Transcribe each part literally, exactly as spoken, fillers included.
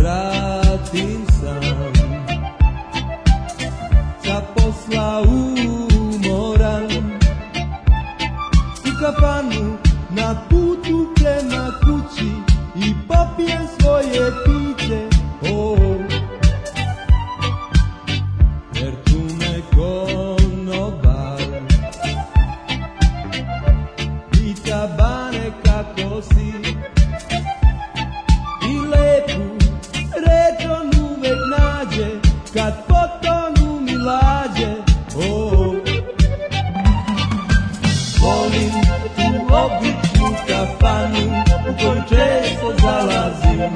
vratim sam sa posla umoran, u kafanu na putu prema kući i popijem svoje piće. Oh, jer tu me konobar pita Bane kako si, i lepu reč on uvek nađe kad potonu mi lađe. Oh, volim tu običnu kafanu u koju često zalazim,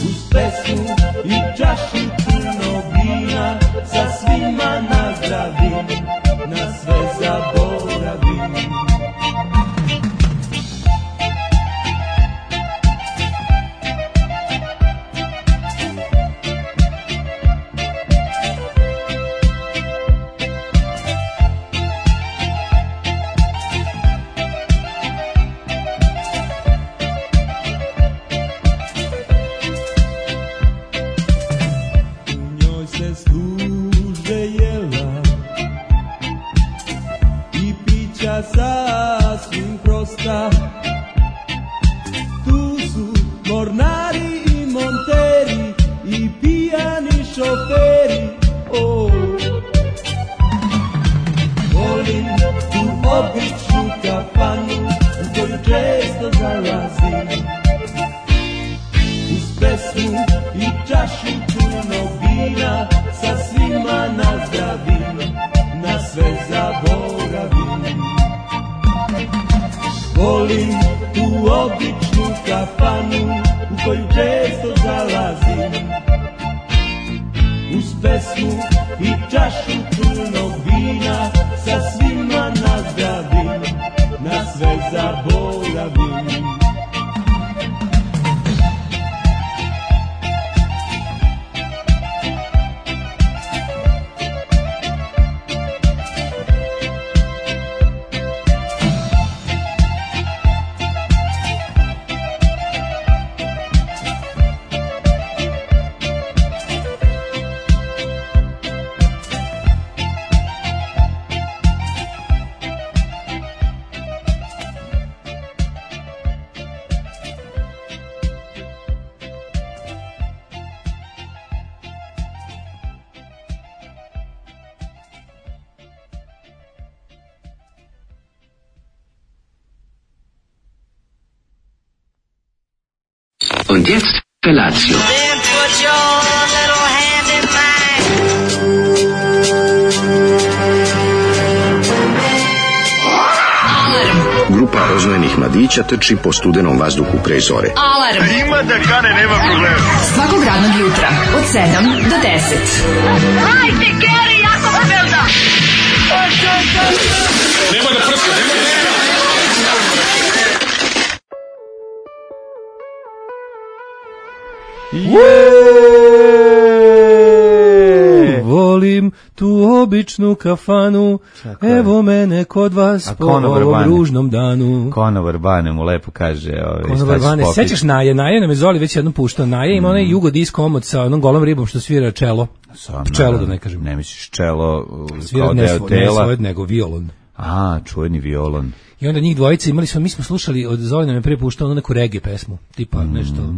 uz pesmu i čašu crnog vina sa svima nazdravim, na sve zaboravim. Sasvim prosta, tu su mornari i monteri i pijani šoferi. Oh, volim tu običnu kafanu u koju često zalazim, uz pesmu i čašu crnog vina sa svima nazdravim, na sve zaboravim. Volim tu običnu kafanu u koju često zalazim, uz pesmu i čašu crnog vina sa svima nazdravim, na sve zaboravim. Und jetzt Felatio. Then put your little hand in mine. Grupa rozvojenih mladića trči po studenom vazduhu pre zore. Alarm. Ima da kane, nema problema. Svakog radnog jutra od sedam do deset. Hajde, Geri, jako se velda. Nema da prska, nema da prska. Yeah! Volim tu običnu kafanu, evo mene kod vas po ovom ružnom danu. Konobar Bane mu lepo kaže. Ovaj, Konobar Bane, sećaš Naje? Naje nam je Zoli već jednom puštao. Naje ima mm. onaj jugo disco omot sa onom golom ribom što svira čelo. Sam, čelo da ne kažem. Ne misliš čelo svira kao ne deo svo, tela? Ne nego violon. A, čuveni violon. I onda njih dvojica imali smo, mi smo slušali, od Zoli nam je prije puštao ono neku reggae pesmu, tipa mm. nešto...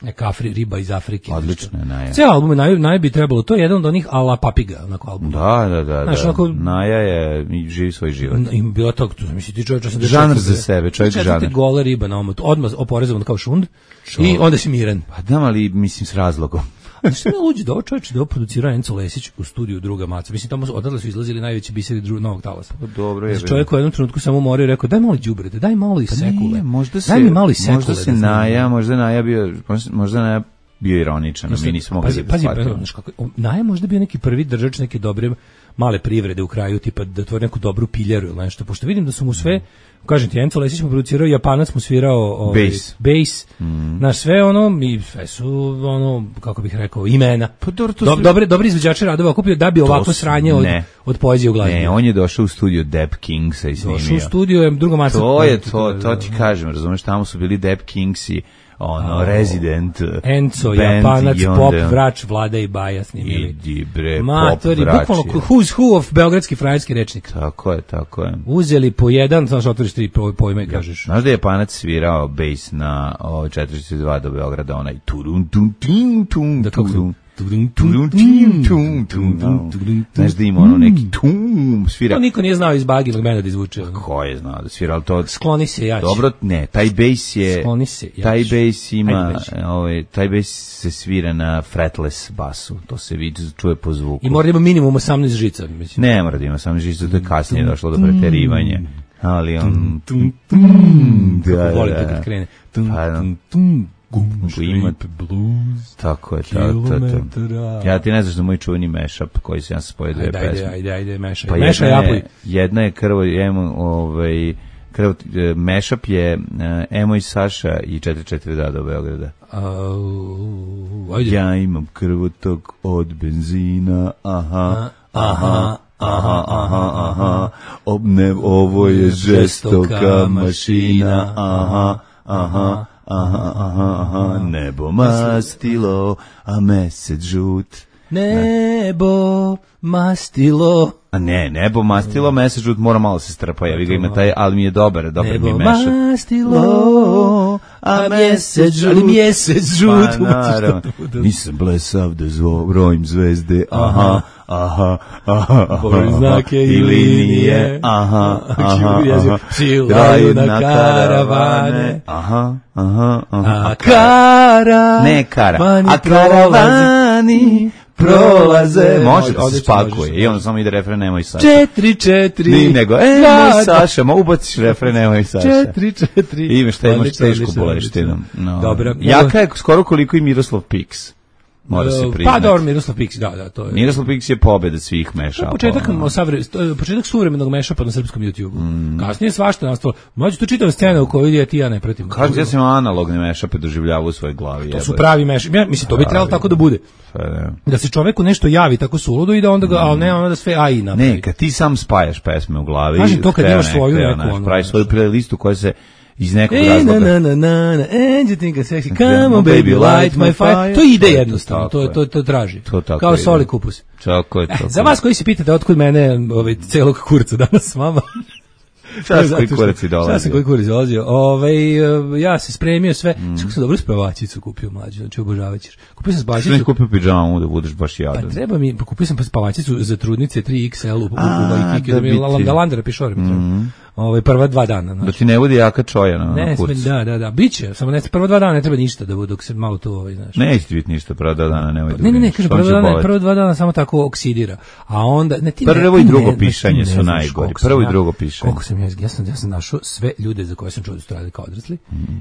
neka Afri, riba iz Afrike. Odlično je Naja. Sve albume naj, naj bi trebalo, to je jedan od onih ala papiga, onako album. Da, da, da. Znaš, da. onako, Naja je, živi svoj život. Ima bilo to, misli ti čovječ osamdeset žanr za sebe, čovjek žanr. Gola riba na omotu, odmah oporezovan kao šund Čo? I onda si miran. Pa da, ali mislim s razlogom. Što ne luđe da ovo čovječ da ovo producira Enzo Lesić u studiju Druga Maca. Mislim, tamo odatle su izlazili najveći biseri dru, novog talasa. Dobro je. Čovjek u jednom trenutku samo morao i rekao, daj malo đubrete, daj malo i pa sekule. Nije, možda se, daj mi malo i sekule. Možda se da Naja, možda Naja bio, možda Naja bio ironičan, mi nismo mogli pazi, da pazi, shvatimo. Pazi, kako, Naja možda bio neki prvi držač neke dobre male privrede u kraju, tipa da otvori neku dobru piljaru ili nešto, pošto vidim da su mu sve, kažem ti, Enzo Lesić mu producirao, Japanac mu svirao ovaj, bass, bass mm. na sve ono, i sve su ono, kako bih rekao, imena. Pa dobro, to Dob, su... Dobri, dobri izvođači radova okupio da bi ovako sranje od, od poezije u glazbi. Ne, on je došao u studio Dap Kingsa i snimio. Došao u studio, je Druga Maca. To je to, to ti kažem, razumeš, tamo su bili Dap Kingsi, ono, Resident Enzo, band Japanac, i onda- pop, vrač, Vlada i Baja snimili. Idi bre, Matori, pop vrač. bukvalno je. who's who of beogradski frajerski rečnik. Tako je, tako je. Uzeli po jedan, znaš, otvoriš tri po- pojme i kažeš. Znaš da je Japanac svirao bejs na o, četiristo dva do Beograda, onaj turun tum tim tum Da, kako se- turun turun tim tum tum. Znaš da ima ono neki tum svira. To niko nije znao iz Baginog benda da izvuče. Ko je znao da svira, ali to... Skloni se, ja ću. Dobro, ne, taj bejs je... Skloni se, ja taj ću. bejs ima... Ajde, beži. Ovaj, taj bejs se svira na fretless basu. To se vidi, čuje po zvuku. I mora da ima minimum osamnaest žica, mislim. Ne mora da ima samo žicu, to je kasnije došlo do preterivanja. Ali on... Tum, tum, Da, kako volite da. kad krene. Tum, Pa, da. tum, tum, gum, Ima- shape blues, Tako je, to, to, to. kilometara. Ja ti ne znaš da moj čuveni mashup koji se ja sam spojio dve Ajde, ajde, pesme. ajde, ajde, mešaj. Pa Mešaj, jedna japuj. je, jedna je krvo, emo, ovaj, krvo, e, mashup je uh, Emo i Saša i četiri četiri da do Beograda. Au, ajde. Ja imam krvotok od benzina, aha, aha, aha, aha, aha, obne, ovo je žestoka mašina, aha, aha, aha, aha, aha, nebo mastilo, a mesec žut. Nebo, mastilo. A ne, nebo mastilo, mesec žut, mora malo se strpa, ja vi ga ima taj, ali mi je dobar, dobar mi je Nebo mešak. mastilo, a mjesec žut. Ali mjesec žut. Pa naravno, nisam blesav da zvo, brojim zvezde, aha, aha, aha, aha, Brojim znake i linije, aha, aha, Čiju jezik, aha, psi Draju laju na karavane, aha, aha, aha, a kara, ne kara, vani a karavani prolaze, može da se Odlično, spakuje, možeš, i onda samo ide refren, nemoj Saša. Četiri, četiri. Ni nego, e, Da, moj da. Saša, ma ubaciš refren, nemoj Saša. Četiri, četiri. I imaš, taj imaš Odlično, tešku odlično, boleštinu. odlično. No. Dobro. Jaka je skoro koliko i Miroslav Piks. Mora se priznati. Pa dobro, Miroslav Piks, da, da, to je. Miroslav Piks je pobeda svih To je mešapa. početak, ono. savre, to je početak suvremenog mešapa na srpskom YouTubeu. Kasnije je svašta nastalo. Mlađe, to čitava scena u kojoj ja ti ja ne pratim. Kažete, ja sam analogne mešape doživljavao u svojoj glavi. To su pravi mešapi. Ja, mislim, to bi trebalo tako da bude. Pa, da. Da se čoveku nešto javi tako suludo i da onda ga, ali ne ono da sve A I napravi. Ne, kad ti sam spajaš pesme u glavi. Kažem to kad hteo imaš ne svoju hteo, neku, znaš, ono, praviš znaš. svoju playlistu koja se iz nekog E, na, razloga... na, na, na, na, and you think I'm sexy, come on baby, light my fire. To ide jednostavno, Tako to, je. to, to traži. To tako Kao ide. soli kupus. Tako je, Eh, tako za je. vas koji se pitate otkud mene ovaj, celog kurca danas s vama. Šta si koji Zato što- kurac i dolazi? Šta sam koji kurac dolazio? Ovaj, eh, ja se spremio sve. Mm. Kako sam dobro spavačicu kupio mlađe, znači obožavaćeš. Kupio sam Što nisi spavačicu. kupio pidžamu da budeš baš Pa jadan? treba mi, pa kupio sam pa spavačicu za trudnice tri iks el u, u, u, A, u Vajkiki, da da mi bi je ti- Galandera pišore mi treba. Ovaj, prva dva dana. Da Znači. ti ne bude jaka čoja na, Ne, na sme, kurcu. da, da, da, biće, samo ne, prva dva dana ne treba ništa da bude dok se malo tu, ovaj, znaš. Neće ti biti ništa, prva dva dana, nemoj da Ne, ne, ne, brineš. kaže On prva će dva dana, boleti. prva dva dana samo tako oksidira. A onda ne ti ne- Prvo i ti drugo ne- pišanje ti ne su znaš najgori. koliko sam Prvo i ja- drugo pišanje. Koliko sam ja, ja sam ja sam našao sve ljude za koje sam čuo da su radili kao odrasli.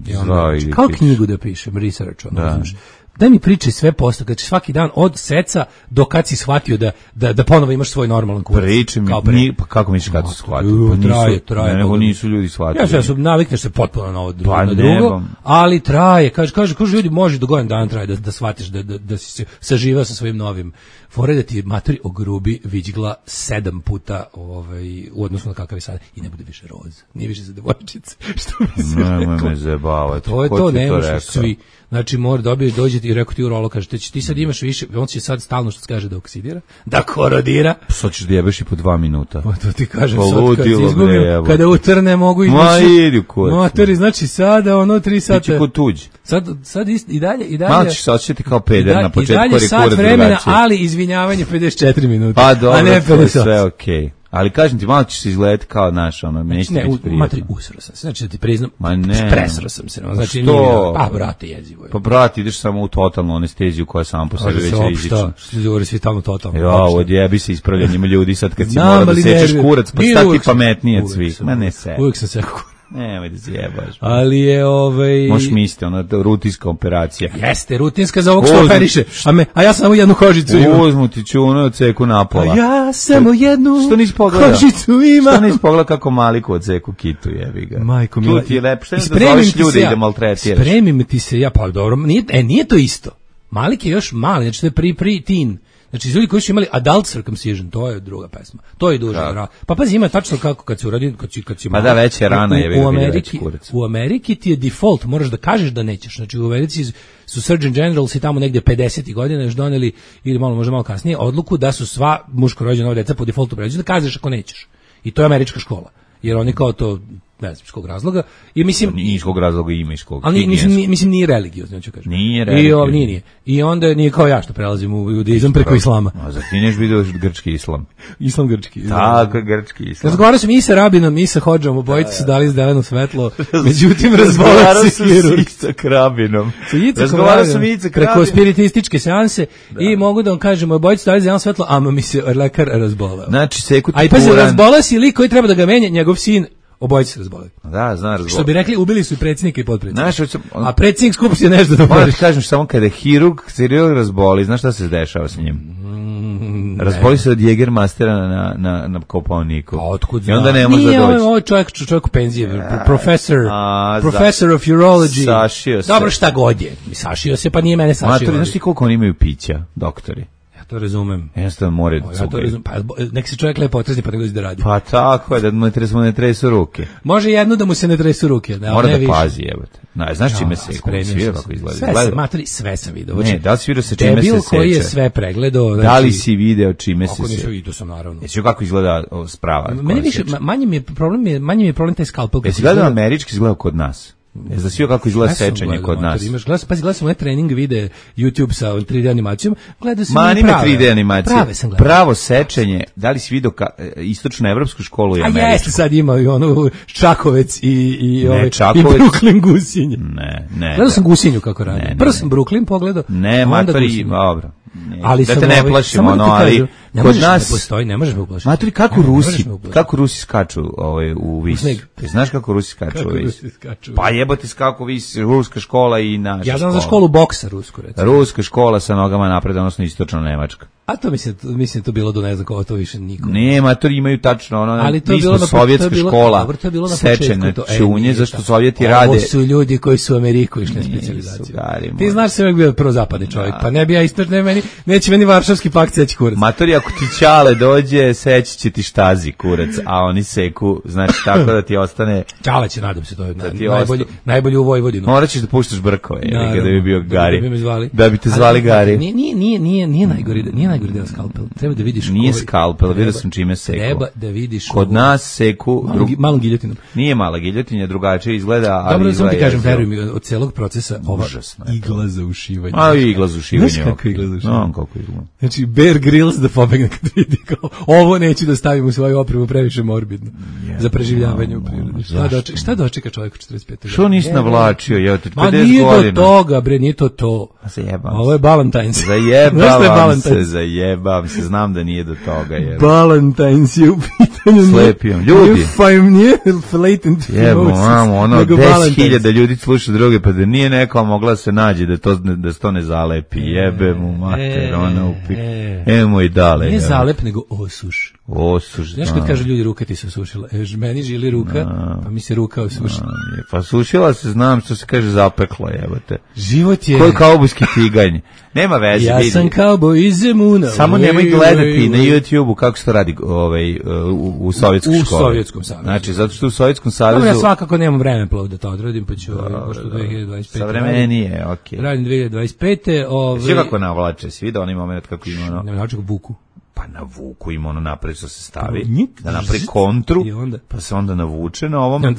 I onda, Zvao znači, ili kao piše. knjigu da pišem, research, ono, Da. razumeš. Daj mi priče sve posle, kad svaki dan od seca do kad si shvatio da, da, da ponovo imaš svoj normalan kurac. Priče mi, Kao pre. ni, pa kako misliš kad su shvatili? Ju, Pa nisu, traje, traje, ne, nego Boga mi. nisu ljudi shvatili. Ja se ja sam navikneš se potpuno na ovo drugo, Pa na ne, drugo, bom. ali traje, kaže, kaže, kaže ljudi može do godinu dana traje da da shvatiš da da da si se saživao sa svojim novim. Fore da ti materi ogrubi viđgla sedam puta ovaj u odnosu na kakav je sad i ne bude više roz. Nije više za devojčice. Što bi se Nemoj reklo. me zajebavati. To je Ko to, ti ne možeš rekao? svi. Znači mora dobije dođete i rekao ti urolo kaže ti, ti sad imaš više, on će sad stalno što se kaže da oksidira, da korodira. Sad ćeš da jebeš i po dva minuta. Pa to ti kažem Pa sad kad ludilo, bre, izgubim, jebote. kada utrne mogu i Ma više. idi u kurac. Matori, znači sada ono tri Ti sata. će kod tuđi. Sad, sad ist, i dalje, i dalje. Malo ćeš se osjećati kao i peder da- na I početku, dalje jer je sat kurac vremena, drugačiji. ali izvinjavanje pedeset četiri minuta. Pa dobro, a ne to je pedeset osam. sve okej. Ali kažem ti, malo ćeš se izgledati kao naš, ono, neće Ne, ti u, biti matri, prijatno. usro sam se. Znači da ti priznam, Ma ne. presro sam se. No, znači, Što? nije, pa, brate, jezivo je. Pa brat, ideš samo u totalnu anesteziju koja sama po sebi Može već se rizična. opšta, što se govori svi tamo totalno. Ja, opšta. odjebi se ispravljanjima ljudi sad kad si Znam, mora da ali sečeš nervira. kurac, pa Nije, sad ti uvek sam- pametnije od uvek svih. sam- Ma ne se. Uvijek sam sekao. Nemoj da zjebaš. Ali je, ovaj... Možeš misliti, ona rutinska operacija. Jeste, rutinska za ovog što Uzmu- operiše. A, me, a ja sam samo jednu kožicu imam. Uzmu ti čunu od ceku napola. A ja samo jednu Što nisi pogledao? kožicu imam. Što nisi pogledao kako maliku od ceku kitu, jebi ga. Majko Tu mila. ti je lepo. Što ne da Spremim zoveš ti ljude se i ja. da maltretiraš? Spremim ti se ja, pa dobro, nije, e, nije to isto. Malik je još mali, znači to je pri, pri teen. Znači, ljudi koji su imali adult circumcision, to je druga pesma. To je duže. Ra- pa pazi, ima tačno kako kad se uradi, kad si, kad si Ma da, već je rana, je u, u, veći Ameriki, kurac. u Ameriki ti je default, moraš da kažeš da nećeš. Znači, u Americi su Surgeon Generals i tamo negdje pedesetih godina još doneli, ili malo, možda malo kasnije, odluku da su sva muško rođena deca po defaultu pređu, da kažeš ako nećeš. I to je američka škola. Jer oni kao to, ne znam iz kog razloga, i mislim nije iz kog razloga, ima iz kog. ali mislim nije, mislim nije religiozno, hoću kažem. Nije religiozno. I ovo nije, nije. I onda nije kao ja što prelazim u judaizam preko islama. A za ti neš vidio grčki islam. Islam grčki. Tako, grčki islam. Razgovarao sam i sa rabinom i sa hodžom, obojice su dali zeleno svetlo, međutim razbolao se hirurg. Sa Icak Rabinom. Razgovarao sam i Icak Rabin. Preko spiritističke seanse i mogu da vam kažem, obojice su dali zeleno svetlo, a mi se lekar razbolao. Znači, Seku a i pa se razbolao si lik koji treba da ga menja, njegov sin. Obojice se razboleli. Da, zna razboleli. Što bi rekli, ubili su i predsjednika i potpredsjednika. Znaš, on... A predsjednik skupštine nešto da moraš kažem samo kada je hirurg, hirurg razboli, znaš šta se dešava sa njim? Mm, razboli se od Jägermeistera na, na, na Kopaoniku. A otkud zna? I onda ne može da doći. Nije, ovo je čovjek, čovjek u penziji, profesor, a, professor za, of urology. Sašio se. Dobro, šta god je. Sašio se, pa nije mene sašio. Matori, znaš ti koliko oni imaju pića, doktori? To razumem. Jednostavno more ja to razumem. Pa nek se čovjek lepo otrezni pa nego da radi. Pa tako je, da mu ne tresu, ne tresu ruke. Može jedno da mu se ne tresu ruke. Da, mora ne da više. pazi, jebote. No, znaš čime se svira kako izgleda? Sve, Gleda. materi, sve sam video. Ne, da li si video sa čime se seče? Debil koji je sve pregledao. Znači, da li si video čime se seče? Ako nisam vidio sam, naravno. Jesi kako izgleda sprava? Meni više, manje mi je problem, je, manje mi je problem taj skalpel. Jesi gledao američki, izgleda kod nas? Jesi da svio kako izgleda sečenje kod nas? Imaš glas, pazi, gledao sam onaj trening vide YouTube sa tri D animacijom, gledao sam Ma, i prave. tri D animacije. Prave sam gledao. Pravo sečenje, da li si vidio ka, istočno evropsku školu i američku? A jeste, sad ima i ono Čakovec i, i, ne, ove, Čakovec. i Brooklyn Gusinje. Ne, ne. Gledao sam Gusinju kako radi. Ne, ne, Prvo sam Brooklyn pogledao. Ne, matori, dobro. Ne, ali da te ne ovi, plašimo, ono, ali ne kod nas ne postoji, ne možeš me uplašiti. Maturi, kako Rusi, kako Rusi skaču ovaj u vis? Znaš kako Rusi skaču kako u vis? Rusi skaču? Pa jebote kako vis, ruska škola i naša. Ja znam škola. za školu boksa rusku, recimo. Ruska škola sa nogama napred, odnosno istočno nemačka. A to mislim, mislim to bilo do ne znam koga, to više niko. Ne, matori imaju tačno ono, ali to mi je bilo smo na, sovjetska to je bilo, škola, dobro, to je bilo na sečene to, čunje, zašto Sovjeti ovo rade. Ovo su ljudi koji su u Ameriku išli na specijalizaciju. Ti znaš se uvijek bio prozapadni čovjek, da. Pa ne bi ja isto, ne meni, neće meni Varšavski pakt seći kurac. Matori, ako ti Ćale dođe, seći će ti štazi kurac, a oni seku, znači tako da ti ostane... Ćale će, nadam se, to je da naj, najbolji, najbolji u Vojvodinu. Morat ćeš da puštaš brkove, jer kada bi bio Gari. Da bi, zvali. Da bi te zvali ali, Gari. Nije, nije, nije, nije, nije najgori, nije najgori deo skalpel. Treba da vidiš... Nije skalpel, vidio sam čime seku. Treba da vidiš... Kod nas seku... Malom, drug... malom giljotinom. Nije mala giljotinja, drugačije izgleda, ali dobro, izgleda... Dobro, sam ti kažem, veruj mi, od celog procesa ova užasno igla za ušivanje. A, igla za ušivanje. Znaš kako igla za ušivanje? No, kako igla. Znači, Bear Grylls da pobegne kad vidi kao, ovo neću da stavim u svoju opremu, previše morbidno. Yeah, za preživljavanje u prirodi. Šta, dočeka, šta dočeka čovjek u četrdeset pete? Što nisi navlačio, je te pedeset godina? Ma nije do toga, bre, nije to to. Zajebam ovo je Valentine's. Zajebam se, zajebam se, znam da nije do toga. Jer... Valentine's je u pitanju. Slepijom. Ljudi. Fajm nije latent Jebo, mamo, ono, deset hiljada ljudi sluša druge, pa da nije neko mogla se nađe da to, da to ne zalepi. Jebe mu mater, ona upik. Emo i dale. Nije zalep, nego osuš. Osuš, znaš kad kaže ljudi, ruka ti se osušila. E, meni žili ruka, no. Pa mi se ruka osušila. No, pa sušila se, znam što se kaže zapekla, jebate. Život je... Koji kaubojski tiganj. Nema veze, ja vidi. sam kauboj iz Zemuna. Samo nemoj gledati na YouTube-u kako se to radi ovaj, u, u Sovjetskoj školi. U Sovjetskom savezu. Znači, zato što u Sovjetskom savezu... Dobro, ja svakako nemam vremena da to odradim, pa ću ovaj, pošto dve hiljade dvadeset pete. Savremenije, okej. Okay. Radim dve hiljade dvadeset pete. Ovaj... Svi kako navlače, svi da onaj moment kako ima ono... Ne navlače kako vuku. Pa na vuku ima ono napred što se stavi, da napravi kontru, onda, pa se onda navuče na ovom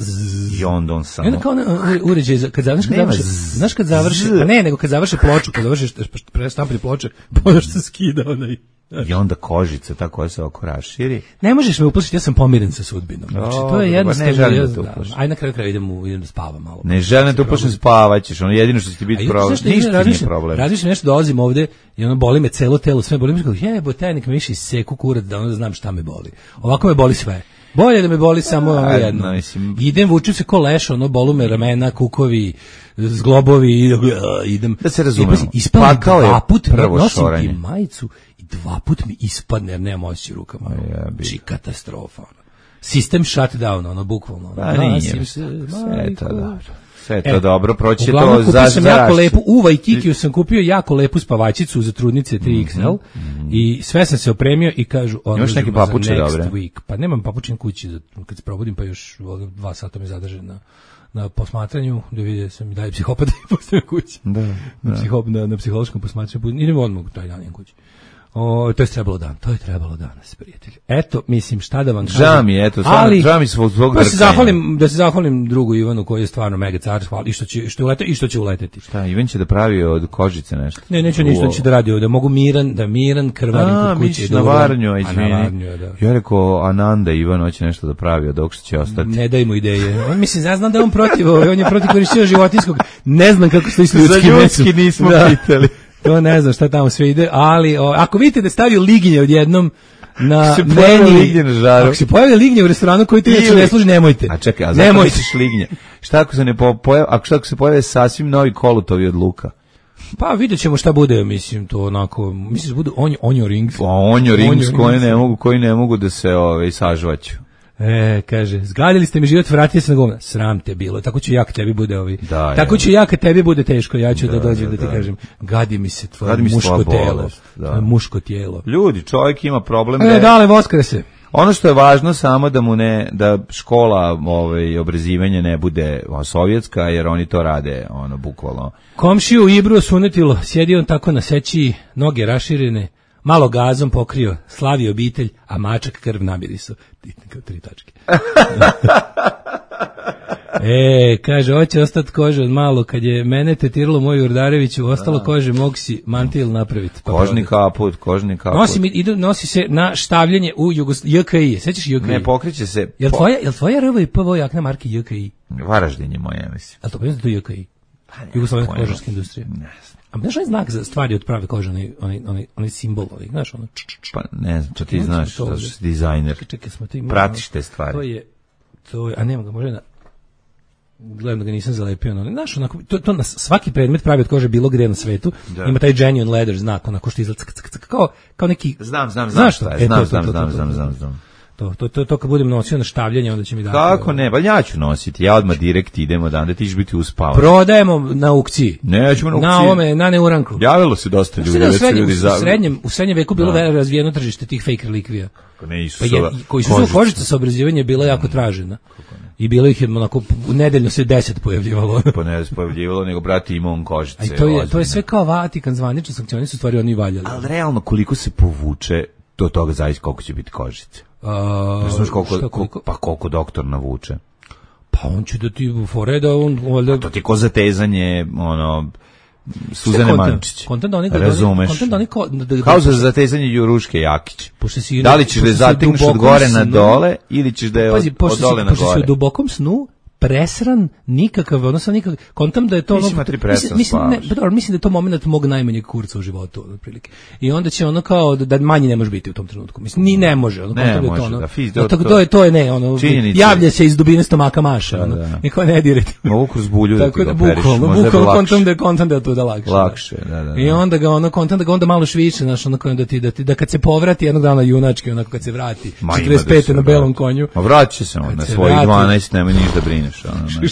i onda on samo... I onda kao na, uređaj, kad završi, kad završi, znaš kad završi, pa ne, nego kad završi ploču, kad završiš prestampili ploče, pa ono što skida onaj... I onda kožica, ta koja se oko raširi. Ne možeš me uplašiti, ja sam pomiren sa sudbinom. Znači, o, to je jednostavno... Ne želim da te uplašiti. Aj na kraju kraja idem, u, idem da spavam malo. Ne želim da te uplašiti, spavaćeš. Ono jedino što će ti biti problem. Ništa nije problem. Razmišljam nešto, dolazim ovde i ono boli me celo telo, sve boli me. Kao, jebo, tajnik me više seku kurac da onda znam šta me boli. Ovako me boli sve. Bolje da me boli samo ono jedno. No, mislim... Idem, vučim se ko leš, ono, bolu me ramena, kukovi, zglobovi, idem. Da se razumemo. Ispadne dva put, nosim i majicu i dva put mi ispadne, jer nemam osjećaj rukama. Či katastrofa. Sistem shut down, ono, bukvalno. Pa nije, se, sve je to dobro. Sve je to e, dobro, proći to za sam jako lepu, u Vajkikiju sam kupio jako lepu spavačicu za trudnice tri iks el mm -hmm. I sve sam se opremio i kažu Imaš neke papuče dobre? Week. Pa nemam papučin kući, kad se probudim pa još dva sata me zadrže na na posmatranju, da vidi sam i dalje psihopata i postavim kući. Da, na, da. Psihop, na, na psihološkom posmatranju. Idemo odmah taj dan idem kući. O, to je trebalo dan, to je trebalo danas, prijatelji. Eto, mislim, šta da vam kažem. Žao mi, eto, stvarno, žao mi svog svog da se zahvalim, da se zahvalim drugu Ivanu koji je stvarno mega car, hvala, i što će, što ulete, i što će uleteti. Šta, Ivan će da pravi od kožice nešto? Ne, neću ništa, će da radi ovde, mogu miran, da miran, krvarim kod kuće. A, na Varnju, aj na Varnju, da. Ja rekao, Ananda Ivan hoće nešto da pravi, od dok što će ostati. Ne daj mu ideje. On mislim, ja znam da je on protiv, on je protiv korišćenja životinjskog, ne znam kako stoji s ljudskim mesom. Za ljudski nismo da. pitali. To ne znam šta tamo sve ide, ali o, ako vidite da stavio liginje odjednom na se meni, na žaru. Ako se pojavi lignje u restoranu koji ti neće ne služi, nemojte. A čekaj, a zašto misliš lignje? Šta ako se ne pojavi, ako šta ako se pojave sasvim novi kolutovi od luka? Pa vidjet ćemo šta bude, mislim, to onako, mislim da budu onjo, onjo rings. Pa onjo rings koji ne mogu, koji ne mogu da se ovaj, sažvaću. E, kaže, zgadili ste mi život, vratite se na govna. Sram te bilo, tako će ja kad tebi bude ovi. Da, tako je. će ja kad tebi bude teško, ja ću da, da dođem da, da ti da. kažem, gadi mi se tvoje Gadi mi muško telo. Bolest, da. Tvoje muško tijelo. Ljudi, čovjek ima problem. E, da je... dale, voskre se. Ono što je važno samo da mu ne, da škola ovaj, obrazivanja ne bude sovjetska, jer oni to rade, ono, bukvalno. Komšiju Ibru sunetilo, sjedi on tako na seći, noge raširene, malo gazom pokrio, slavi obitelj, a mačak krv namirisao. Kao tri tačke. E, kaže, hoće ostati kože od malo, kad je mene tetiralo moju Urdareviću, ostalo da. Kože, mogu si mantil napraviti. Pa kožni kaput, kožni kaput. Nosi, idu, nosi se na štavljanje u Jugos... J K I, sećaš J K I? Ne, pokriće se... Jel tvoja, jel tvoja R V I P V jakna marke J K I? Varaždin je moja, mislim. A to pa to J K I? Jugoslovenska kožarska industrija. Ne znam. A znaš onaj znak za stvari od prave kože, onaj, onaj, onaj, onaj simbol, onaj, znaš ono? Č, č, č. Pa ne znam, to ti znaš, to si dizajner. Čekaj, čekaj, smo to imali. Pratiš te stvari. To je, to je, a nema ga, može na... Gledam da ga nisam zalepio, no, znaš, onako, to, to na svaki predmet pravi od kože bilo gde na svetu, da. Ima taj genuine leather znak, onako što izgleda, kao, kao neki... Znam, znam, znam, znaš šta je, znam, to, znam, to, to, znam, to, znam, to, znam, znam. To, to, to, to kad budem nosio na štavljanje, onda će mi dati... Kako ne, pa ja ću nositi, ja odmah direkt idemo dan, da ti ćeš biti uspavan. Prodajemo na aukciji. Nećemo na aukciji. Na ovome, na neuranku. Javilo se dosta ljudi. U srednjem, ljudi za... u srednjem, u srednjem veku bilo no. razvijeno tržište tih fake relikvija. Ne, pa je, koji su kožica. kožica sa obrazivanje bila jako tražena. I bilo ih je onako, nedeljno se deset pojavljivalo. Pa ne se pojavljivalo, nego brati ima on kožice. A to je, to je sve kao Vatikan zvanično sankcioni su stvari oni valjali. Ali realno koliko se povuče, do toga zavisi koliko će biti kožice. A, ne znaš koliko, šta, koliko, pa koliko doktor navuče. Pa on će da ti fore da on... Valjda... To ti je ko zatezanje, ono... Suzane Mančić. Kontent da oni razumeš. Kontent da oni kao da, kao za zatezanje Juruške Jakić. Da li ćeš da zategneš od gore na dole ili ćeš da je od, od dole na gore? Pošto si u dubokom snu presran, nikakav, odnosno nikakav, kontam da je to... Mislim, ono, mislim, mislim, ne, dobro, mislim da je to moment mog najmanjeg kurca u životu, otprilike. I onda će ono kao, da, da manji ne može biti u tom trenutku. Mislim, ni ne može. Ono, ne može, to, ono, da, fiz, to, to, to, je, to je ne, ono, činjenica. Javlja se iz dubine stomaka maša, da, ono, da. Niko ne direte. Mogu kroz bulju da ti ga operiš, bukvalno, bukvalno kontam da je kontam da je to da lakše. Lakše, da, da, da. I onda ga ono, kontam da ga onda malo šviče, znaš, ono, da ti, da ti, da kad se povrati jednog dana junački, onako kad se vrati, četrdeset pete na belom konju. A vratit će se on na svojih dvanaest, nema niš da brineš,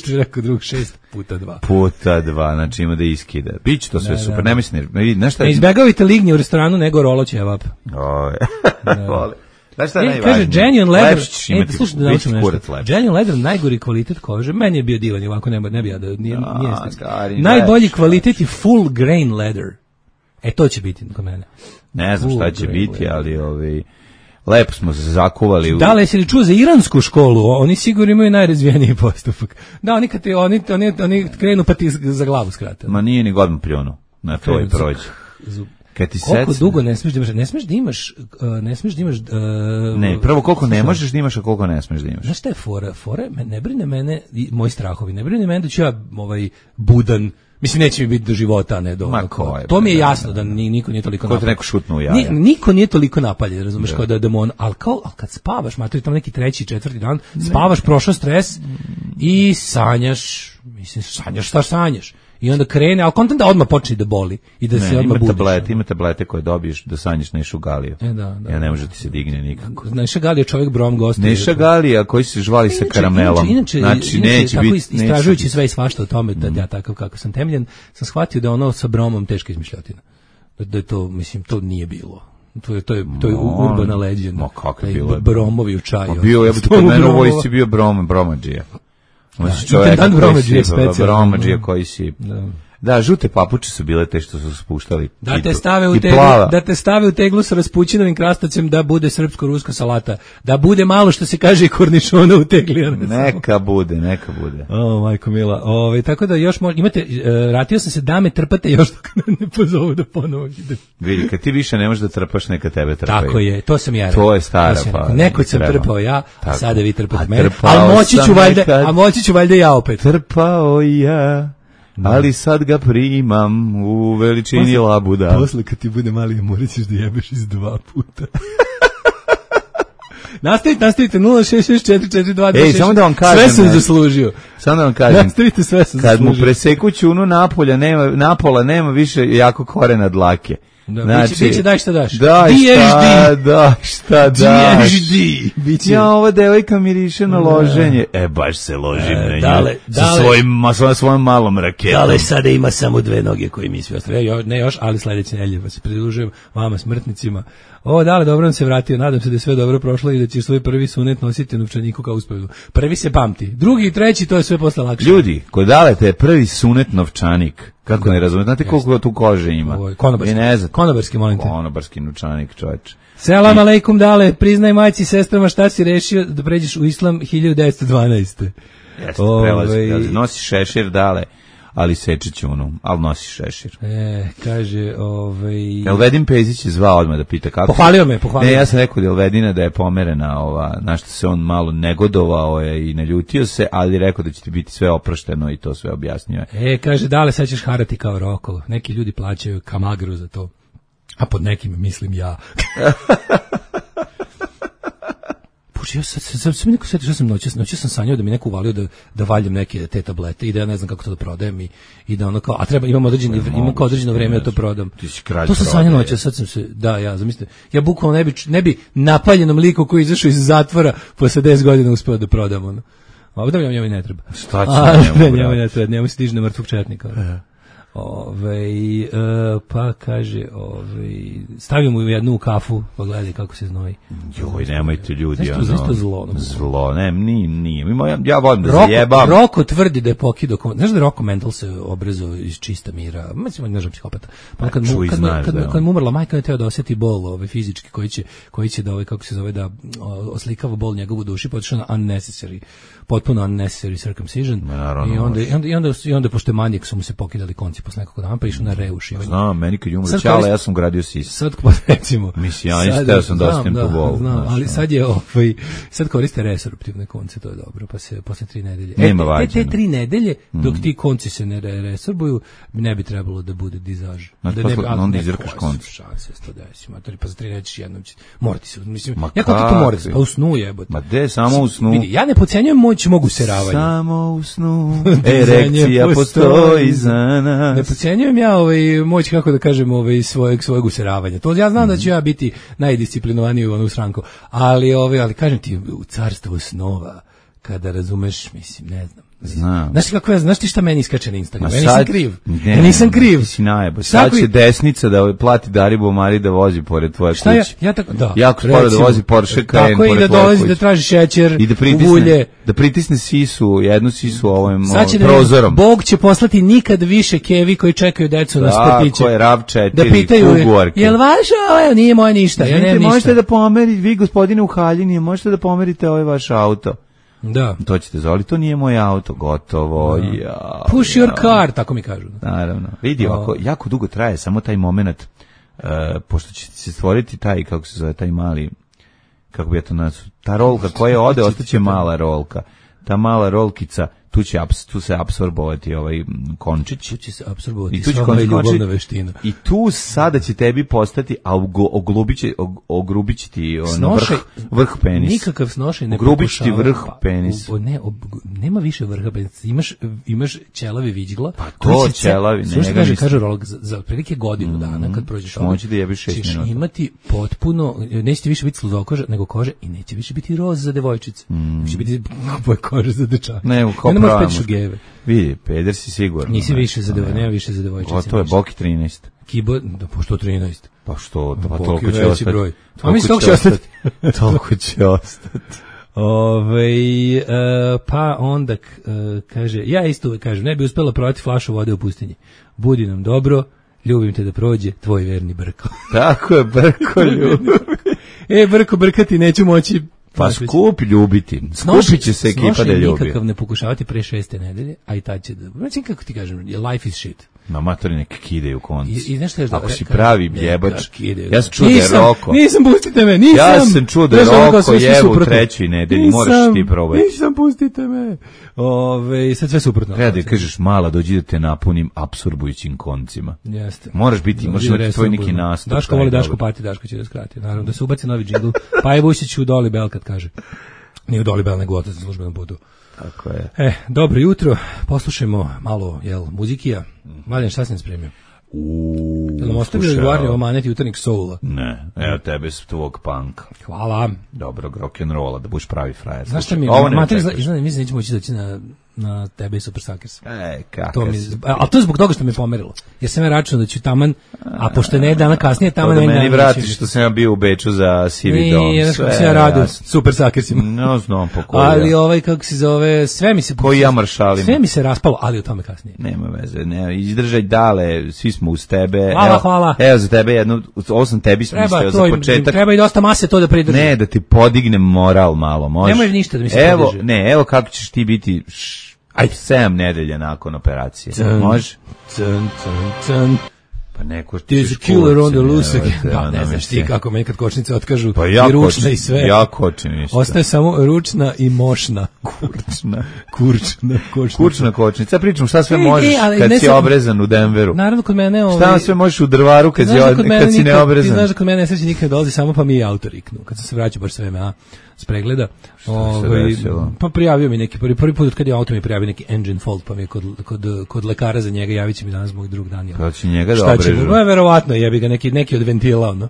rekao drug šest puta dva. Puta dva, znači ima da iskida. Biće to sve da, super, da. Ne mislim, ne vidi, nešto... Ne izbjegavajte lignje u restoranu, nego rolo ćevap. Oj, vole. Znaš šta je najvažnije? Kaže, genuine leather, lepšić imati, slušaj, da naučim nešto. Genuine leather, najgori kvalitet kože, meni je bio divan, ovako ne, ne bi ja da, nije, da, nije gari, najbolji lepšić, kvalitet je full grain leather. E, to će biti kod mene. Ne znam full šta će biti, leather. Ali ovi... Lepo smo se zakuvali. U... Da li jesi li čuo za iransku školu? Oni sigurno imaju najrazvijeniji postupak. Da, oni kad te, oni, oni, oni krenu pa ti za glavu skrate. Ma nije ni godno pljunu. Na to i prođe. Kad ti koliko sec... dugo ne smiješ da imaš, ne smiješ da imaš, uh, ne smiješ da imaš... Uh, ne, prvo koliko ne možeš da imaš, a koliko ne smiješ da imaš. Znaš šta je fora? Fora, ne brine mene, moji strahovi, ne brine mene da ću ja ovaj, budan, mislim, neće mi biti do života, a ne do... Ma ko je, to mi je jasno da ni, niko nije toliko napaljen. Ko te neko šutnu u jaja. Ni, niko nije toliko napaljen, razumeš, kao da je demon, ali kao, ali kad spavaš, materi, tamo neki treći, četvrti dan, spavaš, prošao stres i sanjaš, mislim, sanjaš šta sanjaš. I onda krene, ali kontent da odmah počne da boli i da ne, se odmah ima budiš. Tablete, ima tablete koje dobiješ da sanjaš Nešu Galiju. E, da, da. Ja ne može ti se digne nikako. Neša Galija je čovjek brom gosti. Neša Galija koji se žvali sa karamelom. Inače, znači, inače, neće tako biti... istražujući neće sve i svašta o tome, da ja takav kako sam temeljen, sam shvatio da ono sa bromom teška izmišljotina. Da, da je to, mislim, to nije bilo. To je, to je, to je urbana legenda. Ma kako je bilo? Bromovi u čaju. Ma bio, ja bih kod mene u vojsci bio Brom, Bromadžija. Znači čovjek koji si, Bromadžija koji si... Da. Da, žute papuče su bile te što su spuštali. Da te stave u teglu, da te stave u teglu sa raspućinovim krastavcem da bude srpsko-ruska salata. Da bude malo što se kaže i kornišona u tegli. Neka bude, neka bude. O, majko mila. Ove, tako da još možete, imate, uh, ratio sam se da me trpate još dok ne pozovu da ponovo ide. Vidi, kad ti više ne možeš da trpaš, neka tebe trpaju. Tako je, to sam ja. To je stara pa. Neko sam trpao ja, a sada vi trpate mene. Ali moći ću valjda, a moći ću valjda ja opet. Trpao ja. Ali sad ga primam u veličini posle, labuda. Posle kad ti bude mali, morat ćeš da jebeš iz dva puta. Nastavite, nastavite, nula šest šest četiri četiri dva dva šest. Ej, samo da vam kažem. Sve sam zaslužio. Samo da vam kažem. Nastavite, sve sam kad zaslužio. Kad mu preseku ćunu napolja, nema, napola nema više jako korena dlake. Da, znači, biće, biće daj šta daš. Daj šta, daj šta daš. Biće. Ja, ova devojka miriše na loženje. E, baš se ložim e, na nju. Dale, sa dale, svojim, sa svojim malom raketom. Dale sada ima samo dve noge koje mi svi ostavljaju. Ne još, ali sledeće nedelje pa se pridružujem vama smrtnicima. O, dale, dobro nam se vratio. Nadam se da je sve dobro prošlo i da ćeš svoj prvi sunet nositi u novčaniku kao uspovedu. Prvi se pamti. Drugi i treći, to je sve posle lakše. Ljudi, kod Daleta je prvi sunet novčanik. Kako ne razumete? Znate koliko tu kože ima? Konobarski. Ne znam. Konobarski, molim te. Konobarski novčanik, čoveče. Selam aleikum, Dale. Priznaj majci i sestrama šta si rešio da pređeš u islam hiljadu devetsto dvanaeste. Jeste, prelazi. Nosi šešir, Dale, ali seče ćunu, ali nosi šešir. E, kaže, ovaj... Elvedin Pezić je zvao odmah da pita kako... Pohvalio me, pohvalio Ne, ja sam rekao da Elvedina da je pomerena, ova, na što se on malo negodovao je i naljutio se, ali rekao da će ti biti sve oprošteno i to sve objasnio. E, kaže, Dale, sad ćeš harati kao Roko. Neki ljudi plaćaju kamagru za to. A pod nekim mislim ja. Puši, ja sad, sad, sad mi neko sjeti što sam noćas, noćas sam sanjao da mi neko uvalio da, da valjam neke te tablete i da ja ne znam kako to da prodajem i, i da ono kao, a treba, imam određeno, imam kao određeno vreme da to prodam. To sam sanjao noćas, sad sam se, da, ja, zamislite, ja bukvalno ne bi, ne bi napaljenom liku koji je izašao iz zatvora posle deset godina uspeo da prodam, ono. Ovo da njemu ne treba. Šta će njemu? Njemu ne treba, njemu se diže na mrtvog četnika. Ove, e, pa kaže, ove, stavio mu jednu u kafu, pogledaj kako se znoji. Joj, nemojte ljudi. Zašto, ono, zašto zlo? No, zlo, ne, nije, nije. Ja, ja volim da Roko, zajebam. Roko tvrdi da je pokido, znaš da je Roko Mental se obrazao iz čista mira, mislim, ne znam psihopata. Pa kad, mu, kad, znaš, kad, kad, kad mu umrla majka, je teo da osjeti bol ove, fizički, koji će, koji će da, ove, kako se zove, da oslikava bol njegovu duši, potišao na unnecessary, potpuno unnecessary circumcision. Naravno, I onda, i onda, i onda, i onda pošto je manijek, su mu se pokidali konci posle nekog dana, pa išao na reušivanje. Znam, meni kad je umro Ćale, ja sam gradio sis. Sad, recimo... Mislim, ja isteo sam da ostajem po bolu. Znam, ali sad je, ovaj, sad koriste resorptivne konce, to je dobro, pa se posle tri nedelje. Nema e, vađena. Te, te tri nedelje, dok ti konci se ne resorbuju, ne bi trebalo da bude dizaž. Znači, da ne bi, onda izrkaš konci. Šanse, sto deset, matori, pa za tri nedelje ćeš jednom će... Morati se, mislim, ja kako ti to morati, pa u snu jebote. Ma de, samo u snu. Vidi, ja ne podcenjujem moć mogu useravanja. Samo u snu, erekcija postoji za nas. Ne podcenjujem ja ovaj, moć, kako da kažem, ovaj, svojeg, svojeg useravanja. To ja znam mm-hmm. da ću ja biti najdisciplinovaniji u onu stranku, ali, ovaj, ali kažem ti, u carstvu snova, kada razumeš, mislim, ne znam. Znam. Znaš ti kako ja, znaš ti šta meni iskače na Instagram? Ma Ja sad, nisam kriv. Ne, ja nisam kriv. Ti si najbolj. Sad će desnica da plati Daribu Mari da vozi pored tvoje kuće. Ja, ja tako, da. Jako sporo da vozi Porsche Cayenne tako pored i da dolazi da traži šećer, i da pritisne, ulje. Da pritisne sisu, jednu sisu ovim Sad prozorom. Da Bog će poslati nikad više kevi koji čekaju decu na sportiće. Tako je, rav četiri, da pitaju, Kuguarke. Jel vaša? Evo, nije moje ništa, ja nemam ništa. Možete da pomerite, vi gospodine u haljini, možete da pomerite ovaj vaš auto. Da. To ćete zvali, to nije moj auto, gotovo. Da. Ja, push ja. your car, tako mi kažu. Naravno. Vidi, ovako, jako dugo traje samo taj moment, uh, pošto će se stvoriti taj, kako se zove, taj mali, kako bi ja to nazvao, ta rolka koja ode, ostaće mala rolka. Ta mala rolkica, tu će tu se apsorbovati ovaj končić, tu će se apsorbovati i tu će končić, ljubavna veština. I tu sada će tebi postati, a oglubiće ogrubiće ti ono vrh, vrh penisa. Nikakav snošaj ne ogrubiće ti vrh penisa. Pa, ne, ob, nema više vrha penisa. Imaš imaš ćelavi viđgla. Pa to ćelavi, ne, ne kaže kaže rolog za, za prilike godinu mm, dana kad prođeš ovdje. Moći da jebiš šest minuta. Imati potpuno, neće više biti sludokoža nego kože i neće više biti roz za devojčice. Mm. Će biti boja kože za dečaka. Ne, ne možeš prava peti šugeve. Vidi, peder si sigurno. Nisi ne, više za ne. devoj, nema više za devojčice. Gotovo je, Boki trinaest. Kibo, da, pošto trinaest. Pa što, da, pa Boki toliko će veći ostati. broj. A Toliko mislim, toliko će ostati. Toliko će ostati. Ove, e, pa onda k- e, kaže, ja isto uvek kažem, ne bi uspela prodati flašu vode u pustinji. Budi nam dobro, ljubim te da prođe, tvoj verni Brko. Tako je, Brko ljubi. E, Brko, brkati neću moći. Pa skup ljubiti. Skupit će se ekipa da ljubi. nikakav ne pokušavati pre šeste nedelje, a i tad će da... Znači, kako ti kažem, life is shit. Na matori nek kide u konc. I, i znaš šta je Ako si pravi jebač, kidaju. ja sam čuo da je Nisam, Roko. Nisam, pustite me, nisam. Ja sam čuo da je Znaš, ono kao Roko sve su jebe u suprotno. trećoj nedelji, Nisam, moraš ti probati. Nisam, pustite me. Ove, sad sve suprotno. Treba da kažeš mala, dođi da te napunim apsorbujućim koncima. Jeste. Moraš biti, možeš imati tvoj neki nastup. Daško taj voli Daško dobar. pati, Daško će da skrati. Naravno, da se ubaci novi džingl. Pa je Vučić u Doli Bell kad kaže. Nije u Doli Bell, nego otac na službenom putu. Tako je. E, dobro jutro, poslušajmo malo, jel, muzikija. Mladen, šta sam spremio? Uuu, Jel nam ostavio Eduardo Omanet jutarnjeg soula? Ne, evo tebe s tvog panka. Hvala. Dobrog rock'n'rolla, da budeš pravi frajer. Znaš šta mi je, Ovo ne mater, očekuješ. izgleda, mislim da nećemo moći doći na, na tebe i Super Suckers. E, To kakav mi, si. a, a to je zbog toga što me pomerilo. Jer sam ja računao da ću taman, a pošto je ne dana kasnije, To taman da ne meni dana vratiš neće što sam ja bio u Beču za Sivi dom. Nije, znaš kako Sve se ja radu jasno. Super Suckersima. No, znam po koji. Ali ovaj, kako se zove, sve mi se... Koji ja maršalim. Sve mi se raspalo, ali o tome kasnije. Nema veze, ne, izdržaj dale, svi smo uz tebe. Hvala, evo, hvala. Evo za tebe jedno, ovo sam tebi Treba, smislio to, za im- početak. treba i dosta mase to da pridrži. Ne, da ti podignem moral malo, može. Nemoj ništa da mi se evo, podiže. Ne, evo kako ćeš ti biti š, aj sedam nedelja nakon operacije. Cun. Može? Cun, cun, cun. Pa neko There's ćeš a killer on the kurcem, loose evo again. te, Da, ono ne znaš mislim. ti kako meni kad kočnice otkažu Pa ja i ručna kočim, i sve. ja kočim ništa. Ostaje samo ručna i mošna. Kurčna. Kurčna, kočnica. Kurčna kočnica. Pričam šta sve E, možeš e, ali kad ne si sam- obrezan u Denveru. Naravno, kod mene... Ovaj, Šta sve možeš u drvaru kad, znaš si, da kod mene kad si nikad- neobrezan? Ti znaš da kod mene nesreće nikad ne dolazi samo pa mi je autor iknu. Kad sam se vraćao baš sve a s pregleda. se Ovaj, desilo? pa prijavio mi neki, prvi, prvi put kad je auto mi prijavio neki engine fault, pa mi je kod, kod, kod lekara za njega, javit će mi danas moj drug Daniel. Pa će njega da Šta će obrežu. mu? No, verovatno, jebi ga neki, neki od ventila, ono.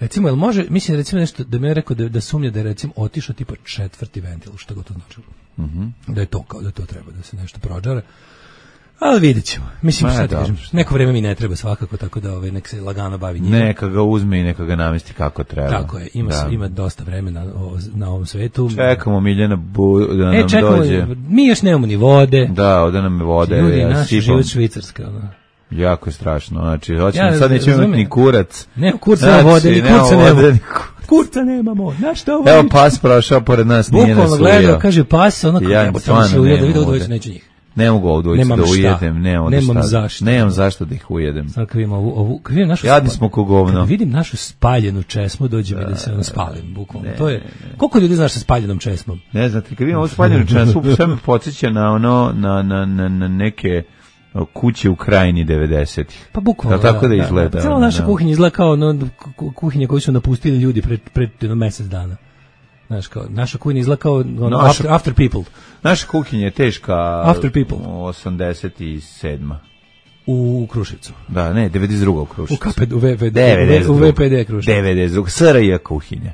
Recimo, jel može, mislim recimo nešto, da mi je rekao da, da sumnja da je recimo otišao tipa četvrti ventil, što god to značilo. Mhm. Da je to kao, da to treba, da se nešto prođara. Ali vidjet ćemo. Mislim, Ma, šta ti dobro. kažem, neko vreme mi ne treba svakako, tako da ovaj, nek se lagano bavi njima. Neka ga uzme i neka ga namesti kako treba. Tako je, ima, Da. ima dosta vremena o- na ovom svetu. Čekamo Miljana Bu, da E, nam čekamo, dođe. mi još nemamo ni vode. Da, ovde nam je vode. Ljudi, ja naš sipam. život Švicarska. Ono. Jako je strašno. Znači, hoćemo, Ja sad nećemo imati razumem. ni kurac. Ne, kurca Znači, nema vode, ni nema kurca vode, nema. ni ku- Kurca nemamo, na šta ovo? Evo pas prošao pored nas, nije nas Bukvalno gledao, ujeo. kaže pas, ono Ja kao, jebote, stvarno tamo se ujede, nemam vidio ovde. doći, neću njih. Ne mogu ovdje ući Nemam da šta. ujedem. Nemam, ovdje Nemam šta. zašto. Nemam zašto da ih ujedem. Sad kad vidim ovu, ovu, kad vidim našu Jadni spa- smo ko govno. Kad vidim našu spaljenu česmu, dođe mi da se ono spalim, bukvalno. To je, koliko ljudi znaš sa spaljenom česmom? Ne znam, ti kad vidim ovu spaljenu času, sve me podsjeća na ono, na, na, na, na neke o, kuće u krajini devedesetih. Pa bukvalno. Da, tako da izgleda, Cijela ono, naša da. kuhinja izgleda kao ono, ku- kuhinje koju su napustili ljudi pred, pred jedno mesec dana. Znaš, kao, naša kuhinja izgleda kao ono, Naša- after, after people Naša kuhinja je teška After people. osamdeset sedma. u Kruševcu. Da, ne, devedeset druga u U Kruševcu. K P D, u V P D, devedeset u druga. V P D Kruševac. devedeset druga. S R J kuhinja.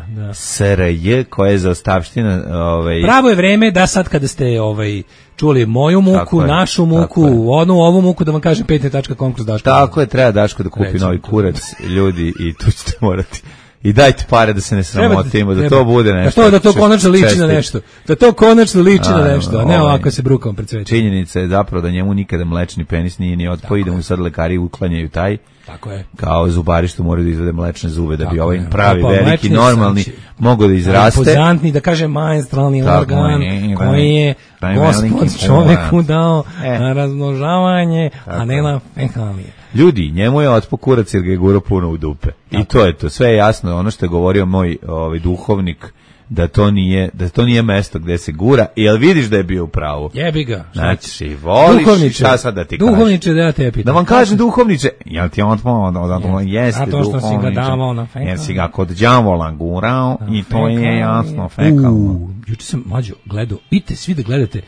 Da. S R J koja je za ostavština ovaj, Pravo je vreme da sad kada ste ovaj čuli moju muku, Tako je, našu tako muku, je. onu ovu muku da vam kažem pet tačka com kroz Daško. tako je, treba Daško da kupi Recimo novi to. kurac, ljudi, i tu ćete morati. I dajte pare da se ne Treba- sramotimo, da treba- to bude nešto. Da to, da to čest- konačno liči na čestit. nešto. Da to konačno liči na A, nešto, a ne ovaj, ovako se brukamo pred svetom. Činjenica je zapravo da njemu nikada mlečni penis nije ni otpao i da mu sad lekari uklanjaju taj, Tako je. kao zubari što moraju da izvede mlečne zube da bi Tako ovaj je. pravi, Pa, veliki, mlečni normalni sam će- mogao da izraste. Impozantni, da kažem, maestralni Tako organ je, koji je taj Gospod veliki čoveku organ. dao E. na razmnožavanje, a Tako ne je. na fekalije. Ljudi, njemu je otpo kurac jer ga je gurao puno u dupe. I to je to, sve je jasno, ono što je govorio moj ovaj duhovnik, da to nije, da to nije mesto gde se gura, jel vidiš da je bio u pravu? Jebi ga. šta ćeš? Znači, voliš, Duhovniče, šta sad da ti kažem? Duhovniče, da ja te pitam. Da vam kažem duhovniče, jel ti on tvoj, da, da, da, jeste Zato što si ga duhovniče, davao na fekal. jer si ga kod đavola gurao i to je Fekalije. jasno fekalno. U, juče sam mlađo gledao, idite svi da gledate.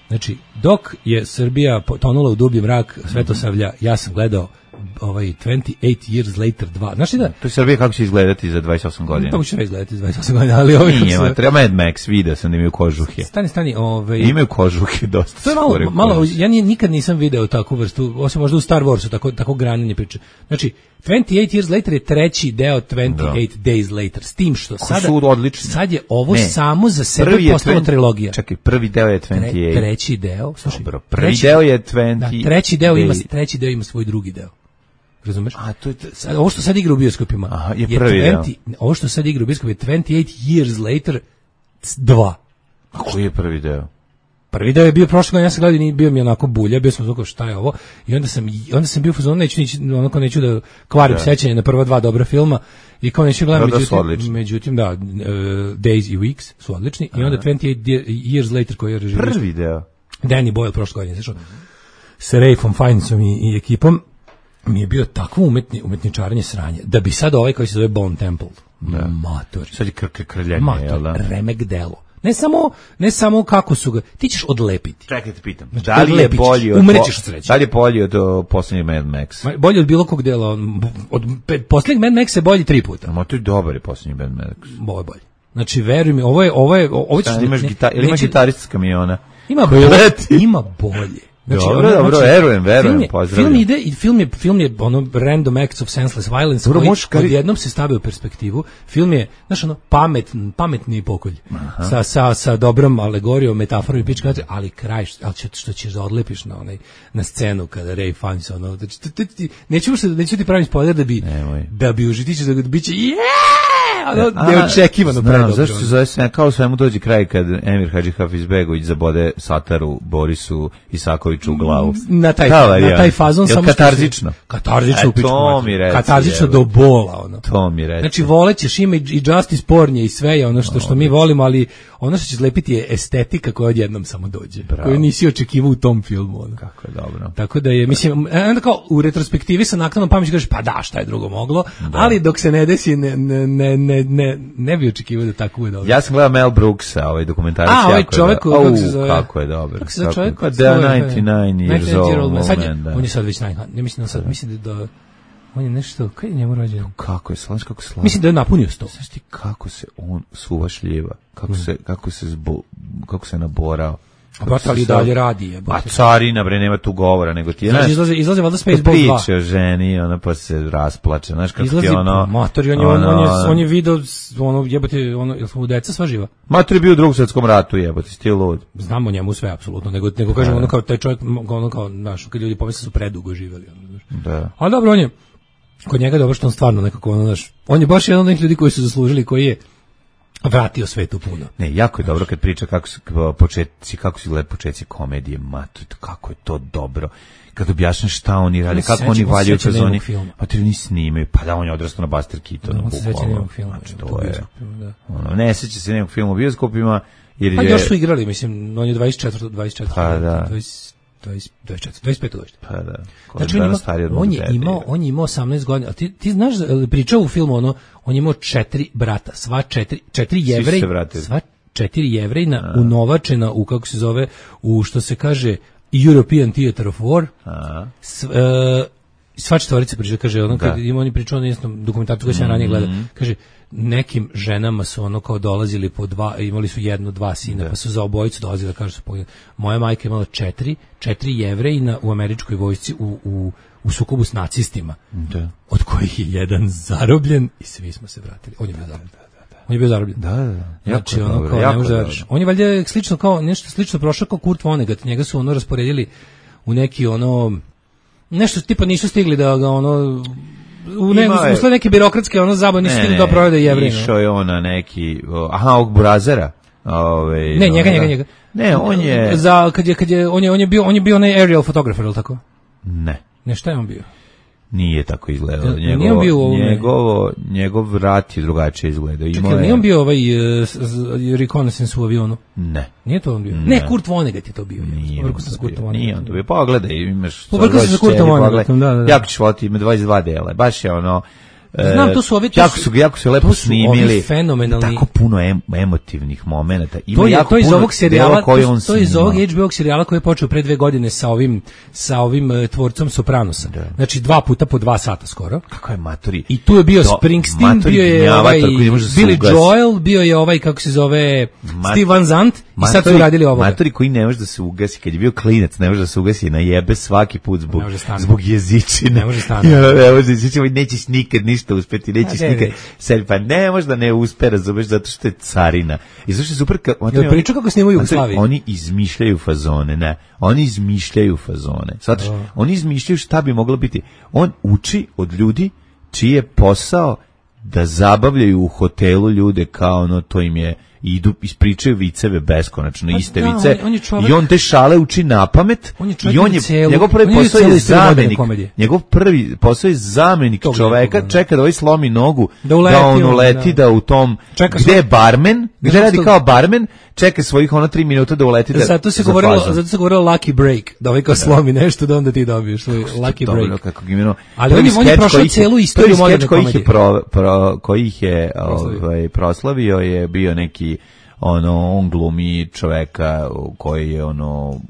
Znači, dok je Srbija potonula u dublji mrak Svetosavlja, ja sam gledao ovaj dvadeset osam Years Later dva. Znaš li da? To je Srbija kako će izgledati za dvadeset osam godina. To će izgledati za dvadeset osam godina, ali ovaj Nije, ma, treba Mad Max, vidio sam da imaju kožuhe. Stani, stani, ovaj imaju kožuhe dosta. To je malo, malo ja nije, nikad nisam video takvu vrstu, osim možda u Star Warsu, tako, tako granjanje priče. Znači, dvadeset osam Years Later je treći deo dvadeset osam Days Later, s tim što sada, sad je ovo ne, samo za sebe postala trilogija. Čekaj, prvi deo je dvadeset osam. Tre, treći deo, slušaj, dobro, prvi treći, deo je dvadeset. Da, treći deo ima, treći deo ima svoj drugi deo. Razumeš? A to je sad, ovo što sad igra u bioskopima. Aha, je prvi je dvedeset, deo. Ovo što sad igra u bioskopima je dvadeset osam Years Later dva. A koji je prvi deo? Prvi deo je bio prošle godine, ja sam gledao i bio mi onako bulja, bio sam zvukao šta je ovo, i onda sam, onda sam bio u fazonu, neću, onako neću da kvarim da. Sećanje na prva dva dobra filma, i kao neću gledam, da, međutim, međutim, da, uh, Days i Weeks su odlični, aha. I onda dvadeset osam Years Later koji je režirao. Prvi deo. Danny Boyle prošle godine, znači, sa Ralphom Fiennesom i, i ekipom, mi je bio takvo umetni, umetničarenje sranje, da bi sad ovaj koji se zove Bone Temple, da. Mator. Sad je krke krljanje, jel da? Remek delo. Ne samo, ne samo kako su ga, ti ćeš odlepiti. Čekaj, te pitam. Znači, da li je bolji od, umrećeš od sreće. Da li je bolji od uh, posljednjeg Mad Max? Bolji od bilo kog dela. Od posljednjeg Mad Max je bolji tri puta. Ma to je dobar je posljednji Mad Max. Ovo je bolji. Znači, veruj mi, ovo je, ovo je, ovo ćeš... Imaš gita, ili imaš gitarist s kamiona? Ima bolje, ima bolje. Znači, dobro, ono, dobro, znači, verujem, verujem, film je, pozdravljam. Film ide i film je, film je ono random acts of senseless violence dobro, koji kari... odjednom se stavio u perspektivu. Film je, znaš, ono, pamet, pametni pokolj. Sa, sa, sa dobrom alegorijom, metaforom i pička, ali kraj, ali što, što ćeš da odlepiš na, onaj, na scenu kada Ray Fiennes, ono, znači, neću, neću ti pravim spoiler da bi, Nemoj. da bi užiti, ćeš da bi će, yeah! Ono, neočekivano predobro. Zašto se zove se, kao svemu dođe kraj kad Emir Hadži Hafizbegović zabode Sataru, Borisu, Isakoviću u glavu. Na taj, na taj fazon samo katarzično. Katarzično u pičku. To mi reci. Katarzično do bola, ono. To mi reci. Znači, volećeš ima i Justice Pornje i sve je ono što, što mi volimo, ali ono što će zlepiti je estetika koja odjednom samo dođe. Bravo. Koju nisi očekivao u tom filmu. Ono. Kako je dobro. Tako da je, mislim, onda kao u retrospektivi sa naknadnom pameću kažeš, pa da, šta je drugo moglo, da. Ali dok se ne desi, ne, ne, ne, ne, ne, ne bi očekivao da tako bude dobro. Ja sam gledao Mel Brooksa, ovaj dokumentarac. A, ovaj čovjek, kako se zove? Kako je dobro. Kako se zove čovjek? Pa da, devedeset devet years old moment, sad je, on je sad već naj, ne mislim da sad, mislim da on je nešto, kaj je njemu rođen? Kako je slaš, kako slaš. Mislim da je napunio sto. Znaš ti kako se on suvašljiva, kako mm. se, kako se zbo, kako se naborao. A pa ali dalje radi je. A carina, bre, nema tu govora, nego ti je, znaš, izlaze, izlaze valjda Spaceball dva. Priča o ženi, ona pa se rasplače, znaš kako izlazi, ti ono... Mator, on je, ono, on je, on je video, ono, jebate, ono, jel smo u deca sva živa? Mator je bio u drugom svjetskom ratu, jebate, sti lud. Znamo njemu sve, apsolutno, nego, nego kažem, ono kao, taj čovjek, ono kao, znaš, kad ljudi pomisle su predugo živeli, ono, znaš. Da. Ali dobro, on je, kod njega je dobro što on stvarno nekako, ono, znaš, on je baš jedan od onih ljudi koji su zaslužili, koji je vratio svetu puno. Ne, jako je dobro kad priča kako su početci, kako su gleda početci komedije, mato, kako je to dobro. Kad objašnjaš šta oni rade, kako oni valjaju kroz oni, pa ti oni snimaju, pa da on je odrastao na Buster Keatonu, bukvalno. Znači, to je, ono, ne seća se nekog filma u bioskopima, jer je... Pa još su igrali, mislim, on je dvadeset četiri, dvadeset četiri, pa da. dvadeset, dvadeset četiri, dvadeset pet godište. Pa da. Znači, on, ima, on, je imao, on je imao osamnaest godina. A ti, ti znaš, pričao u filmu, ono, on je imao četiri brata, sva četiri, četiri jevrej, sva četiri jevrejna, unovačena u, kako se zove, u, što se kaže, European Theater of War. A. S, uh, sva četvorica priča, kaže, ono, kad ima oni pričao na jednom dokumentarcu koji se mm -hmm. ranije gleda, kaže, nekim ženama su ono kao dolazili po dva, imali su jedno, dva sina, da. Pa su za obojicu dolazili da kažu su po... Moja majka imala četiri, četiri jevrejina u američkoj vojsci u, u, u sukobu s nacistima, da. Od kojih je jedan zarobljen i svi smo se vratili. On je bio zarobljen. On je bio zarobljen. Da, da, da. Znači, ono dobro, kao, ne može da on je valjda slično kao, nešto slično prošao kao Kurt Vonnegut, njega su ono rasporedili u neki ono, nešto tipa nisu stigli da ga ono, u ne, usled neke birokratske ono zabave nisu stigli da provede Jevrejno. Išao je on na neki, aha, ovog Burazera. Ove, ne, njega, njega, njega. Ne, on je... Za, kad je, kad je, on je, on je bio, on je bio onaj aerial fotografer, ili tako? Ne. Ne, šta je on bio? Nije tako izgledalo. Njegovo, bio njegovo, njegov vrat je drugačije izgledao. Čekaj, nije on bio ovaj uh, reconnaissance u avionu? Ne. Nije to on bio? Ne, ne Kurt Vonnegut je to bio. Nije, on to bio. Nije on to bio. Pogledaj, imaš... Povrko se sa Kurtom Vonneguttom, da, da. Jako ćeš voliti, ima dvadeset dva dela. Baš je ono... Znam, to su ovi, to jako su- su, jako su lepo to su snimili. ovi fenomenalni- Tako puno em, emotivnih momenata. Ima To je jako to iz puno ovog serijala, delova koje on to, to je iz snima. ovog H B O serijala koji je počeo pre dve godine sa ovim sa ovim uh, tvorcom Sopranosa. Znači dva puta po dva sata skoro. Kako je matori? I tu je bio To- Springsteen, matori bio je gnjavator ovaj koji ne može da se Billy ugasi. Joel, bio je ovaj kako se zove Mat- Steve Van Zandt i sad su Matori- uradili ovoga. Matori koji ne može da se ugasi, kad je bio klinac, ne može da se ugasi, najebe svaki put zbog, Ne može stane. zbog jezičine. Ne može stane. Ja, ne može, znači, ovaj, nećeš nikad ništa uspeti, nećeš A, ne, nikad neće. sebi, pa ne može da ne uspe, razumeš, zato što je carina. I zašto je super, ka, matori, Jel pričao kako snimaju u matori, Jugoslaviji? Oni izmišljaju fazone, ne, oni izmišljaju fazone. Sad, oni izmišljaju šta bi moglo biti. On uči od ljudi čiji je posao da zabavljaju u hotelu ljude kao ono, to im je, idu, ispričaju viceve beskonačno, Pa iste da, vice, on- on je čovek- i on te šale uči na pamet, On je čovek i on na je, celu- njegov prvi on je posao celu je istoriju moderne zamenik, komedije. njegov prvi posao je zamenik Tog čoveka, nekog, da. čeka da ovaj slomi nogu, Da uleti on on, uleti, da. da u tom, Čeka gde svoj- je barmen, gde Znaš radi što- kao barmen, čeka svojih ono tri minuta da uleti da, Zato se za govorilo, fazon. zato se govorilo lucky break, da ovaj kao slomi nešto da onda ti dobiješ svoj lucky Dobro, break. kako ga imeno. Ali Prvi on je- on je skeč prošao koji ih je- celu istoriju prvi moderne skeč koji ih je komedije. pro, pro, koji ih je Proslavio. ovaj, proslavio je bio neki, ono, on glumi čoveka koji je ono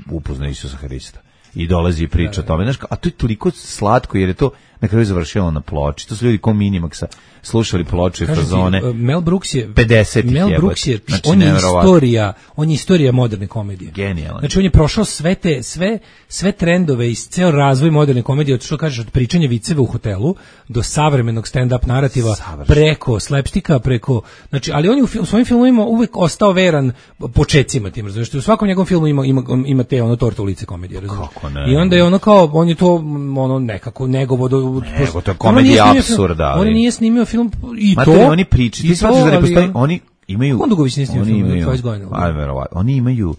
upoznao Isusa Hrista i dolazi i priča o tome. Znaš, a to je toliko slatko jer je to na kraju završilo na ploči. To su ljudi ko Minimaxa slušali ploče i Kažem ti, fazone. uh, Mel Brooks je pedesetih Mel jebote. Brooks je Znači, on je neverovatno. istorija, on je istorija moderne komedije. Genijalan. Znači on je prošao sve te sve sve trendove i ceo razvoj moderne komedije, od što kažeš od pričanja viceva u hotelu do savremenog stand up narativa, Savršeno. preko slapsticka, preko znači ali on je u, fil- u svojim filmovima uvek ostao veran počecima tim, razumiješ? U svakom njegovom filmu ima ima ima te ono torta u lice komedije, razumiješ? Kako ne? I onda je ono kao on je to mm, ono nekako negovo do Nego, to je On komedija nije snimio film- apsurda, ali- On nije snimio film i Matori, to oni pričaju. i Ti shvatiš to, da ne ali postoji, on- oni imaju... Kondugović nije snimio oni film, imaju- dvadeset godina. A, verovatno. Oni imaju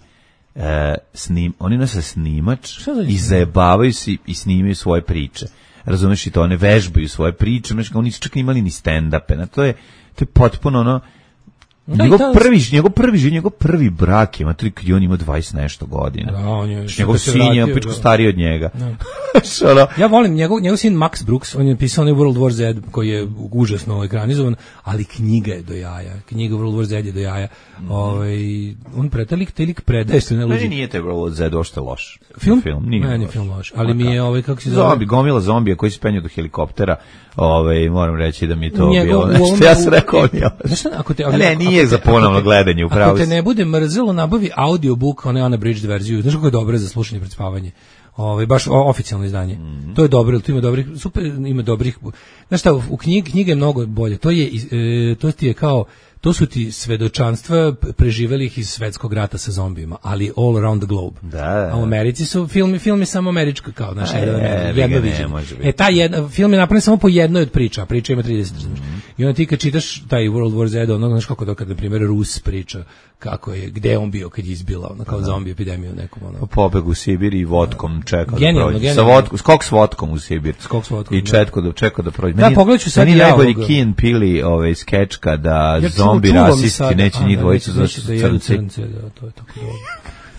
e, snim, oni nose snimač Šta za i njih? zajebavaju se i snimaju svoje priče. Razumeš i to, one vežbaju svoje priče, znači oni nisu čak imali ni stand-upe. Na to je, to je potpuno ono... Da, njegov i ta- prvi, njegov prvi, život, njegov prvi brak je, matri, kad je on imao dvadeset nešto godina. Da, on je- Znači, njegov što se sin je vratio, pičko da. stariji od njega. Što ono, Ja volim njegov, njegov sin Max Brooks, on je pisao onaj World War Z koji je užasno ekranizovan, ali knjiga je do jaja. Knjiga World War Z je do jaja. Ovaj on pretelik telik predaje što ne meni luđi. nije taj World War Z uopšte loš. Film? Film, nije Meni je loš. film loš, ali mi je ovaj kako se zove. Zombi, gomila zombija koji se penju do helikoptera, ovaj, moram reći da mi je to Njegov- bilo u nešto. ovome- Ja sam rekao, on je Znaš šta, ako te, A ne, nije ako za te- ponovno ako te- gledanje, upravo Ako te si. ne bude mrzelo, nabavi audiobook, onaj unabridged verziju. Znaš kako je dobro za slušanje pred spavanje. Ovaj baš o- oficijalno izdanje. Mhm. To je dobro, tu ima dobrih, super, ima dobrih. Znaš šta, u knjigi knjiga je mnogo bolje. To je iz- e, to ti je kao to su ti svedočanstva preživelih iz svetskog rata sa zombijima, ali all around the globe. Da, da. A u Americi su filmi, film je samo američka kao, znaš, A jedno, je, jedno ga ne viđenje. može biti. E, taj jedna, film je napravljen samo po jednoj od priča, a priča ima trideset. razumeš. I onda ti kad čitaš taj World War Z, ono, znaš kako to kad, na primjer, Rus priča kako je, gde je on bio kad je izbila, ono, kao zombi epidemiju nekom, ono. Pobeg u Sibir i vodkom čekao Genijalno, da prođe. Sa genijalno. vodkom, skok s vodkom u Sibir. Skok s vodkom, I da. četko da čekao da prođe. Da, pogledat ću sad meni ja najbolji ovoga. Key and Peele ovaj skeč kada Ja zombi čuvam rasisti sad- neće a, njih da, dvojicu neće- za neće da jedu crnci. crnce, da, to je tako dobro.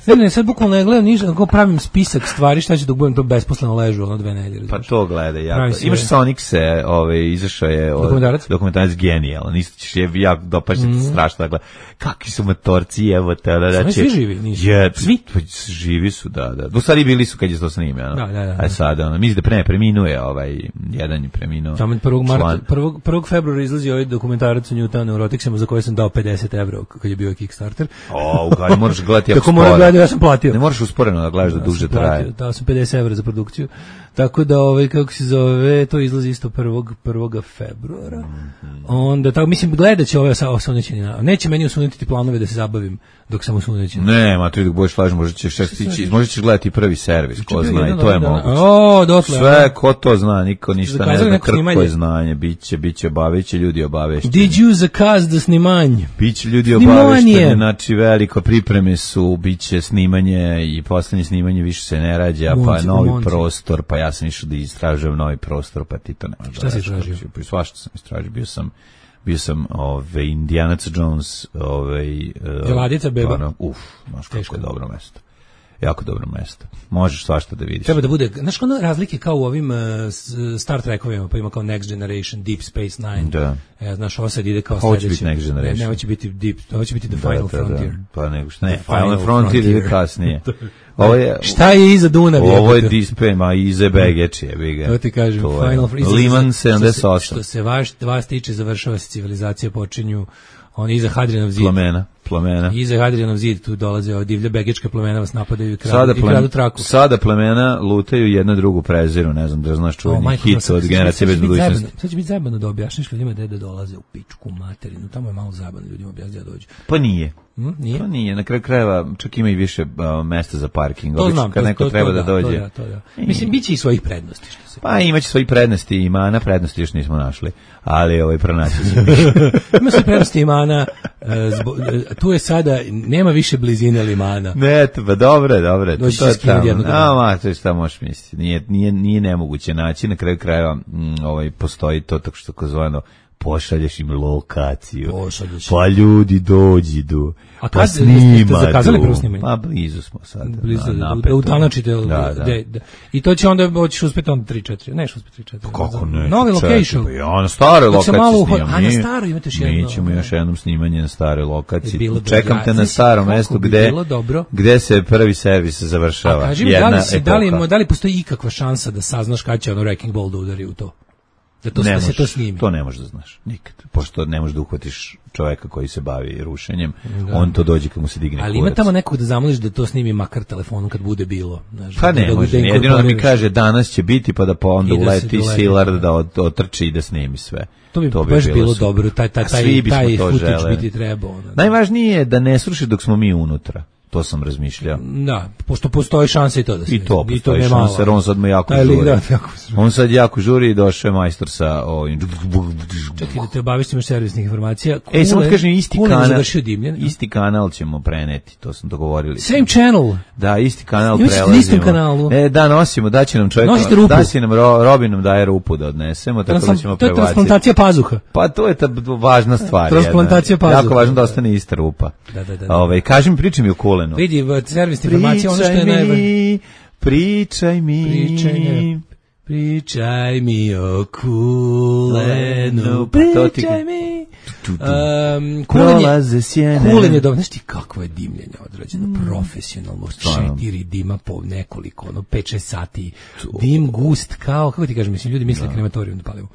Ne, ne, sad bukvalno ne gledam ništa, kako pravim spisak stvari, šta će dok budem to besposleno ležu, ono dve nedelje. Pa razumeš. to gledaj, Pravi jako. se- Imaš Sonic se, ovaj, izašao je od, Dokumentarac? dokumentarac genijalan, isto ćeš je jako dopašće mm. strašno da gleda. Kakvi su motorci, evo te, da, Su da, oni svi živi? Nisu? Je, Svi? pa, živi su, da, da. Do stvari bili su kad je to snimio, ono. Da, da, da. A sada, ono, mislim da pre ne preminuje, ovaj, jedan je preminuo. Tamo prvog član. marta, prvog, prvog februara izlazi ovaj dokumentarac o Newtonu Neuroticsima za koje sam dao pedeset evra kad je bio Kickstarter. O, ugari, moraš gledati jako Tako moram sporo. gledati, ja sam platio. Ne moraš usporeno da gledaš da Ja duže sam platio, traje. dao sam pedeset evra za produkciju. Tako da, ovaj, kako se zove, to izlazi isto prvog, prvog februara. Mhm. Onda, tako, mislim, gledat će ove sa osunećeni na... Neće meni osunetiti planove da se zabavim dok sam osunećen. Ne, ma ti dok budeš lažen, možda ćeš čak stići, možda ćeš gledati prvi servis, ko Čekaj, zna, i jedan to je dan- moguće. O, dotle. Sve, ko to zna, niko ništa ne Zakazali zna, neko krpko snimanje? je znanje, bit će, bit će obaveće, ljudi obavešćeni. Did you zakaz da snimanje? Biće ljudi Snimanje. obavešteni, znači veliko pripreme su, biće snimanje i poslednje snimanje više se ne rađa, pa Monci, novi monci. prostor, pa ja sam išao da istražujem novi prostor, pa ti to ne možeš Šta da si radiš, istražio? kako si- Svašta sam istražio, bio sam bio sam ove Indiana Jones, ovaj Jeladica, beba? ono, uf, znaš kako Teško. je dobro mesto. jako dobro mesto. Možeš svašta da vidiš. Treba da bude, znaš, ono razlike kao u ovim uh, Star Trekovima, pa ima kao Next Generation, Deep Space Nine. Da. E, znaš, ovo sad ide kao Ovo će sledeće. biti Next Generation. Ne, ovo će biti Deep, ovo će biti The Da, Final da, Frontier. Da. Pa nego što ne, The Final, Final Frontier ide Frontier. kasnije. Ovo je, Šta je iza Dunav? ovo je Dispe, ma ize Begeči, je biga. To ti kažem, To je Final Frontier. Liman Što se- sedamdeset osam. Što se vaš, vas tiče, završava se civilizacija, počinju oni iza Hadrianov zid. Plamena, plamena. Iza Hadrianov zid tu dolaze ove divlje begečka plemena, vas napadaju i kradu, Sada, i kradu plem, traku. sada plemena lutaju jedna drugu preziru, ne znam da znaš O, čuveni majko, hit sad- od sad- generacije sad bez će biti budućnosti. zajebano- Sad će biti zajebano da objašnjiš ljudima gde da dolaze u pičku materinu. Tamo je malo zajebano ljudima objasniti da dođu. Pa nije. Hm, nije? Pa nije, na kraju krajeva čak ima i više uh, mesta za parking. To Obično znam, kad to, neko to, treba to da, da, dođe. To da, to da. Mislim, bit će i svojih prednosti. Što se... Pa imaće svoji prednosti i mana, prednosti još nismo našli, ali ovaj pronaći se. Ima sve prednosti imana, e, zbo, e, tu je sada, nema više blizine limana. Ne, to, pa dobro, dobro. Doći to je će skinuti tamo. jednog A, dana. ma, to je šta možeš misliti. Nije, nije, nije nemoguće naći, na kraju krajeva mm, ovaj, postoji to tako što kozvano pošalješ im lokaciju. Pošalješ. Pa ljudi dođu, A pa kad ste snimaju. zakazali prvo snimanje? Pa blizu smo sad. Blizu, na, da, napeto. da utanačite. Da, da. De, da. I to će onda, hoćeš uspeti onda tri četiri. Neš uspeti tri četiri. Kako ne? Novi location. Pa ja, na staroj Dok se lokaciji malo uho- snimam. a, na Mi- staroj imate još jedno. Mi ćemo još jednom snimanje na staroj lokaciji. Bi bilo Čekam dobro. te Ja, na znaš starom kako mestu bi gde, bilo dobro? gde se prvi servis završava. A kaži mi, da Jedna li, si, da, li, epoha. da li postoji ikakva šansa da saznaš kada će ono Wrecking Ball da udari u to? Da, to, Ne da se možeš, to snimi? To ne možeš da znaš, nikad. Pošto ne možeš da uhvatiš čoveka koji se bavi rušenjem, on to dođe kad mu se digne Ali kurac. ima tamo nekog da zamoliš da to snimi makar telefonom kad bude bilo. Znaš, Pa da- ne da- da može, jedino da mi inkorporiraš. kaže danas će biti pa da pa onda I da se uleti doleti, silar da. da od- otrči i da snimi sve. To bi baš bilo super. dobro, taj, taj, A taj, svi bismo taj to footage želeli. biti trebao. ono. Najvažnije je da ne sruši dok smo mi unutra. To sam razmišljao. Da, pošto postoji šansa i to da se I to snimi. postoji ne šansa, jer malo. on sad me jako Taj lik, žuri. da, jako žuri. On sad jako žuri i došao je majstor sa ovim... Čekaj da te obavistim još servisnih informacija. E, samo Kulen- ti kažem, isti Kulen je kanal, završio dimljen. isti kanal ćemo preneti, to smo dogovorili. Same channel. Da, isti kanal Imaš na prelazimo. istom kanalu? E, da, nosimo, daće nam čovjek, Nosite rupu. daće nam, ro, Robin nam daje rupu da odnesemo, tako da Translam- ćemo to je prebaciti. transplantacija pazuha. Pa to je ta b- važna stvar. Transplantacija jedna. pazuha. Jako važno da ostane ista rupa. Da, da, da, da. Ove, kaži mi, pričaj mi o Kulenu. Vidi, v- servisna informacija, ono što je Pričaj najvažnije. mi, pričaj mi. Pričaj, ne. Pričaj mi o Kulenu, Pa to ti- pričaj mi. Tu, tu. Um, Kulen je, Prolaze sjene. Kulen je dobro, znaš ti kakvo je dimljenje odrađeno, profesionalno, Stvarno. četiri dima po nekoliko, ono, pet šest sati, dim gust, kao, kako ti kažem, mislim, ljudi misle krematorijum da palimo.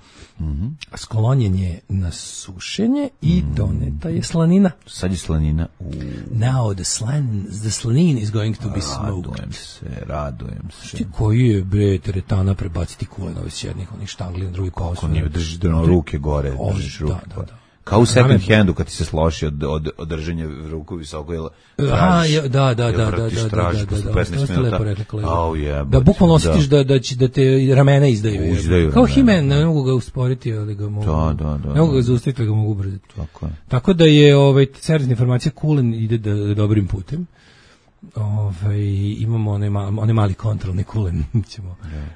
Sklonjen je na sušenje i doneta je slanina. Sad je slanina. U, Now the slan, the slanin is going to be smoked. radujem se, radujem se. Ti koji je, bre, teretana prebaciti Kulenove s jednih, onih štangli na drugi paus. Ko nije držiš da ruke gore, O, držiš da, ruke da, gore. da. Kao u second Naravno. handu kad ti se sloši od, od, od držanja ruku visoko, jel Aha, tražiš, je, da, da, jel da, da, vratiš, da, da, tražiš da, da, posle da, petnaest to ste minuta. lepo rekli, kolega. Au, jebote, Da bukvalno osjetiš da, da, će, da te ramena izdaju. je. Izdaju Kao ramena, He-Man, da. ne mogu ga usporiti, ali ga mogu. Da, da, da, Ne mogu da. ga zaustaviti, ali ga mogu ubrzati. Tako je. Tako da je ovaj servisna informacija Kulen ide da, da dobrim putem. Ovaj imamo onaj ma, onaj mali kontrolni Kulen ćemo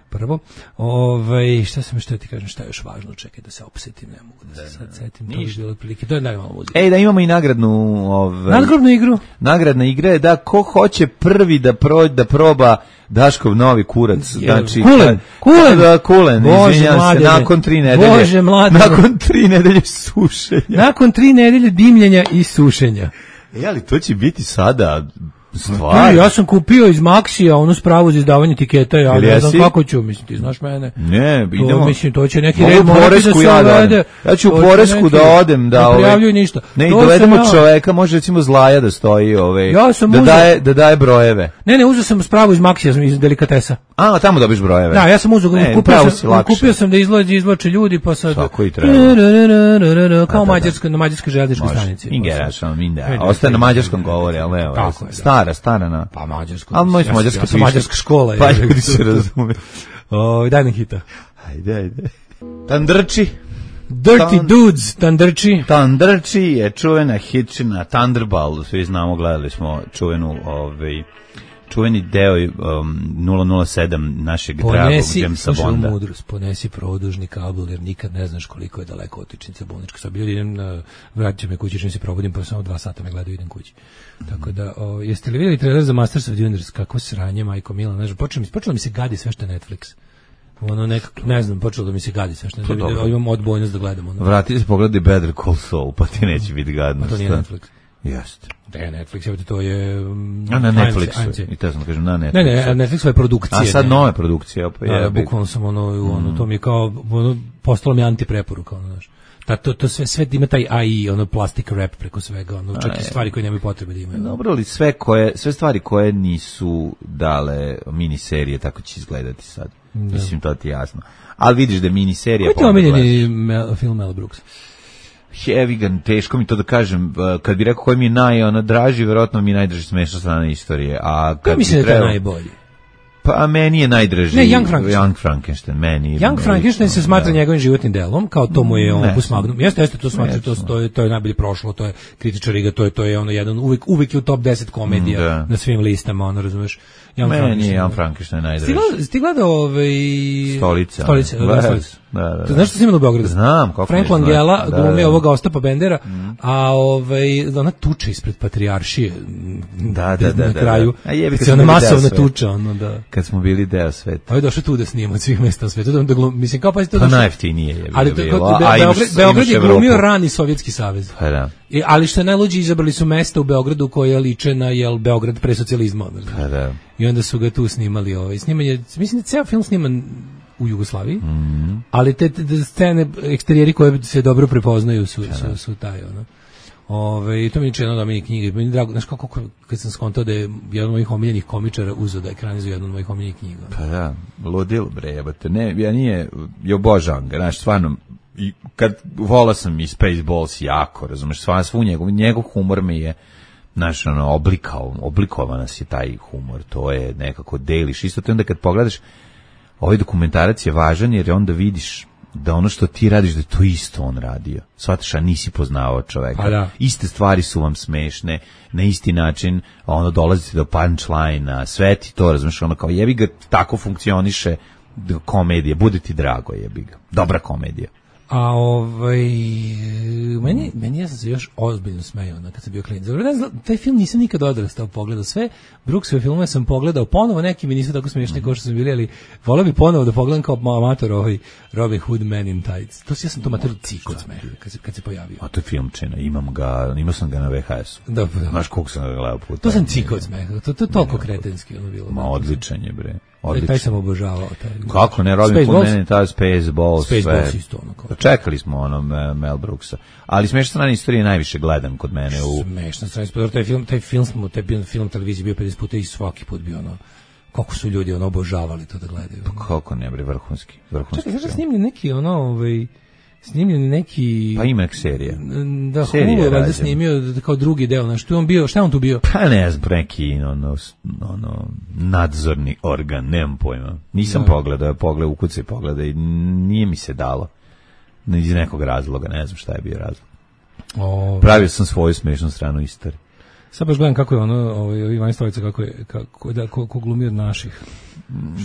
prvo. Ovaj šta sam što ti kažem, šta je još važno, čekaj da se opsetim, ne mogu da se sad setim, to je bilo otprilike, to je najmalo muzike. Ej, da imamo i nagradnu, ovaj, Nadgrobnu igru. nagradna igra je da ko hoće prvi da prođe da proba Daškov novi kurac, znači Kulen, Kulen. da, Kulen, Bože, izvinjavam se, mladene. nakon tri nedelje, Bože, mladene. nakon tri nedelje sušenja. Nakon tri nedelje dimljenja i sušenja. E, ali to će biti sada E, stvar. ja sam kupio iz Maxija onu spravu za izdavanje tiketa, ja Jel ne znam jesi? kako ću, mislim, ti znaš mene. Ne, To, idemo. mislim, to će neki Mogu red u morati Poresku da se ja da uvede. odem. Ja ću u To će Poresku neki- da odem, da ne ovaj- prijavljuj ništa. Ne, i To sam dovedemo ja- čoveka, može recimo Zlaja da stoji, ovaj, Ja sam da uzeo- daje da daje brojeve. Ne, ne, uzeo sam spravu iz Maxija, iz delikatesa. A, tamo dobiš brojeve. Da, ja sam uzeo, Ne, kupio pravo sam, si lakše. kupio sam da izlazi, izvlače ljudi, pa sad... Tako i treba. Kao Da, da, da. mađarska, na mađarskoj željezničkoj Može. stanici. Ingerašom, E, inda. da, Ostaje na da, mađarskom da, da, govori, ali evo. Tako je, da. Stara, stara na. Pa mađarsko. Ali moj ja sam- mađarska ja sam piše. mađarska škola. Pa je. ljudi se razume. O, daj nam hita. Ajde, ajde. Tandrči. Dirty Tan- Dudes, Tandrči. Tandrči je čuvena hitčina Thunderball, svi znamo, gledali smo čuvenu, ovaj, čuveni deo um, nula nula sedam našeg ponesi, dragog Jamesa Bonda. Mudrost, ponesi produžni kabel, jer nikad ne znaš koliko je daleko otičnica bolnička. Sad bilo idem na, vratit ću me kući, čim se probudim, pa samo dva sata me gledaju, idem kući. Mm. Tako da, o, jeste li vidjeli trailer za Masters of the Universe? Kako sranje, majko Mila, ne znam, počelo mi, počelo mi se gadi sve što je Netflix. Ono nekako, ne znam, počelo da mi se gadi sve što je, da, da, imam odbojnost da gledam. Ono. Vrati se, pogledaj Better Call Saul, pa ti neće biti gadno. Pa to nije Netflix. Jeste. Da je Netflix, evo to je... Um, a na Netflixu, i te sam da kažem na Netflixu. Ne, ne, Netflixu je produkcija. A sad ne. nove produkcije. Pa da, bukvalno sam ono, ono mm. to mi je kao, ono, postalo mi antipreporuka, ono, znaš. Ta, to, to sve, sve ima taj A I, ono, plastic rap preko svega, ono, čak i stvari koje nemaju potrebe da imaju. Dobro, ali sve, koje, sve stvari koje nisu dale miniserije, tako će izgledati sad. Da. Mislim, to ti je jasno. Ali vidiš da je miniserija... Koji ti omiljeni Mel, film Mel Brooks? Heavigan, teško mi to da kažem, kad bi rekao koji mi je naj, ono, draži, verovatno mi je najdraži smešna strana istorije. A kad ja mislim da je to najbolji. Pa meni je najdraži ne, Young Frankenstein. Young Frankenstein, meni. Young Frankenstein se smatra da. njegovim životnim delom, kao to mu je opus magnum. Jeste, jeste, to smatra, to, to, je, to je najbolje prošlo, to je kritičari ga, to je, to je ono jedan, uvijek, uvijek je u top deset komedija da. na svim listama, ono, razumeš. Young meni je Young Frankenstein najdraži. Ti gledao ovaj... Stolica. Stolica, da, da, Stolica. Da, da, da. Znaš što si imao u Beogradu? Znam, kako Frank Langella glumi ovoga Ostapa Bendera, mm. a ovaj, ona tuča ispred Patrijaršije da, da, da, na kraju. Da, da. A jebi, kad se ona masovna tuča. Ono, da. Kad smo bili deo sveta. Ovo je došao tu da snima od svih mesta u svetu. Da, da glum, mislim, kao pa to pa najjeftinije je ali bilo. To, Be, Beograd, Beograd je glumio rani Sovjetski savez. Pa da. I, ali što je najluđe, izabrali su mesta u Beogradu koje liče na jel, Beograd pre socijalizma. Pa da. I onda su ga tu snimali. Ovaj. Snimanje, mislim da ceo film sniman u Jugoslaviji, mm. ali te, te, te scene, eksterijeri koje se dobro prepoznaju su, su, su taj, ono. Ove, i to mi je čeno da mi je knjige. Meni drago, znaš kako, kad sam skontao da je jedan od mojih omiljenih komičara uzeo da ekranizuje jednu od mojih omiljenih knjiga. Pa da, ludilo bre, jebate. Ne, ja nije, je obožavam ga, znaš, stvarno, i kad volao sam i Spaceballs jako, razumeš, stvarno svu njegov, njegov humor mi je, znaš, ono, oblikao, oblikovao nas je taj humor, to je nekako deliš. Isto to onda kad pogledaš, ovaj dokumentarac je važan jer onda vidiš da ono što ti radiš, da je to isto on radio. Shvataš, a nisi poznavao čoveka. Da. Iste stvari su vam smešne, na isti način ono dolazite do punchline-a, sve ti to, razumiješ, ono kao jebi ga, tako funkcioniše komedija, bude ti drago, jebi ga. Dobra komedija. A ovaj meni meni ja sam se još ozbiljno smejao na kad sam bio klinac. Dobro, taj film nisam nikad odrastao pogledao sve. Brooksove filmove sam pogledao ponovo, neki mi nisu tako smiješni mm-hmm. kao što su bili, ali voleo bih ponovo da pogledam kao amator ovaj Robin Hood Man in Tights. To ja sam to amator cik od smeha kad se kad se pojavio. A to je filmčina, imam ga, imao sam ga na V H S-u. Da, da. Znaš koliko sam ga gledao puta. To sam cik od smeha. To to je toliko kretenski ono bilo. Ma odličan je bre. Odlično. Taj sam obožavao. Taj. Kako ne, Robin Hood Man in Tights, Spaceballs, Spaceballs isto ono kao. Čekali smo ono Mel Brooksa. Ali smešna strana istorije je najviše gledan kod mene u smešna strana istorije. Taj film, taj film smo, taj film televiziji bio pedeset puta i svaki put bio ono. Kako su ljudi ono obožavali to da gledaju. Pa kako ne bre, vrhunski, vrhunski. Čekaj, znaš snimljen neki ono, ovaj snimljen neki pa ima serija. Da, Hulu valjda snimio kao drugi deo, znači tu on bio, šta on tu bio? Pa ne znam, neki ono, ono nadzorni organ, nemam pojma. Nisam da. pogledao, pogledao, ukucaj pogledaj i nije mi se dalo. Iz nekog razloga, ne znam šta je bio razlog. O, pravio sam svoju smešnu stranu istorije. Sad baš gledam kako je ono, ovaj Ivan Stolica kako je kako da ko, ko glumi od naših.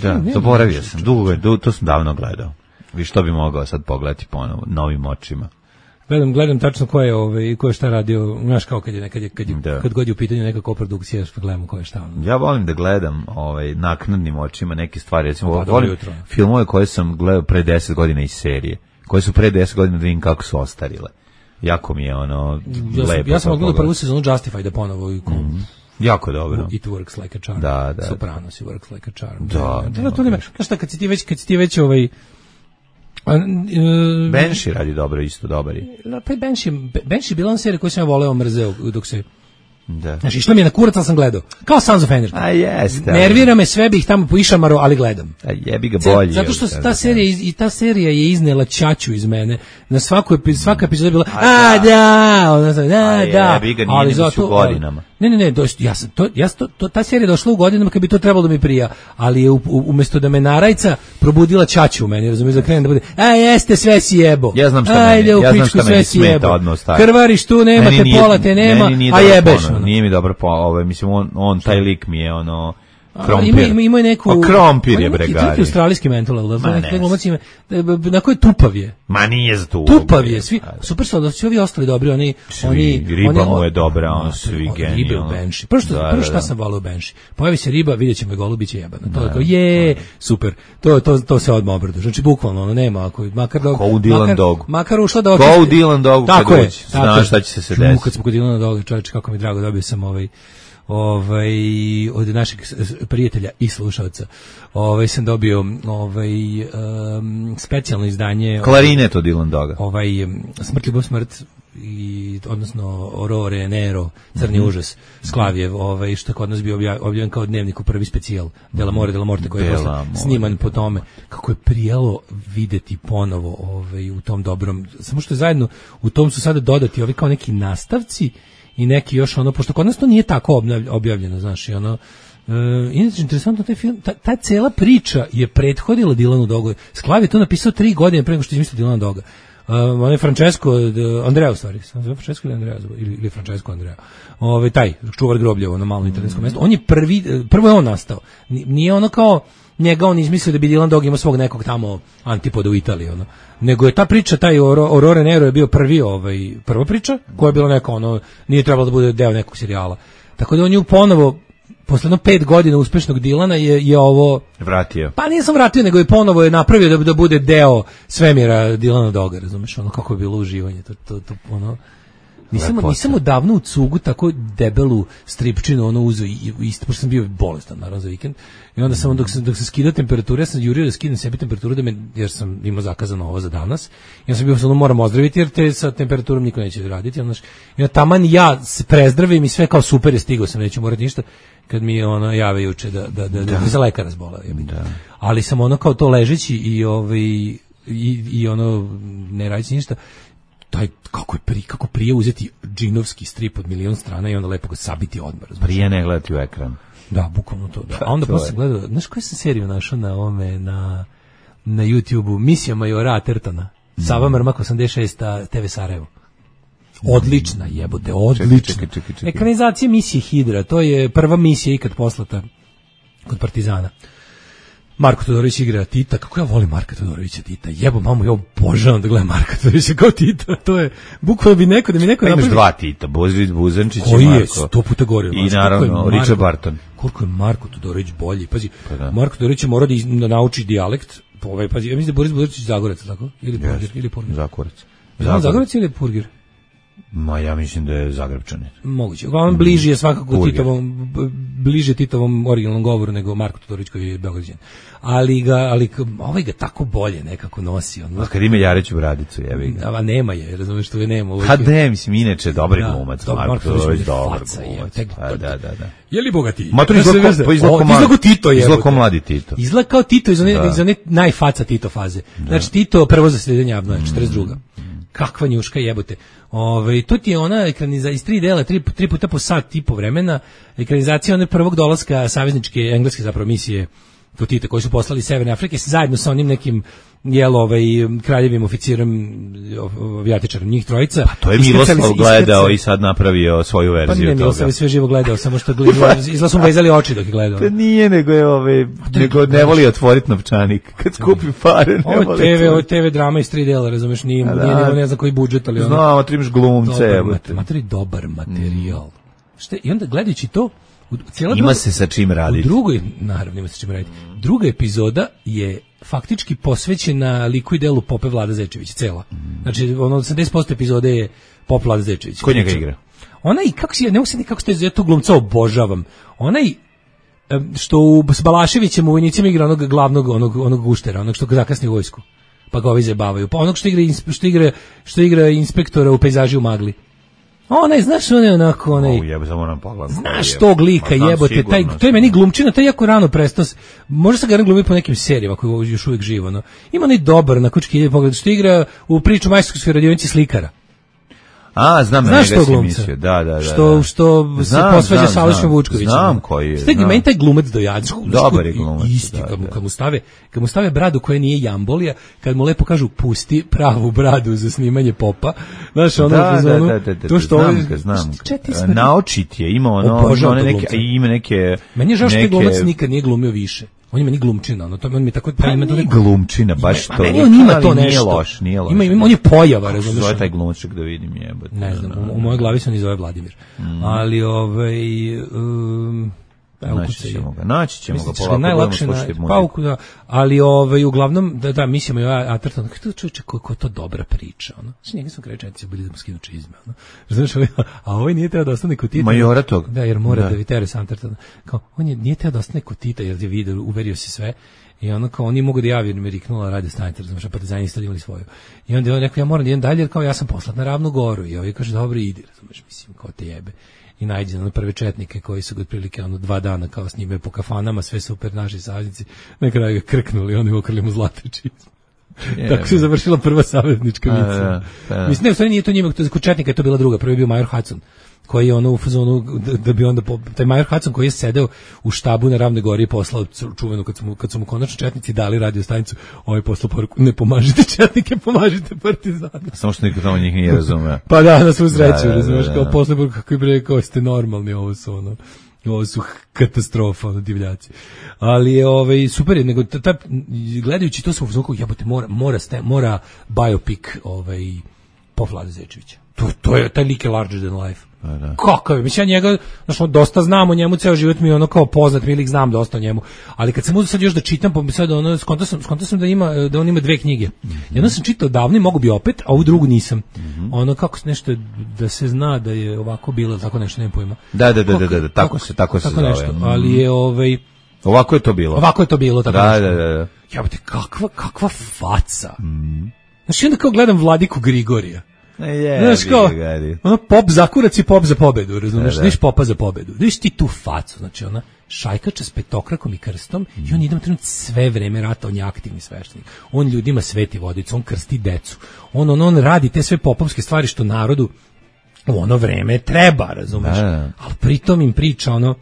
Da, zaboravio sam. Dugo je, to sam davno gledao. Vi što bi mogao sad pogledati ponovo novim očima. Gledam, gledam tačno ko je ovaj ko je šta radio, znaš kao kad je nekad je, kad, je, da. kad god je u pitanju neka koprodukcija, što gledamo ko je šta. Ono. Ja volim da gledam ovaj naknadnim očima neke stvari, recimo pa, volim jutro. Filmove koje sam gledao pre deset godina iz serije, koje su pre deset godina da vidim kako su ostarile. Jako mi je ono ja sam, lepo. Ja sam odgledao prvu sezonu Justify da ponovo i mm-hmm. jako dobro. It works like a charm. Da, da. Sopranos works like a charm. Da, da, da, to nema. Znaš šta, kad si ti već, kad si ti već ovaj Uh, Banshee radi dobro, isto dobar je. Pa Banshee, Banshee je bila ona serija koju sam ja voleo, mrzeo dok se... Da. Znači, što mi je na kurac, ali sam gledao. Kao Sons of Anarchy. A jeste. Nervira me, sve bih tamo poišamaro, ali gledam. A jebi ga bolje. Zato što ta serija, i ta serija je iznela ćaću iz mene. Na svaku epizodu, svaka epizoda je bila, a da, ona sam, da, da. Jebi ga, nije zato, u godinama. Ne, ne, ne, do, ja sam, to, ja to, to, ta serija je došla u godinama kad bi to trebalo da mi prija, ali je u, u, umjesto da me narajca probudila ćaću u meni, razumiješ, da krenem da bude, a jeste, sve si jebo. Ja znam šta ajde, meni, u ja znam pičku, šta meni smeta odnos taj. Krvariš tu, nemate pola, te nema, a jebeš. Nije mi dobro, ovaj, mislim, on, on taj lik mi je ono, Krompir. Ima, ima, ima neku... A krompir je neki, Bregari. neki australijski mental, da, Ma neki ne. glumac ima, na koji tupav je. Ma nije za tu ulogu. Tupav je, svi, super su, da svi ovi ostali dobri, oni... Svi, oni riba oni, mu je dobra, on ma, svi on, genijalno. Ribe u Benši. Prvo što, Da, prvo da, šta da. sam volao u Benši. Pojavi se riba, vidjet ćemo je golubiće jebana. To je kao, je, super. To, to, to se odmah obradu. Znači, bukvalno, ono, nema, ako, makar da... Ko u Dylan makar, Dogu. Makar ušla da Ko očisti... u Dylan Dogu kad Tako je, uđe, tako znaš je. šta će se se Ču, desiti. Kad smo kod Dylana Doga, čovječe, kako mi drago, dobio sam ovaj... ovaj od našeg prijatelja i slušalca. Ovaj sam dobio ovaj um, specijalno izdanje Klarinet od Dylan Doga. ovaj um, Smrt, ljubav, smrt i odnosno Aurore Nero, Crni Mm-hmm. užas, Sklavijev, ovaj što je kod nas bio obja- objavljen kao dnevnik u prvi specijal Della More Della Morte koji je Della posle More. sniman po tome. Kako je prijelo videti ponovo ovaj u tom dobrom, samo što je zajedno u tom su sada dodati ovi kao neki nastavci i neki još ono, pošto kod nas to nije tako obnavlj- objavljeno, znaš, i ono, e, inače, interesantno, taj film, ta, ta cela priča je prethodila Dylanu Dogu. Sklav je to napisao tri godine pre nego što je izmislio Dylana Doga. Uh, on je Francesco, uh, Andrea u stvari, sam zove Francesco ili Andrea, ili, ili Francesco Andrea, ove, taj, čuvar grobljevo na malom italijanskom mjestu, on je prvi, prvo je on nastao, nije ono kao, njega on izmislio da bi Dylan Dog imao svog nekog tamo antipoda u Italiji, ono. Nego je ta priča, taj Aurore Nero je bio prvi, ovaj, prva priča, koja je bila neka, ono, nije trebalo da bude deo nekog serijala. Tako da on ju ponovo, posledno pet godina uspešnog Dylana je, je ovo... Vratio. Pa nije sam vratio, nego je ponovo je napravio da, da bude deo svemira Dylana Doga, razumeš, ono kako je bilo uživanje, to, to, to ono... Nisam, Lepota. nisam odavno u cugu tako debelu stripčinu ono uzeo i isto, pošto sam bio bolestan naravno za vikend i onda sam dok sam, dok sam skidao temperaturu, ja sam jurio da skidam sebi temperaturu da me, jer sam imao zakazano ovo za danas i ja sam bio ono moram ozdraviti jer te sa temperaturom niko neće raditi, znaš, i onda taman ja se prezdravim i sve kao super je, stigao sam, neću morati ništa kad mi je ono jave juče da, da, da, da, da. za lekara zbolao, da. Ali sam ono kao to ležeći i, ovaj, i, i ono ne radići ništa, taj kako je pri kako prije uzeti džinovski strip od milion strana i onda lepo ga sabiti odmah. Prije ne gledati u ekran. Da, bukvalno to. Da. A onda posle gledao, znaš koju sam seriju našao na ovome, na, na YouTubeu, Misija majora Athertona, Sava Mrmak osamdeset šest te ve Sarajevo. Odlična jebote, odlična. Čekaj, čekaj, čekaj, čekaj. Ekranizacija misije Hidra, to je prva misija ikad poslata kod Partizana. Marko Todorović igra Tita, kako ja volim Marka Todorovića Tita, jebo mamu, ja obožavam da gledam Marka Todorovića kao Tita, to je, bukvalno bi neko, da mi neko Pa imaš napravi... dva Tita, Božović Buzančić i Koji je Marko. sto puta gore. I naravno, Richard Barton. Koliko je Marko Todorović bolji, pazi, Pa da. Marko Todorović je mora da, iz- da nauči dijalekt, ovaj, pazi, ja mislim da je Boris Budračić Zagorac, tako? Ili Purgir, ili Purgir. Zakorac. Zagorac. Zagorac ili Purgir? Ma ja mislim da je Zagrebčanin. Moguće. Uglavnom bliži je svakako Purgir. Titovom, b- bliže Titovom originalnom govoru nego Marko Todorović koji je Beograđan. Ali ga, ali k- ovaj ga tako bolje nekako nosi. On, A kad ima Jareću bradicu, jebi ga. a nema je, razumeš što je nema. Ovaj, Pa ne, mislim, inače, dobri Da, glumac, dobar, Marko Marko Todorović, Todorović je dobar faca, glumac. je, Pa da, da, da. je li bogati? Ma to izgleda kao- pa izgleda kao mladi- izgleda Tito je. izgleda kao mladi Tito. Izgleda kao Tito iz one, Da. iz one najfaca Tito faze. Znači Tito prvo zasljedenje Abnoja, četrdeset druga. Kakva njuška jebote. Ove, to ti je ona ekranizacija iz tri dela, tri, tri puta po sat i po vremena, ekranizacija one prvog dolaska savezničke engleske zapravo misije kod Tita koji su poslali iz Severne Afrike zajedno sa onim nekim jel ovaj kraljevim oficirom avijatičarom, njih trojica. Pa to je Iskrcali Miroslav se- gledao iskrcali- i sad napravio svoju Pa verziju ne, toga. Miroslav je sve živo gledao, samo što gledao, izgleda su mu vezali oči dok je gledao. Pa nije, nego je ove, nego ne voli otvoriti novčanik. Kad skupi pare, ne Ovo voli je T V, ovo je otvoriti. T V drama iz tri dela, razumeš, nije, A da. nije, nije, ne znam koji budžet, ali ono, Znamo, ti imaš glumce, dobar, evo mat- te. materi, dobar materijal. Šta, i onda gledajući to, u, cijela Ima druga- se sa čim u raditi. drugoj, naravno ima se čim raditi, druga epizoda je faktički posvećena liku i delu Pope Vlada Zečević, cela. Znači, ono, osamdeset posto epizode je Pop Vlada Zečević. Ko njega igra? Ona i kako si, ne mogu se ni kako ste ja tog glumca obožavam. Ona i em, što u, s Balaševićem u Vojnicima igra onog glavnog, onog, onog guštera, onog što ga zakasni u vojsku. Pa ga ovi zabavaju. Pa onog što igra, inspe- što igra, što igra inspektora u Pejzaži u magli. Onaj, znaš, on je onako, onaj... O, jebe, samo moram pogledati. Znaš tog lika, Ma, znam jebote, sigurno, taj, to je znam. meni glumčina, taj jako rano prestao, s- možda se ga glumi po nekim serijama koji je još uvijek živo, no. Ima onaj dobar na kučki ide pogled, što igra u priču majstorskoj radionici slikara. A, znam na Znaš njega što si glumca? mislio, da, da, da. Što, da. što se Znam, posvađa znam, sa Alešom znam. Vučkovićem. Znam koji je, Stek, znam. meni taj glumac dojadeš. Dobar je glumac, Isti, da, kad mu, da. kad mu stave, kad mu stave bradu koja nije jambolija, kad mu lepo kažu pusti pravu bradu za snimanje popa. Znaš, ono, Da, da, ono, da, da, da, to što znam ovaj- ga, znam ga. Četi smo- Naočit je, ima ono, Obožavam one tog neke, glumca. ima neke... Meni je žao što taj neke- glumac nikad nije glumio više. On je meni glumčina, ono, to on mi je tako... Pa ima to nije neko- glumčina, baš Ma to. meni on ima ali to nije nešto. loš, nije loš. Ima, ima, on je pojava, Kako se razumiješ? zove taj glumačak da vidim jebote. Ne znam, u, u mojoj glavi se on zove Vladimir. Mm. Ali, ovaj... Um, evo, Naći kucaj. ćemo ga, naći ćemo ga, Mislim da će polako budemo najlakše slušati na muziku. pauku, da, ali ovaj uglavnom da da mislimo ja Atherton, kako čoveče kako je to dobra priča, ono. Znači njega smo krečenici bili da mu skinu čizme, ono. Znaš, ovaj, a ovaj nije teo da ostane kod Tita. Majora tog. Da, jer mora Da. da, da Teresa Atherton. Kao on je nije teo da ostane kod Tita jer je video, uverio se sve. I ono kao oni mogu da javi, jer mi je riknula radio stanice, razumiješ, a partizani isto imali svoju. I onda je on rekao, ja moram da idem dalje, jer kao ja sam poslat na Ravnu Goru. I ovaj kaže, dobro, idi, razumiješ, mislim, kao te jebe. I najde na prve četnike koji su ga otprilike ono dva dana kao s njime po kafanama, sve super naši saveznici, na kraju ga krknuli, oni ukrili mu zlate čizme. Tako se završila prva saveznička A, misija. da, da. Mislim, ne, u stvari nije to njima, to kod četnika je to bila druga, prvi je bio Major Hudson, koji je ono u fazonu, da, da bi onda, po, taj Major Hudson koji je sedeo u štabu na Ravnoj Gori i poslao čuvenu, kad su mu, kad su mu konačno četnici dali radio stanicu, ovaj poslao poruku, ne pomažite četnike, pomažite partizane. Samo što niko tamo njih nije razumeo. Pa da, na svu sreću, Da, da, razumeš, da, kao da. posle poruku, kako je bre, kao ste normalni, ovo su ono, ovo su katastrofa, ono, divljaci. Ali je ovaj super je, nego ta, ta, gledajući to sam u fazonu, jebote, mora mora ste, mora biopic ovaj po Vlade Zečevića. To to je taj lik je larger than life. da. Kakav je? Mislim, ja njega, znaš, on dosta znamo o njemu, ceo život mi je ono kao poznat, mi lik znam dosta o njemu. Ali kad sam uzeo sad još da čitam, pa mi sad ono, skonto sam, skonto sam da ima, da on ima dve knjige. Jedno sam čitao davno i mogu bi opet, a ovu drugu nisam. Ono, kako se nešto, da se zna da je ovako bilo, tako nešto, nemam pojma. Da, da, da, da, Kako- da, da, tako se, tako se tako zove. nešto, Mm. ali je ovaj, Ovako je to bilo. ovako je to bilo, tako Da, nešto. da, da, da. Jebote, kakva, kakva faca. Znači, onda kao gledam Vladiku Grigorija. E, je, Znaš kao, gari. ono pop za kurac i pop za pobedu, razumiješ, Da, da. viš popa za pobedu, viš ti tu facu, znači ona šajkača s petokrakom i krstom i on idem trenut sve vreme rata, on je aktivni sveštenik, on ljudima sveti vodicu, on krsti decu, on, on, on radi te sve popovske stvari što narodu u ono vreme treba, razumeš, Da, da. ali pritom im priča ono,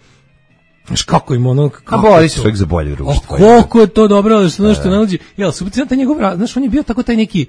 znaš kako im ono, A kako bori je se to- čovjek za bolje O, društvo. koliko je to dobro, da se ono što nalazi, jel, super, taj njegov, ra- znaš, on je bio tako taj neki,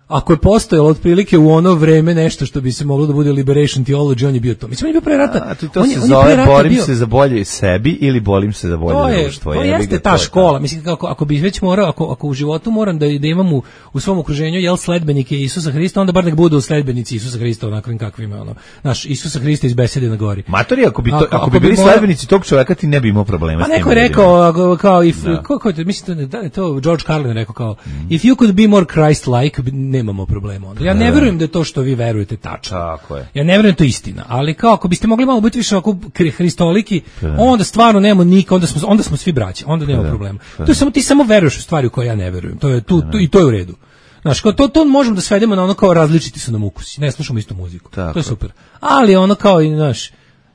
ako je postojalo otprilike u ono vreme nešto što bi se moglo da bude liberation theology, on je bio to. Mislim, on je bio pre rata. A to, to on je, se on je pre zove rata borim bio- se za bolje sebi ili bolim se za bolje to je, društvo. to jebi ga, jeste to ta je škola. Mislim, kako, ako bi već morao, ako, ako u životu moram da, da imam u, u svom okruženju jel sledbenike Isusa Hrista, onda bar nek budu sledbenici Isusa Hrista onakvim kakvima, ono. Znaš, Isusa Hrista iz Besede na gori. Matori, ako bi, to, Ako- ako, ako bi bi bili mora- sledbenici tog čovjeka, ti ne bi imao problema Pa s tim neko je ljudima. rekao ako- kao if Da. ko ko mislim da je to George Carlin je rekao kao if you could be more Christ-like bi- nemamo problema onda. Ja ne verujem da je to što vi verujete tačno. Tako je. Ja ne verujem da je to istina, ali kao ako biste mogli malo biti više ovako kri- hristoliki, onda stvarno nemamo nika, onda smo onda smo svi braća, onda nema problema. To je samo ti samo veruješ u stvari u koje ja ne verujem. To je tu, tu i to je u redu. Znaš, kao to, to možemo da svedemo na ono kao različiti su nam ukusi. Ne slušamo istu muziku. Tako. To je super. Ali ono kao i, znaš,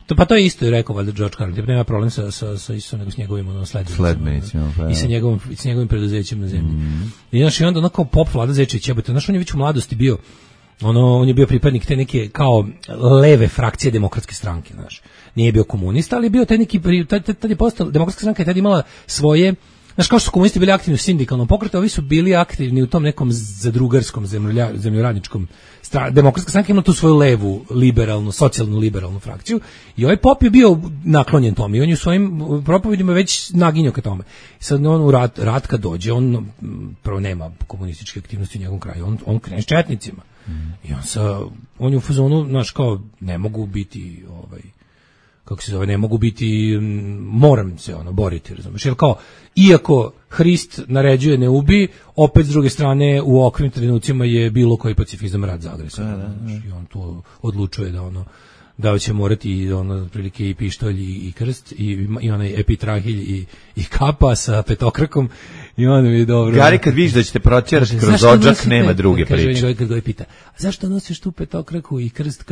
to, pa to je isto i rekao valjda George Carlin, tipa nema problem sa, sa, sa Isusom nego s njegovim ono, sledbenicima. Sledbenicima, pa I sa njegovim, i sa njegovim preduzećem na zemlji. I, znaš, i onda ono kao pop Vlada Zečević, jebote, znaš, on je već u mladosti bio, ono, on je bio pripadnik te neke kao leve frakcije demokratske stranke, znaš. Nije bio komunista, ali je bio taj neki, pri- tad, tad, tad je postala, demokratska stranka je tad imala svoje, znaš, kao što su komunisti bili aktivni u sindikalnom pokretu, ovi su bili aktivni u tom nekom zadrugarskom, zemljolja, zemljoradničkom stra, demokratska stranka ima tu svoju levu, liberalnu, socijalnu liberalnu frakciju i ovaj pop je bio naklonjen tome i on je u svojim propovedima već naginjao ka tome. I sad on u rat, rat kad dođe, on m, prvo nema komunističke aktivnosti u njegovom kraju, on, on krene s četnicima. I on sa, on je u fazonu, znaš, kao, ne mogu biti, ovaj, kako se zove, ne mogu biti, m, moram se ono boriti, razumiješ, jer kao, iako Hrist naređuje ne ubi, opet s druge strane u okvim trenucima je bilo koji pacifizam rat za agresor, znaš, i on tu odlučuje da ono, da će morati i ono prilike i pištolj i, i krst i, i onaj epitrahilj i, i kapa sa petokrakom I onda mi je dobro. Gari, kad vidiš da ćete protjerati kroz odžak, nema druge kaže, priče. Kaže, kad ga pita, a zašto nosiš tu petokraku i krst,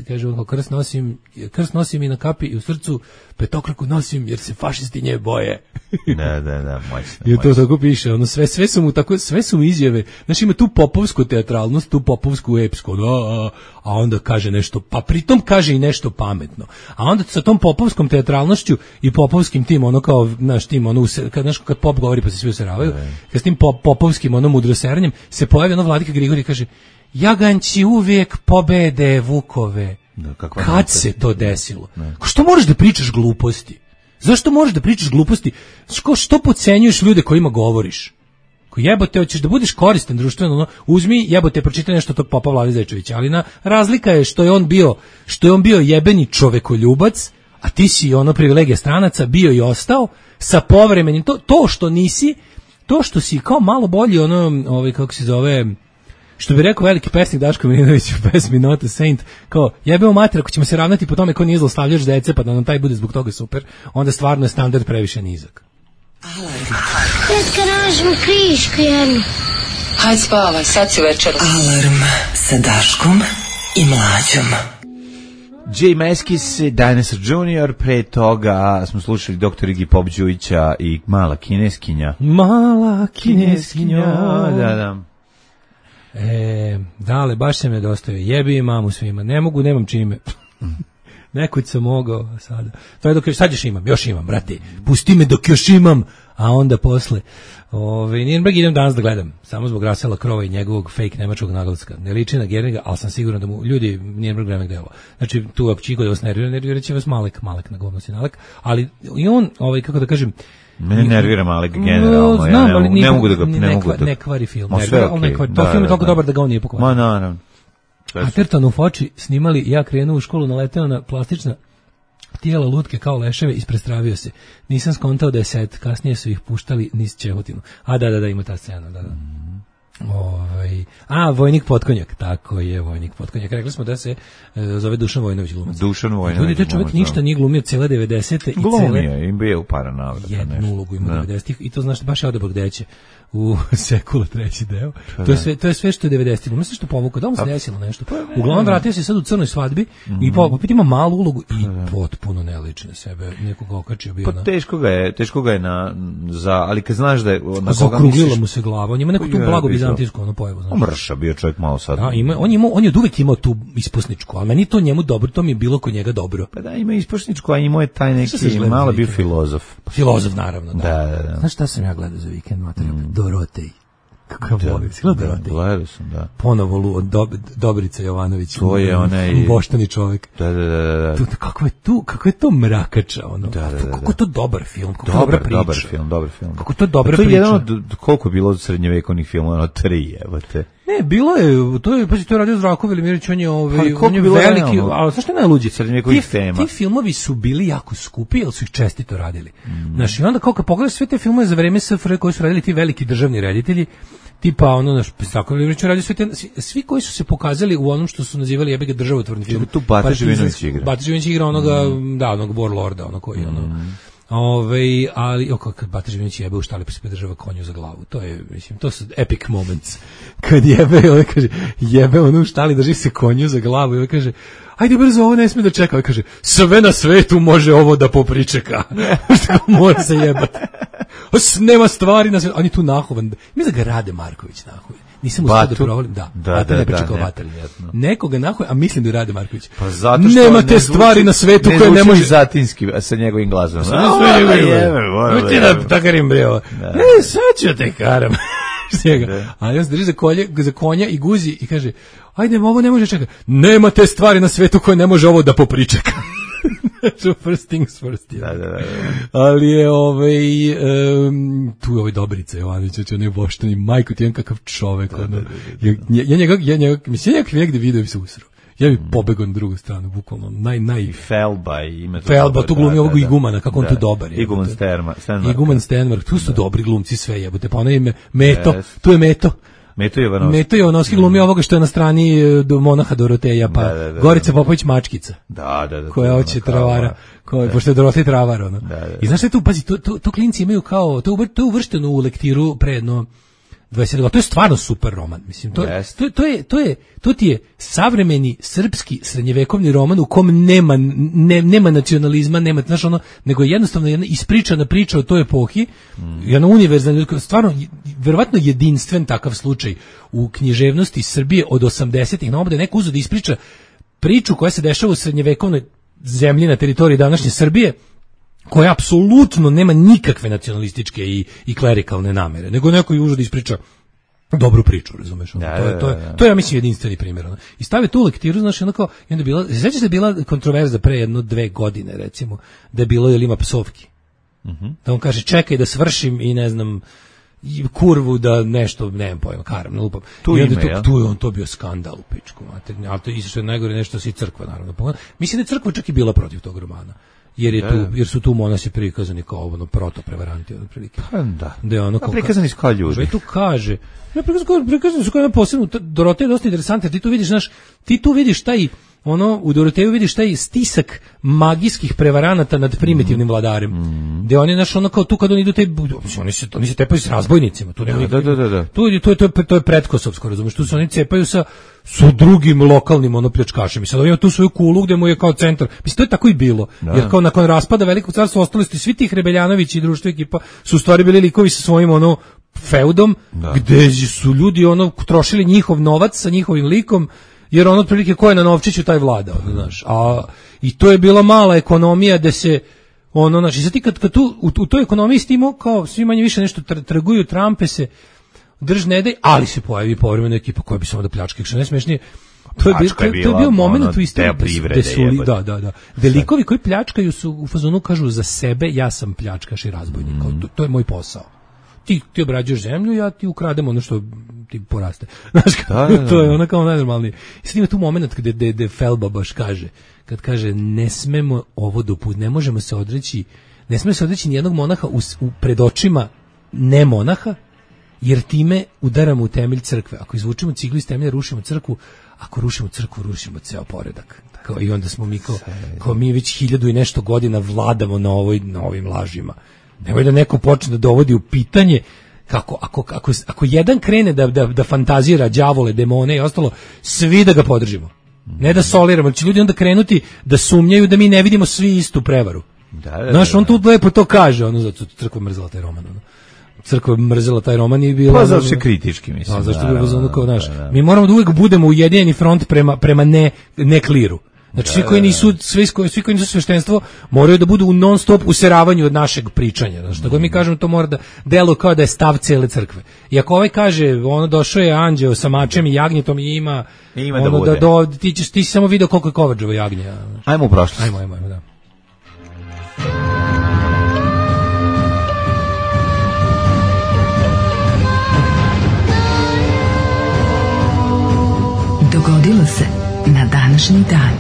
kaže on, krst nosim, krst nosim i na kapi i u srcu, petokraku nosim jer se fašisti nje boje. Da, da, da, moćno. I to tako piše, ono, sve, sve su mu tako, sve su mu izjave, znaš, ima tu popovsku teatralnost, tu popovsku epsku, da, a, a onda kaže nešto, pa pritom kaže i nešto pametno. A onda sa tom popovskom teatralnošću i popovskim tim, ono kao, znaš, tim, ono, kad, znaš, kad pop govori pa se svi useravaju, kad s tim pop, popovskim, ono, mudroseranjem, se pojavi ono Vladika Grigorije i kaže, jaganci uvijek pobede vukove. Da, kad se to desilo? Ne. Što moraš da pričaš gluposti? Zašto moraš da pričaš gluposti? Što, što podcenjuješ ljude kojima govoriš? Ko jebote, hoćeš da budeš koristan društveno, no, uzmi, jebote, pročitaj nešto tog popa Vlade Zečevića, ali na, razlika je što je on bio, što je on bio jebeni čovekoljubac, a ti si ono privilegija stranaca bio i ostao sa povremenim, to, to što nisi, to što si kao malo bolji, ono, ovaj, kako se zove, što bi rekao veliki pesnik Daško Milinović u pesmi Not a Saint, kao jebeo mater, ako ćemo se ravnati po tome ko nije zlostavljač dece, pa da nam taj bude zbog toga super, onda stvarno je standard previše nizak. Tetka, nađemo krišku jednu. Hajde spavaj, sad si večera. Alarm sa Daškom i Mlađom. Jay Meskis, Dinosaur junior, pre toga smo slušali doktor Iggy Pop Đujića i Mala kineskinja. Mala kineskinja. Da, da. E, dale, baš se me dostavio. Jebi mamu svima. Ne mogu, nemam čime. Nekud sam mogao, a sada. To je dok još, sad još imam, još imam, brate. Pusti me dok još imam, a onda posle. Ove, Nürnberg idem danas da gledam, samo zbog Rasela Krova i njegovog fake nemačkog naglaska. Ne liči na Geringa, ali sam siguran da mu ljudi Nürnberg vreme gde ovo. Znači, tu ako čiko da vas nervira, nervira će vas Malek, Malek na govno si Nalek, ali i on, ovaj, kako da kažem, mene nervira Malek generalno, no, ja znam, ne, ali ne, ne mogu da ga, ne ne, mogu da... Ne kvari film, Ma, nervira, okay. ne kvari, da, to film je da, toliko da. dobar da ga on nije pokvario. Ma, naravno. Atherton u Foči snimali, ja krenuo u školu, naleteo na plastična tijela lutke kao leševe, isprestravio se. Nisam skontao da je set, kasnije su ih puštali niz Čehotinu. A da, da, da, ima ta scena, da, da. Mm. Ovaj, a, Vojnik Potkonjak, tako je, Vojnik Potkonjak. Rekli smo da se e, zove Dušan Vojinović glumac. Dušan Vojinović. Ljudi, te čovjek ništa nije glumio cele devedesete i glumio cele... je, im bio u para navrata. Jednu ulogu ima devedesetih i to znaš, baš je odabog deće u Sekula treći deo. To je sve, to je sve što je devedesetih. Mislim što povukao, da mu se desilo nešto. Uglavnom vratio se sad u Crnoj svadbi mm-hmm. i opet ima malu ulogu i potpuno ne liči na sebe. Nekoga okačio bio pa na... teško ga je, teško ga je na, za, ali kad znaš da je... Na zaokrugljila misliš... mu se glava, on ima neku tu blago bizantijsku ono pojavu. Znači. Mrša, bio čovjek malo sad. Da, ima, on, je imao, on je od uvek imao tu ispusničku, a meni to njemu dobro, to mi je bilo kod njega dobro. Pa da, ima ispusničku, a imao je taj neki, malo bio filozof. Filozof, naravno, da. Da, da, da. Znaš šta sam ja gledao za vikend, materijal? Mm. Dorotej. Kako je volim, si gledao Dorotej? Gledao sam, da. Ponovo Lu, Dob, Dobrica Jovanović. To je onaj... Boštani čovjek. Da, da, da. da. Tu, kako je tu, kako je to mrakača, ono. Da, da, da, da. Kako je to dobar film, kako dobar, dobra priča. Dobar film, dobar film. Kako to dobra priča. To je priča. jedan od, koliko je bilo od srednjevekovnih filmova, ono tri, evo te. Ne, bilo je, to je, pa si to radio Zdravko Velimirić, on je, ovaj, on je veliki, ali znaš što je najluđi? Srednjevekovnih tema. Ti filmovi su bili jako skupi, ali su ih čestito radili. Mm. Znaš, i onda kao kad pogledaš sve te filmove za vreme S F R koji su radili ti veliki državni reditelji, tipa ono naš Zdravko Velimirić radio sve te, svi koji su se pokazali u onom što su nazivali jebega državotvorni film. Tu Bata Živinović igra. Bata Živinović igra onoga, mm. da, onog Warlorda, ono koji, ono, mm. Ove, ali oko kad Bata Živinović jebe u štali pa se podržava konju za glavu. To je, mislim, to su epic moments. Kad jebe, on kaže, jebe ono u štali, drži se konju za glavu i on kaže, ajde brzo, ovo ne smije da čeka. On kaže, sve na svetu može ovo da popričeka. Što mora se jebati. Nema stvari na svetu. On je tu nahovan. Mi da ga Rade Marković nahovan. Nisam uspio da provalim, da. Da, da, ne da, ne. Nekoga nahovan, a mislim da je Rade Marković. Pa zato što nema ne te zvuči, stvari na svetu ne koje ne može zatinski sa njegovim glasom. Sve njegovim. Ti da takarim breo. Ne, sad ću te karam. A on se drži za, kolje, za konja i guzi i kaže, ajde, ovo ne može čekati. Nema te stvari na svetu koje ne može ovo da popričeka. First things first. Da, da, da, da. Ali je ovaj, um, tu je ovaj Dobrica Jovanović, on je boštani, majko ti je kakav čovek. Da, ono. Da, da, da. Ja, ja njega, ja njega, mislim, ja negde vidio bi se usro. Ja bi pobegao na drugu stranu, bukvalno, naj, naj... I Felba i ime... Felba, tu glumi ovog Igumana, kako on tu dobar je. Iguman Stenmark. Iguman Stenmark, tu su dobri glumci sve jebote, pa ono ime Meto, tu je Meto. Meto Jovanovski. Meto Jovanovski glumi mm. ovoga što je na strani do monaha Doroteja, pa da, da, da, Gorica Popović Mačkica. Da, da, da. Koja hoće travara, koja pošto je Dorotej travar, ono. Da, da, da. I znaš šta je tu, pazi, to, to, to klinci imaju kao, to, to je uvršteno u lektiru pre jedno dvadeset godina. To je stvarno super roman, mislim. To, yes. to, to, je, to, je, to ti je savremeni srpski srednjevekovni roman u kom nema, ne, nema nacionalizma, nema, znaš ono, nego je jednostavno jedna ispričana priča o toj epohi, mm. jedna univerzalna, stvarno, verovatno jedinstven takav slučaj u književnosti Srbije od osamdesetih na obde, neko uzeo da ispriča priču koja se dešava u srednjevekovnoj zemlji na teritoriji današnje Srbije, koja apsolutno nema nikakve nacionalističke i, i klerikalne namere, nego neko je uzeo da ispriča dobru priču, razumeš? Da, to je to je to je ja mislim jedinstveni primjer. Ono. I stave tu lektiru, znaš, onako, i onda bila, sećaš se da je bila kontroverza pre jedno dve godine, recimo, da je bilo jel ima psovki. Mhm. Mm da on kaže čekaj da svršim i ne znam i kurvu da nešto, nemam pojma, karam, lupam. Tu I onda ime, tu, ja? tu je on to bio skandal u pičku, mater, ali to isto što je najgore nešto si crkva, naravno. Mislim da je crkva čak i bila protiv tog romana. Jer, je tu, jer su tu monasi prikazani kao ono proto-prevaranti od prilike. Pa da. Da je ono kao, prikazani su kao ljudi. Što tu kaže. Ja prikazani, prikazani su kao jedna posebno, Dorotej je dosta interesantna, ti tu vidiš, znaš, ti tu vidiš taj, ono, u Doroteju vidiš taj stisak magijskih prevaranata nad primitivnim mm. vladarem. Mm. Gde oni, znaš, ono kao tu kad oni idu, taj, oni se, oni se tepaju s razbojnicima. Tu nema da, da, da, da. Tu, to, je, to, je, to je pretkosovsko, razumiješ, tu se oni cepaju sa, sa drugim lokalnim ono pljačkašem. I sad on ima tu svoju kulu gde mu je kao centar. Mislim, to je tako i bilo. Da. Jer kao nakon raspada Velikog carstva ostali su svi tih Rebeljanović i društvo ekipa su u stvari bili likovi sa svojim ono feudom, da. Gde su ljudi ono trošili njihov novac sa njihovim likom, jer ono otprilike ko je na novčiću taj vlada, ono, znaš. A i to je bila mala ekonomija da se ono, znači, sad ti kad, kad tu u, u toj ekonomiji stimo kao svi manje više nešto tr, trguju, trampe se, drž ne daj, ali se pojavi povremeno ekipa koja bi samo da pljačka, što najsmešnije. To je, bio, to, to je bio moment ono, u istoriji gde su, da, da, da. Delikovi koji pljačkaju su u fazonu kažu za sebe, ja sam pljačkaš i razbojnik, mm. to, to je moj posao. Ti, ti obrađuješ zemlju, ja ti ukradem ono što ti poraste. Znaš, da, da, da. To je ono kao najnormalnije. I sad ima tu moment gde, gde, gde Felba baš kaže, kad kaže ne smemo ovo dopustiti, ne možemo se odreći, ne smemo se odreći nijednog monaha u, u pred očima ne monaha, jer time udaramo u temelj crkve. Ako izvučemo ciglu iz temelja, rušimo crkvu, ako rušimo crkvu, rušimo ceo poredak. Kao, i onda smo mi kao, kao mi već hiljadu i nešto godina vladamo na, ovoj, na ovim lažima. Nemoj da neko počne da dovodi u pitanje kako ako ako ako jedan krene da da da fantazira đavole, demone i ostalo, svi da ga podržimo. Ne da soliramo, znači ljudi onda krenuti da sumnjaju da mi ne vidimo svi istu prevaru. Da, da, znaš, on tu lepo to kaže, ono zato crkva mrzela taj roman, ono. Crkva mrzela taj roman i bila... Pa zašto se kritički, mislim. A zašto bi bilo kao, znaš, da, da. Mi moramo da uvijek budemo ujedinjeni front prema prema ne ne kliru. Znači svi koji nisu svi koji svi koji nisu sveštenstvo moraju da budu u non stop useravanju od našeg pričanja. Znači što god mi kažemo to mora da deluje kao da je stav cele crkve. I ako ovaj kaže ono došao je anđeo sa mačem i jagnjetom i ima, ima ono da, bude. da do, ti ćeš ti si samo video koliko je kovačevo jagnje. Znači. Ajmo u prošlost. Ajmo, ajmo, ajmo, da. Dogodilo se na današnji dan.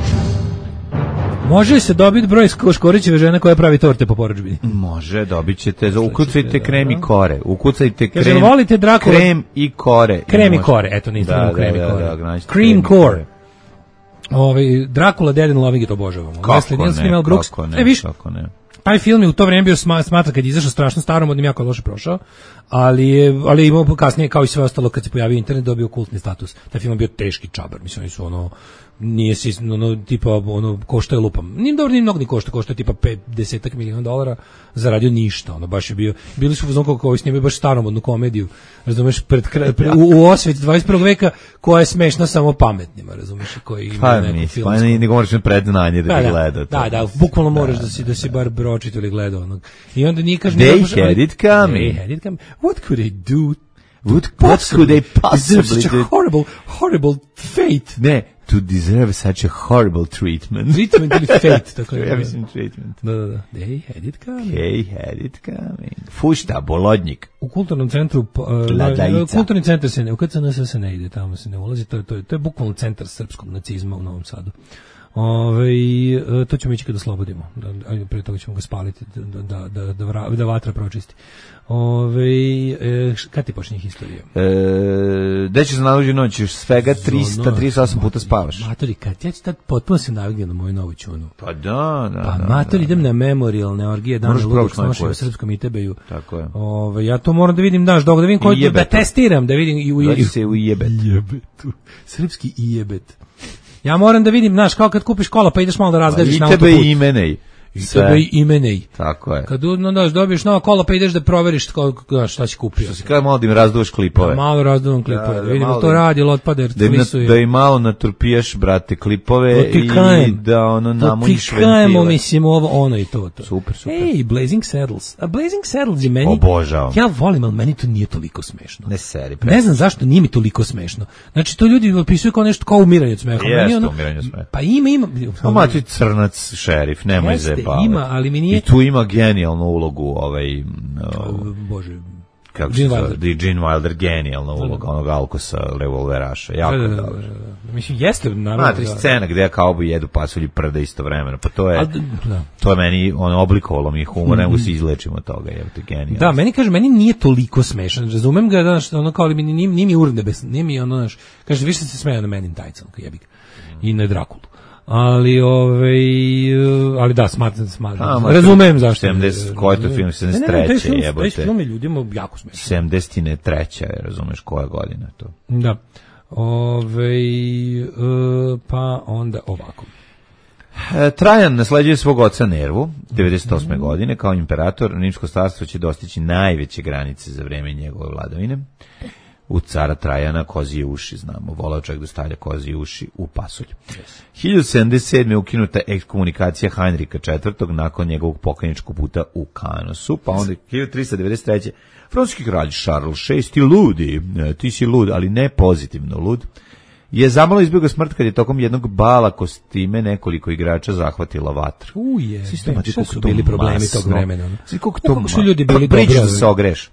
Može se dobiti broj Škorićeve žene koja pravi torte po porudžbini? Može, dobit ćete. Ukucajte krem i kore. Ukucajte krem, Kaže, volite Drakula? Krem i kore. Krem i kore, eto nisam da, krem i da, kore. Da, da, Cream core. Ovaj Drakula, Dead and Loving, to obožavamo. Kako ne, Mel Brooks. Kako ne, e, viš, kako ne. Taj film je u to vrijeme bio smatra kad je izašao strašno starom, od njim jako loše prošao, ali je, ali je imao kasnije, kao i sve ostalo, kad se pojavio internet, dobio kultni status. Taj film je bio teški čabar, mislim, oni su ono, nije si, ono, tipa, ono, košta je lupam. Nije dobro, nije mnogo ni košta, košta je tipa pedeset miliona dolara, zaradio ništa, ono, baš je bio, bili su uzmano kako snimaju baš staromodnu komediju, razumeš, pred, pred, u, u osveti dvadeset prvog veka, koja je smešna samo pametnima, razumeš, koji ima pa, neku nis, filmsku. Pa ne moraš predznanje da, da bi gledao. Da, da, bukvalno moraš da, da si, da si bar bročito ili gledao onog. I onda nije kaže... They had it coming. They had it coming. What could they do? What, what could they possibly such a horrible, horrible fate. Ne, to deserve such a horrible treatment. Treatment ili fate, tako je. Ja mislim treatment. Da, da, da. They had it coming. They had it coming. Fušta, Bolodnjik. U kulturnom centru, uh, kulturni centar se ne, u K C N S se ne ide, tamo se ne ulazi, to je, to je, to je bukvalno centar srpskog nacizma u Novom Sadu. Ove, to ćemo ići kada oslobodimo. Da, pre toga ćemo ga spaliti da, da, da, da, vra, da vatra pročisti. Ove, e, kad ti počinje historija? E, gde ćeš za najluđu noć? Još svega trista trideset osam puta spavaš. Matori, kad ja ću tad potpuno se navignjem na moju novu čunu. Pa da, da. Pa da, matori, da. idem na memorialne orgije, dane ludog snošenja u srpskom Itebeju. Tako je. Ove, ja to moram da vidim, daš, dok da vidim koji, da testiram, da vidim i u Dođi se u jebet. Jebetu. Srpski i jebet. Ja moram da vidim, znaš, kao kad kupiš kola pa ideš malo da razgažiš na autoput. I tebe imenej. I tebe imenej. Tako je. Kad no, daš, dobiješ nova kola pa ideš da proveriš ko, šta si kupio. Što si kada malo da im razduvaš klipove. Da, malo razduvam klipove. Da, da, da vidimo to radi, ili otpada, jer da, flisuje. Da im malo naturpijaš, brate, klipove i kajem. Da ono namuniš ventile. To ti kajemo, mislim, ovo, ono i to. to. Super, super. Ej, Blazing Saddles. A Blazing Saddles je meni... Obožavam. Ja volim, ali meni to nije toliko smešno. Ne seri. Ne znam zašto nije mi toliko smešno. Znači, to ljudi opisuju kao nešto, kao umiranje od smeha. Jeste ono, umiranje od smeha. Pa ima, ima... A mati crnac šerif, nemoj zajebavati. Ima, ali mi nije... I tu ima genijalnu ulogu, ovaj... Uh, Bože... Kako se zove? Gene Wilder, genijalna uloga onog Alkosa, revolveraša. Jako da, da, dobro. Da, da. Mislim, jeste, naravno. Matri scena gde kauboji jedu pasulj i prda istovremeno. Pa to je, Al, da. to je meni ono, oblikovalo mi humor, ne mogu se izlečimo od toga. Je, to je genijalno. Da, meni kaže, meni nije toliko smešan. Razumem ga, znaš, ono kao, ali mi nije, nije mi urnebesno, nije mi ono, znaš, kaže, više se smeja na Men in Tights, ono, jebik. I na Drakulu. Ali ovaj ali da smatram smatram. Razumem zašto. sedamdeset koji je to film sedamdeset treće jebote. Taj film je ljudima jako smešan. sedamdeset treća razumeš koja godina to. Da. Ovaj uh, pa onda ovako. E, Trajan nasleđuje svog oca Nervu devedeset osme godine kao imperator. Rimsko carstvo će dostići najveće granice za vreme njegove vladavine. U cara Trajana kozije uši, znamo, volao čovjek da stavlja kozije uši u pasulj. Yes. hiljadu sedamdeset sedme ukinuta ekskomunikacija Heinricha četvrtog nakon njegovog pokajničkog puta u Kanosu, pa onda hiljadu trista devedeset treće francuski kralj Charles šesti ludi, ti si lud, ali ne pozitivno lud, je zamalo izbjegao smrt kad je tokom jednog bala kostime nekoliko igrača zahvatila vatru. Uje, šta su bili problemi masno. Tog vremena? Svi koliko to kako su ljudi bili dobri. Priđeš da se ogreš.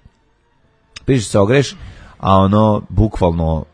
Priđeš da se ogreš, a ono, bukvalno,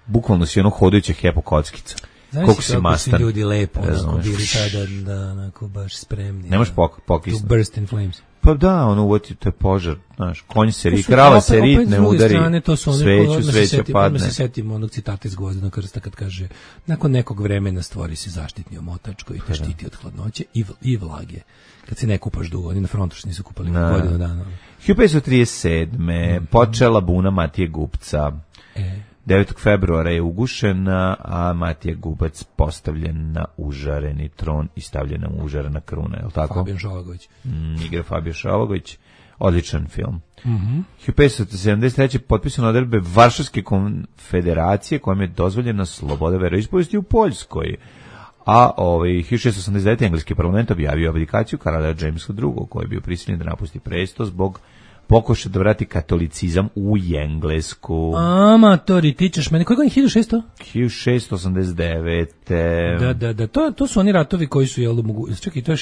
bukvalno si ono hodajuća hepokockica. Koliko si mastan. Znaš ljudi lepo, onako, bili tada, da, onako, baš spremni. Nemaš pok, pokisno. To burst in flames. Pa da, ono, uvoti, to je požar, znaš, konj se ri, krava se ritne, udari, strane, to su one, sveću, sveća seti, padne. se setim onog citata iz Gvozdenog krsta kad kaže, nakon nekog vremena stvori se zaštitni omotač koji te štiti od hladnoće i, i vlage. Kad se ne kupaš dugo, oni na frontu što nisu kupali na godinu dana. hiljadu petsto trideset sedme Mm. počela buna Matije Gupca. E. devetog februara je ugušena, a Matija Gubac postavljen na užareni tron i stavljena u užarena kruna, je li tako? Fabijan Šovagović. Mm, igra Fabijan Šovagović. Odličan film. Mm-hmm. hiljadu petsto sedamdeset treće potpisane odredbe Varšavske konfederacije kojom je dozvoljena sloboda veroispovesti u Poljskoj. A ovaj, hiljadu šessto osamdeset devete engleski parlament objavio abdikaciju kralja Jamesa drugog, koji je bio prisiljen da napusti presto zbog pokušaja da vrati katolicizam u Englesku. Amatori, ti ćeš meni, koji je hiljadu šesto? hiljadu šessto osamdeset devete Da, da, da, to, to su oni ratovi koji su, jel, mogu, čekaj, to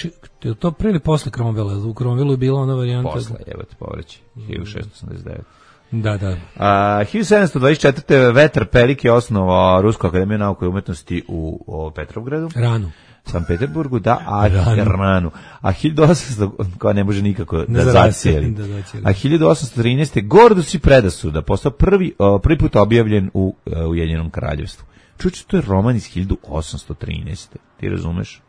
je to pre ili posle Cromwella? U Cromwellu je bila ona varijanta. Posle, jebate, povreći, hiljadu šessto osamdeset devete Da, da. A, hiljadu sedamsto dvadeset četvrte Vetar Pelik je osnovao Rusku akademiju nauke i umetnosti u o, Petrovgradu. Ranu. San Peterburgu, da, a Ranu. Ranu. A hiljadu osamsto koja ne može nikako ne da zacijeli. Da a hiljadu osamsto trinaeste Gordus i Predasuda postao prvi, o, prvi put objavljen u uh, Ujedinjenom kraljevstvu. Čuči, to je roman iz hiljadu osamsto trinaeste Ti razumeš?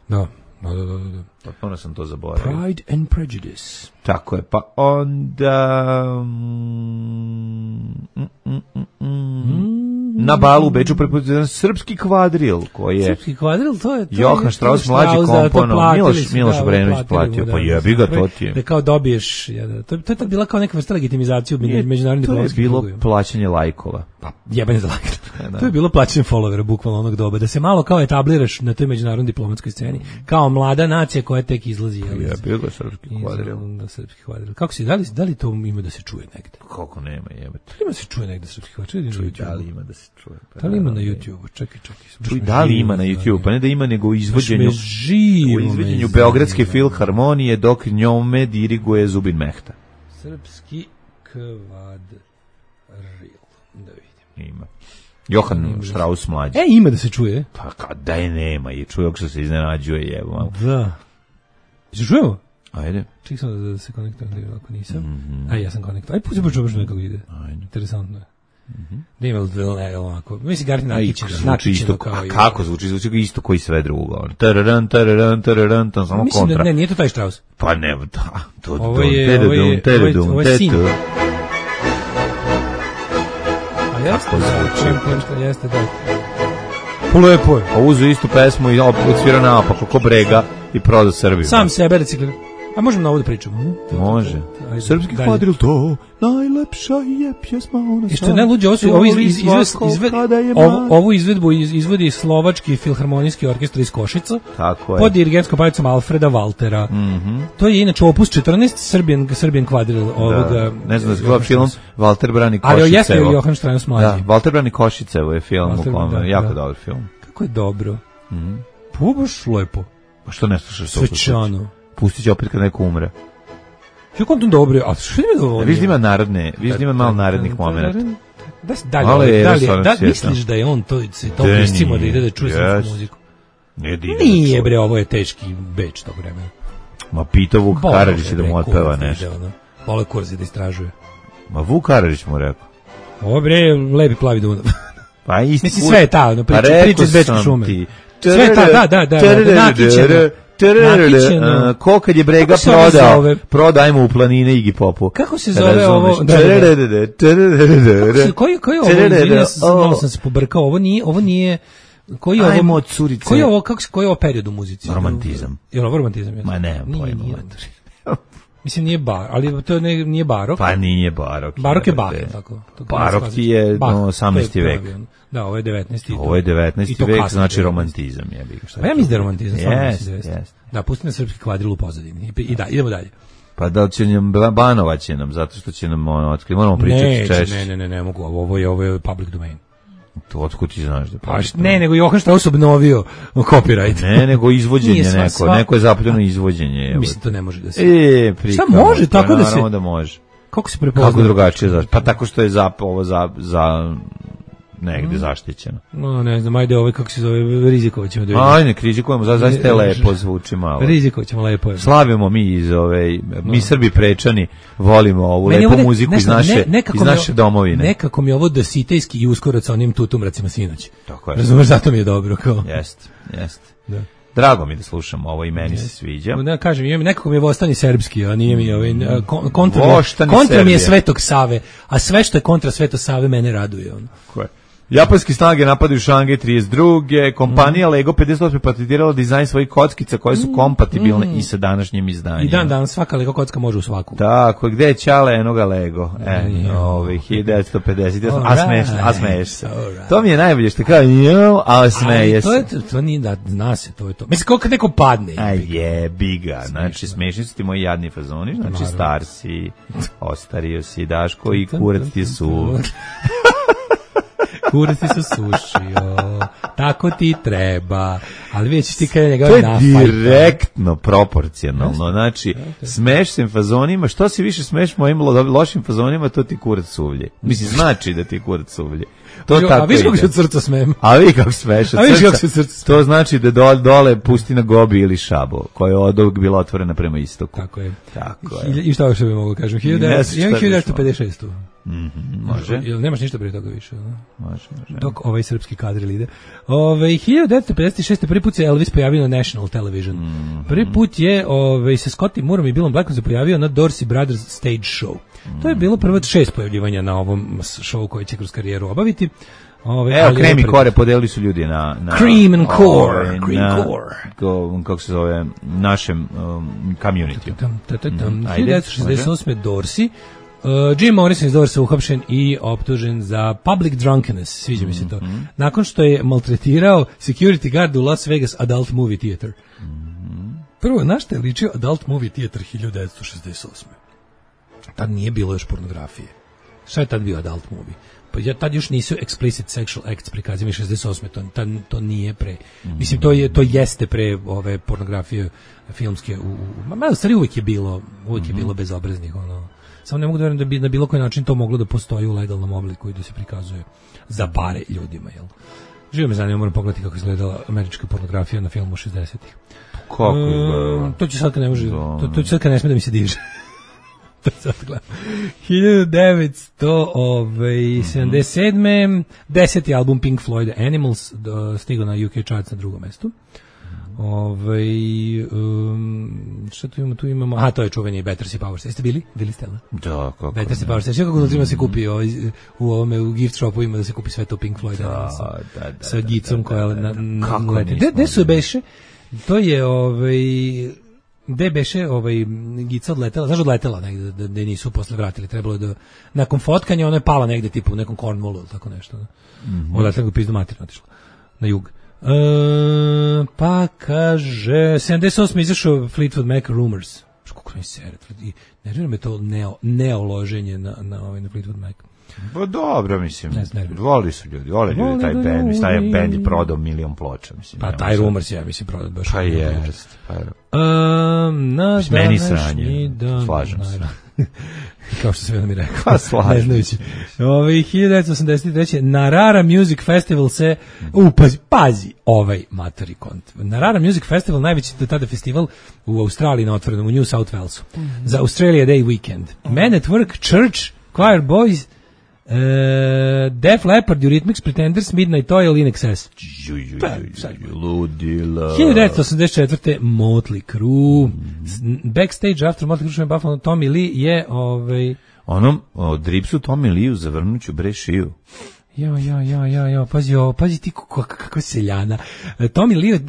Da. Da, da, da, da. Potpuno sam to zaboravio. Pride and Prejudice. Tako je, pa onda... Mm, mm, mm, mm, mm. Na balu u Beču prepoznat srpski kvadril, koji je... Srpski kvadril, to je... To Johan Strauss mlađi komponom, Miloš, Miloš Obrenović platio, da, pa jebi ga, to ti je. Da kao dobiješ, ja, to, to je tad bila kao neka vrsta legitimizacije u međunarodnim diplomatskim krugovima. To je bilo plaćanje lajkova. Pa, jebanje za lajkove. Da. To je bilo plaćanje followera, bukvalno onog doba, da se malo kao etabliraš na toj međunarodnoj diplomatskoj sceni, kao mlada nacija koja tek izlazi. Jebi ga, srpski kvadril. Da, srpski kvadril. Kako si, da li, da li to ima da se čuje negde? Kako nema, jebate. Ima se čuje negde srpski kvadril? Čuj, da li ima da se čuje? Pa da li ima na YouTube? Čekaj, čekaj. Čuj, da li ima na YouTube? Pa ne da ima, nego u izvođenju, živo u izvođenju Beogradske filharmonije dok njome diriguje Zubin Mehta. Srpski kvadril. Da vidim. Ima. Johann Strauss mlađi. E, ima da se čuje. Pa kada je nema, i čuje što se iznenađuje, jevo. Da. Se čujemo? Ajde. Ček sam da, da se konektujem, ako nisam. Mm-hmm. Aj, ja sam konektujem. Aj, pusti počuvaš nekako ide. Ajde. Interesantno je. Mm-hmm. Da ima li ovako. Mislim, Gartin načićeno kao i... A kako zvuči? Zvuči isto koji sve drugo. Tararan, tararan, tararan, tam samo mislim kontra. Da, ne, nije to taj Strauss. Pa ne, da. To, ovo je, ovo je, ovo je sin. A jeste, da, jeste, da. Lepo je. A uzu istu pesmu i odsvira naopako, ko Brega i prodao Srbiju. Sam sebe reciklira. A možemo na ovo da pričamo? Može. Ajde, Srpski kvadril, to najlepša je pjesma ona. I što je najluđe, ovo, ovo, iz, iz, izved, ovo, ovu izvedbu iz, izvodi Slovački filharmonijski orkestar iz Košica. Tako je. Pod dirigentskom palicom Alfreda Waltera. Mm-hmm. To je inače opus četrnaest, Srbijan, Srbijan kvadril ovoga. Da. Ne znam da se gleda film Walter brani Košicevo. Ali jeste Johan Strauss mlađi. Da, Walter brani Košicevo je film, Walter, u kome, da, jako da. Dobar film. Kako je dobro. Mm-hmm. Pa baš lepo. Pa što ne slušaš to? Svečano. Pustit će opet kad neko umre. Što kontom dobro, a što mi dovoljno? Viš da ima narodne, viš da ima malo narodnih momenata. Da, da li, da li, da misliš da je on to, se to pustimo da ide da čuje srpsku muziku? Nije bre, ovo je teški beč tog vremena. Ma pitao Vuk Karadžić da mu otpeva nešto. Vole kurzi da istražuje. Ma Vuk Karadžić mu rekao. Ovo bre, lepi plavi Dunav. Pa isti. Mislim sve je ta, no, priča, priča iz Bečke šume. Sve je ta, da, da, da, da, nakićeno. Nakićeno. Ko kad je Brega prodao, prodajmo u planine Iggy Popu. Kako se zove ovo? Koji koji ovo? Malo sam se pobrkao, ovo nije, ovo nije koji ovo? Ajmo curice. Koji ovo, kako se koji je ovo period u muzici? Romantizam. Je ovo romantizam? Ma ne, pojma. Mislim nije bar, ali to ne, nije barok. Pa nije barok. Barok je Bach, tako. Barok ti je no, osamnaesti vek. Da, ovo je devetnaesti. Ovo je devetnaesti vek, znači romantizam je. Pa ja mislim da je romantizam. Yes, yes. Da, pusti na srpski kvadril u pozadini. I da, idemo dalje. Pa da će nam banovat će nam, zato što će nam ono otkriti. Moramo pričati češće. Ne, ne, ne, ne mogu. Ovo je, ovo je public domain. To otkud ti znaš da pa ne, nego Johan Strauss obnovio copyright. Ne, nego izvođenje neko, sva... neko je zapljeno izvođenje. Evo. Mislim to ne može da se. E, prikamo, šta može tako da se? Da može. Kako se prepozna? Kako drugačije zašto? Pa tako što je za ovo za za negde zaštićeno. No, ne znam, ajde ovaj kako se zove Riziković ćemo da vidimo. Ajde, rizikujemo, zaista je lepo zvuči malo. Riziković ćemo lepo. Je. Slavimo mi iz ove mi no. Srbi prečani volimo ovu meni lepu muziku ne, iz naše ne, iz naše domovine. Nekako mi je ovo dositejski i uskoro sa onim tutumracima sinoć. Tako je. Razumeš, zato mi je dobro kao. Jeste, jeste. Da. Drago mi da slušam ovo i meni se sviđa. Da kažem, imam nekako mi je Vostani srpski, a nije mi ovaj kontra. Kontra mi je Svetog Save, a sve što je kontra Svetog Save mene raduje on. Ko je? Japanske snage napadaju Šangaj trideset druge Kompanija mm. Lego pedeset osme patentirala dizajn svojih kockica koje su kompatibilne mm. i sa današnjim izdanjima. I dan danas svaka Lego kocka može u svaku. Tako, gde je Ćale enoga Lego? E, ovih hiljadu devetsto pedeset osam A smeš, a smeš se. To mi je najbolje što kao, jo, a smeje se. To, je, to nije da zna se, to je to. Mislim, kako neko padne. Aj je, biga. Znači, smešni su ti moji jadni fazoni, znači star si, ostario si, Daško i kurac ti su... Kurci su sušio, tako ti treba, ali već ti kada njega to je nafajta. Direktno proporcionalno, znači smeš se fazonima, što si više smeš mojim lošim fazonima, to ti kurac suvlje. Mislim, znači da ti kurac suvlje. To jo, tako a viš kako se od srca smem. A vi kako smeš od a viš kako se srca smem. To znači da dole, dole pustina Gobi ili Šabo, koja je od ovog bila otvorena prema istoku. Tako je. Tako je. I šta još bi mogu kažem? hiljadu devetsto pedeset šest. Mm-hmm, može. Jel nemaš ništa prije toga više? No? Može, može. Dok ovaj srpski kadril ide. Ove, hiljadu devetsto pedeset šest. prvi put se Elvis pojavio na National Television. Mm-hmm. Prvi put je ove, sa Scotty Moorom i Billom Blackom se pojavio na Dorsey Brothers Stage Show. Mm-hmm. To je bilo prvo šest pojavljivanja na ovom showu koji će kroz karijeru obaviti. Ove, Evo, Cream i Core podelili su ljudi na... na Cream and Core. Ove, Cream na, Core. Ko, kako se zove, našem um, community. hiljadu devetsto šezdeset osme. Dorsey. Uh, Jim Morrison iz Dorsa uhapšen i optužen za public drunkenness, sviđa mi se to. Mm-hmm. Nakon što je maltretirao security guard u Las Vegas Adult Movie Theater. Mm-hmm. Prvo, na što je ličio Adult Movie Theater hiljadu devetsto šezdeset osme. Tad nije bilo još pornografije. Šta je tad bio Adult Movie? Pa ja, tad još nisu explicit sexual acts prikazani šezdeset osme. To, tad, to nije pre. Mm-hmm. Mislim, to, je, to jeste pre ove pornografije filmske. U, u, ma, stvari uvijek je bilo, uvijek mm-hmm. je bilo bezobraznih, ono, samo ne mogu da verujem da bi na bilo koji način to moglo da postoji u legalnom obliku i da se prikazuje za pare ljudima, jel? Živo me zanima, moram pogledati kako izgledala američka pornografija na filmu šezdesetih. Kako izgledala? E, to će sad kad ne može, to, to će sad kad ne sme da mi se diže. To sad gledam. hiljadu devetsto sedamdeset sedme deseti album Pink Floyd Animals stigao na U K charts na drugom mestu. Ove, um, šta tu imamo, tu imamo, aha, to je čuveni Battersea Power Station. Jeste bili? Bili ste, ali? Da, kako Battersea Power Station, kako da se kupi ovaj, u ovome, u gift shopu ima da se kupi sve to Pink Floyd Animals. Da, da, da, sa gicom koja na, na, kako leti. Gde, gde su beše? To je, ovaj, gde beše, ovaj, gica odletela, znaš odletela negde, da, da nisu posle vratili, trebalo je da, nakon fotkanja ona je pala negde, tipu u nekom Cornwallu ili tako nešto. Da. Mm-hmm. Odletela ga pizdu materno otišla na jug. E, pa kaže sedamdeset osme izašao Fleetwood Mac Rumors. Kako mi se i nervira me to neo neoloženje na na ovaj na Fleetwood Mac. Pa dobro, mislim. Voli su ljudi, vole ljudi taj bend, i taj bend je prodao milion ploča, mislim. Pa taj Rumors ja mislim prodao baš. Pa jest. Pa um, na meni sranje. Slažem se. Kao što sam mi rekao. Pa slažem. Ovaj hiljadu devetsto osamdeset treće Narara Music Festival se u pazi, pazi ovaj matori kont. Narara Music Festival najveći do tada festival u Australiji na otvorenom u New South Walesu. Mm-hmm. Za Australia Day weekend. Mm-hmm. Men at Work, Church, Choir Boys, Uh, Def Leppard, Eurythmics, Pretenders, Midnight Oil, In Excess. Ludila. hiljadu devetsto osamdeset četvrte Motley Crue. Mm. Backstage after Motley Crue Buffalo, Tommy Lee je ovaj onom od Ripsu Tommy Lee zavrnuću bre šiju. Ja, ja, ja, ja, ja, pazi, o, pazi ti kako, kako seljana. Tommy Lee,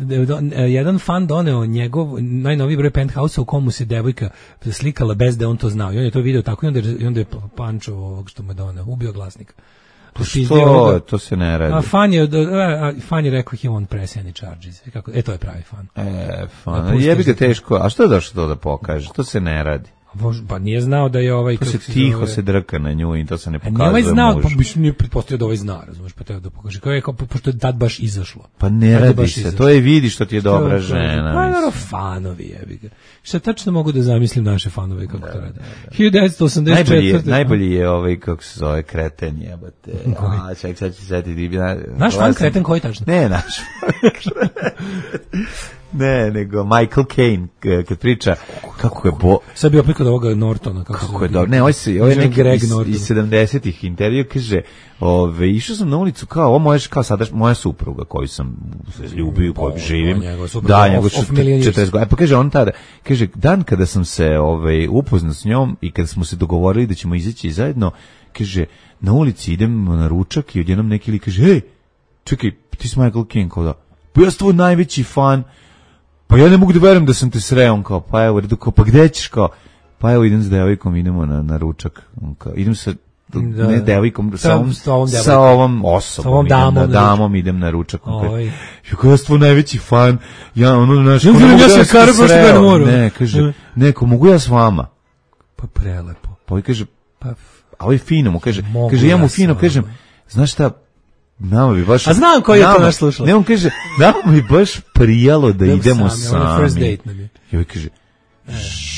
jedan fan doneo njegov najnoviji broj Penthouse-a u komu se devojka slikala bez da on to znao. I on je to video tako i onda, i onda je pančo ovog što mu je doneo, ubio glasnika. To što? To se ne radi. A fan je, a, fan je rekao he won't press any charges. Kako, e, to je pravi fan. E, fan. Jebi ga teško. A što je došlo to da pokaže? To se ne radi. Pa nije znao da je ovaj... To se tiho zove... se drka na nju i to se ne pokazuje muž. Nije ovaj znao, pa biš nije pretpostavio da ovaj zna, razumiješ, pa treba da pokaže. Kao je, kao, pošto je tad baš izašlo. Pa ne radi se, izašlo. To je vidi što ti je dobra što, žena. Pa naravno, fanovi jebi ga. Šta tačno mogu da zamislim naše fanove kako da, to rade. hiljadu devetsto osamdeset četvrte Najbolji je, najbolji je ovaj, kako se zove, kreten jebate. A, ček, sad ću setiti. Naš fan kreten koji tačno? Ne, naš Ne, nego Michael Caine kad priča kako je bo... Sad bi opet kod ovoga Nortona. Kako, kako je dobro. Ne, ovo je, ovo je neki iz, iz sedamdesetih intervju, kaže, ove, išao sam na ulicu kao, ovo moja, kao sada moja supruga koju sam ljubio, koju živim. Da, njegov četrdeset godina. Pa kaže on tada, kaže, dan kada sam se ove, upoznao s njom i kada smo se dogovorili da ćemo izaći zajedno, kaže, na ulici idem na ručak i odjednom neki li kaže, hej, čekaj, ti si Michael Caine, kao da, pa ja sam tvoj najveći fan. Pa ja ne mogu da verujem da sam te sreo, on kao, pa evo, kao, pa gde ćeš, kao, pa evo idem s devojkom, idemo na, na ručak, on kao, idem sa, da, ne devojkom, sa, ovom, sa, ovom, sa ovom osobom, sa ovom damom, idem na, damom idem na ručak, on kao, ja kao, ja sam tvoj najveći fan, ja, ono, znaš, ja, ono, ja sam kar, sreo, ne, kaže, neko, mogu ja s vama? Pa prelepo. Pa ovaj kaže, pa, a ovaj fino mu kaže, kaže, ja mu fino kažem, znaš šta, nama bi baš... A znam koji je to naš slušao. Ne, on kaže, nama bi baš prijalo da idemo sami. sami. First date nam je. I ovaj kaže,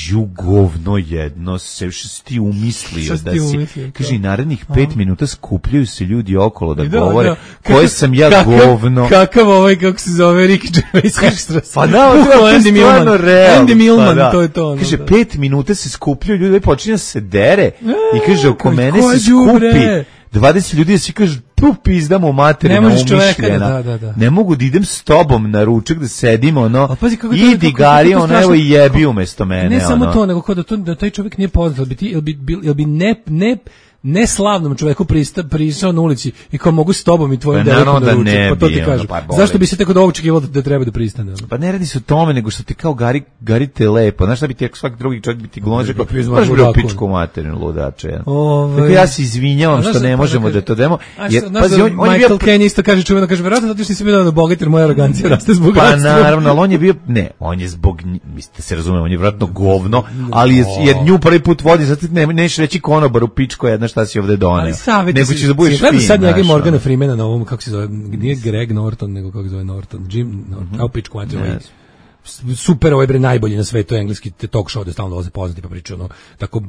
žugovno jedno, se što si ti umislio da si... Umislio, kaže, narednih pet minuta skupljaju se ljudi okolo da, da govore da, koje sam ja kakav, govno. Kakav ovaj, kako se zove, Ricky Gervais Extras. Pa da, to je stvarno realno. Andy Millman, pa, da. To je to. Ono, kaže, da. pet minuta se skupljaju ljudi, počinje se dere i kaže, oko mene se skupi dvadeset ljudi, da si kaže, tu pizdamo materina umišljena. Da, da, da. Ne mogu da idem s tobom na ručak, da sedim, ono, idi gari, ono, evo i jebi umesto mene. Ne ono. samo to, nego kao da, to, da taj čovjek nije poznat, jel bi, ti, jel bi, jel bi ne, ne, neslavnom čoveku prisao na ulici i kao mogu s tobom i tvojim pa, devojkom da ručak, pa to ti kažu. Pa, zašto bi se tako da očekivalo da treba da pristane? Pa ne radi se o tome, nego što ti kao gari, gari te lepo. Znaš šta bi ti, ako svaki drugi čovjek bi ti glonže, kao baš bi u pičku materinu ludače. Tako ja se izvinjavam što ne možemo da to demo. Pazi, on Michael Caine isto kaže čuveno, kaže, verovatno zato što nisi bio da bogat, jer moja arogancija raste zbog bogatstva. Pa naravno, ali on je bio, ne, on je zbog, mislite se razume, on je vjerojatno govno, ali jer nju prvi put vodi, zato ne, neš reći konobar u pičko, jedna šta si ovde doneo. Nego ćeš da budeš fin. Gledam sad njega i Morgana Freemana na ovom, kako se zove, nije Greg Norton, nego kako se zove Norton, Jim Norton, kao pičku materiju. super, ovaj bre najbolji na svetu engleski talk show da stalno dolaze poznati pa pričaju ono tako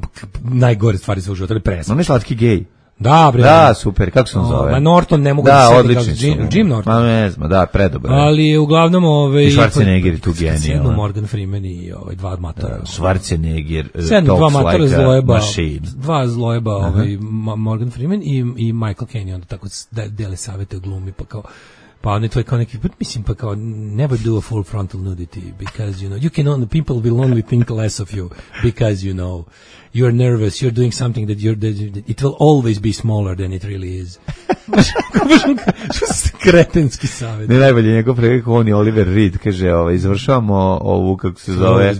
najgore stvari svog života, ali presno. On je slatki gej. Da, bre. Da, super, kako se on zove? Ma Norton ne mogu da, da se odlični Jim, Jim Norton. Ma ne znam, da, predobar. Ali uglavnom ovaj I Schwarzenegger tu genijal. Morgan Freeman i ovaj dva matora. Da, Schwarzenegger Sedam, dva matora like zlojeba, machine. dva zlojeba, uh-huh. ovaj Morgan Freeman i i Michael Caine, onda tako da dele savete o glumi pa kao pa oni to je kao neki, but mislim pa kao never do a full frontal nudity because you know you can only people will only think less of you because you know you're nervous, you're doing something that you're that it will always be smaller than it really is. Što se kretenski savjet. Ne najbolje njegov prekak, on je Oliver Reed, kaže, ovaj, završavamo ovu, kako se zove,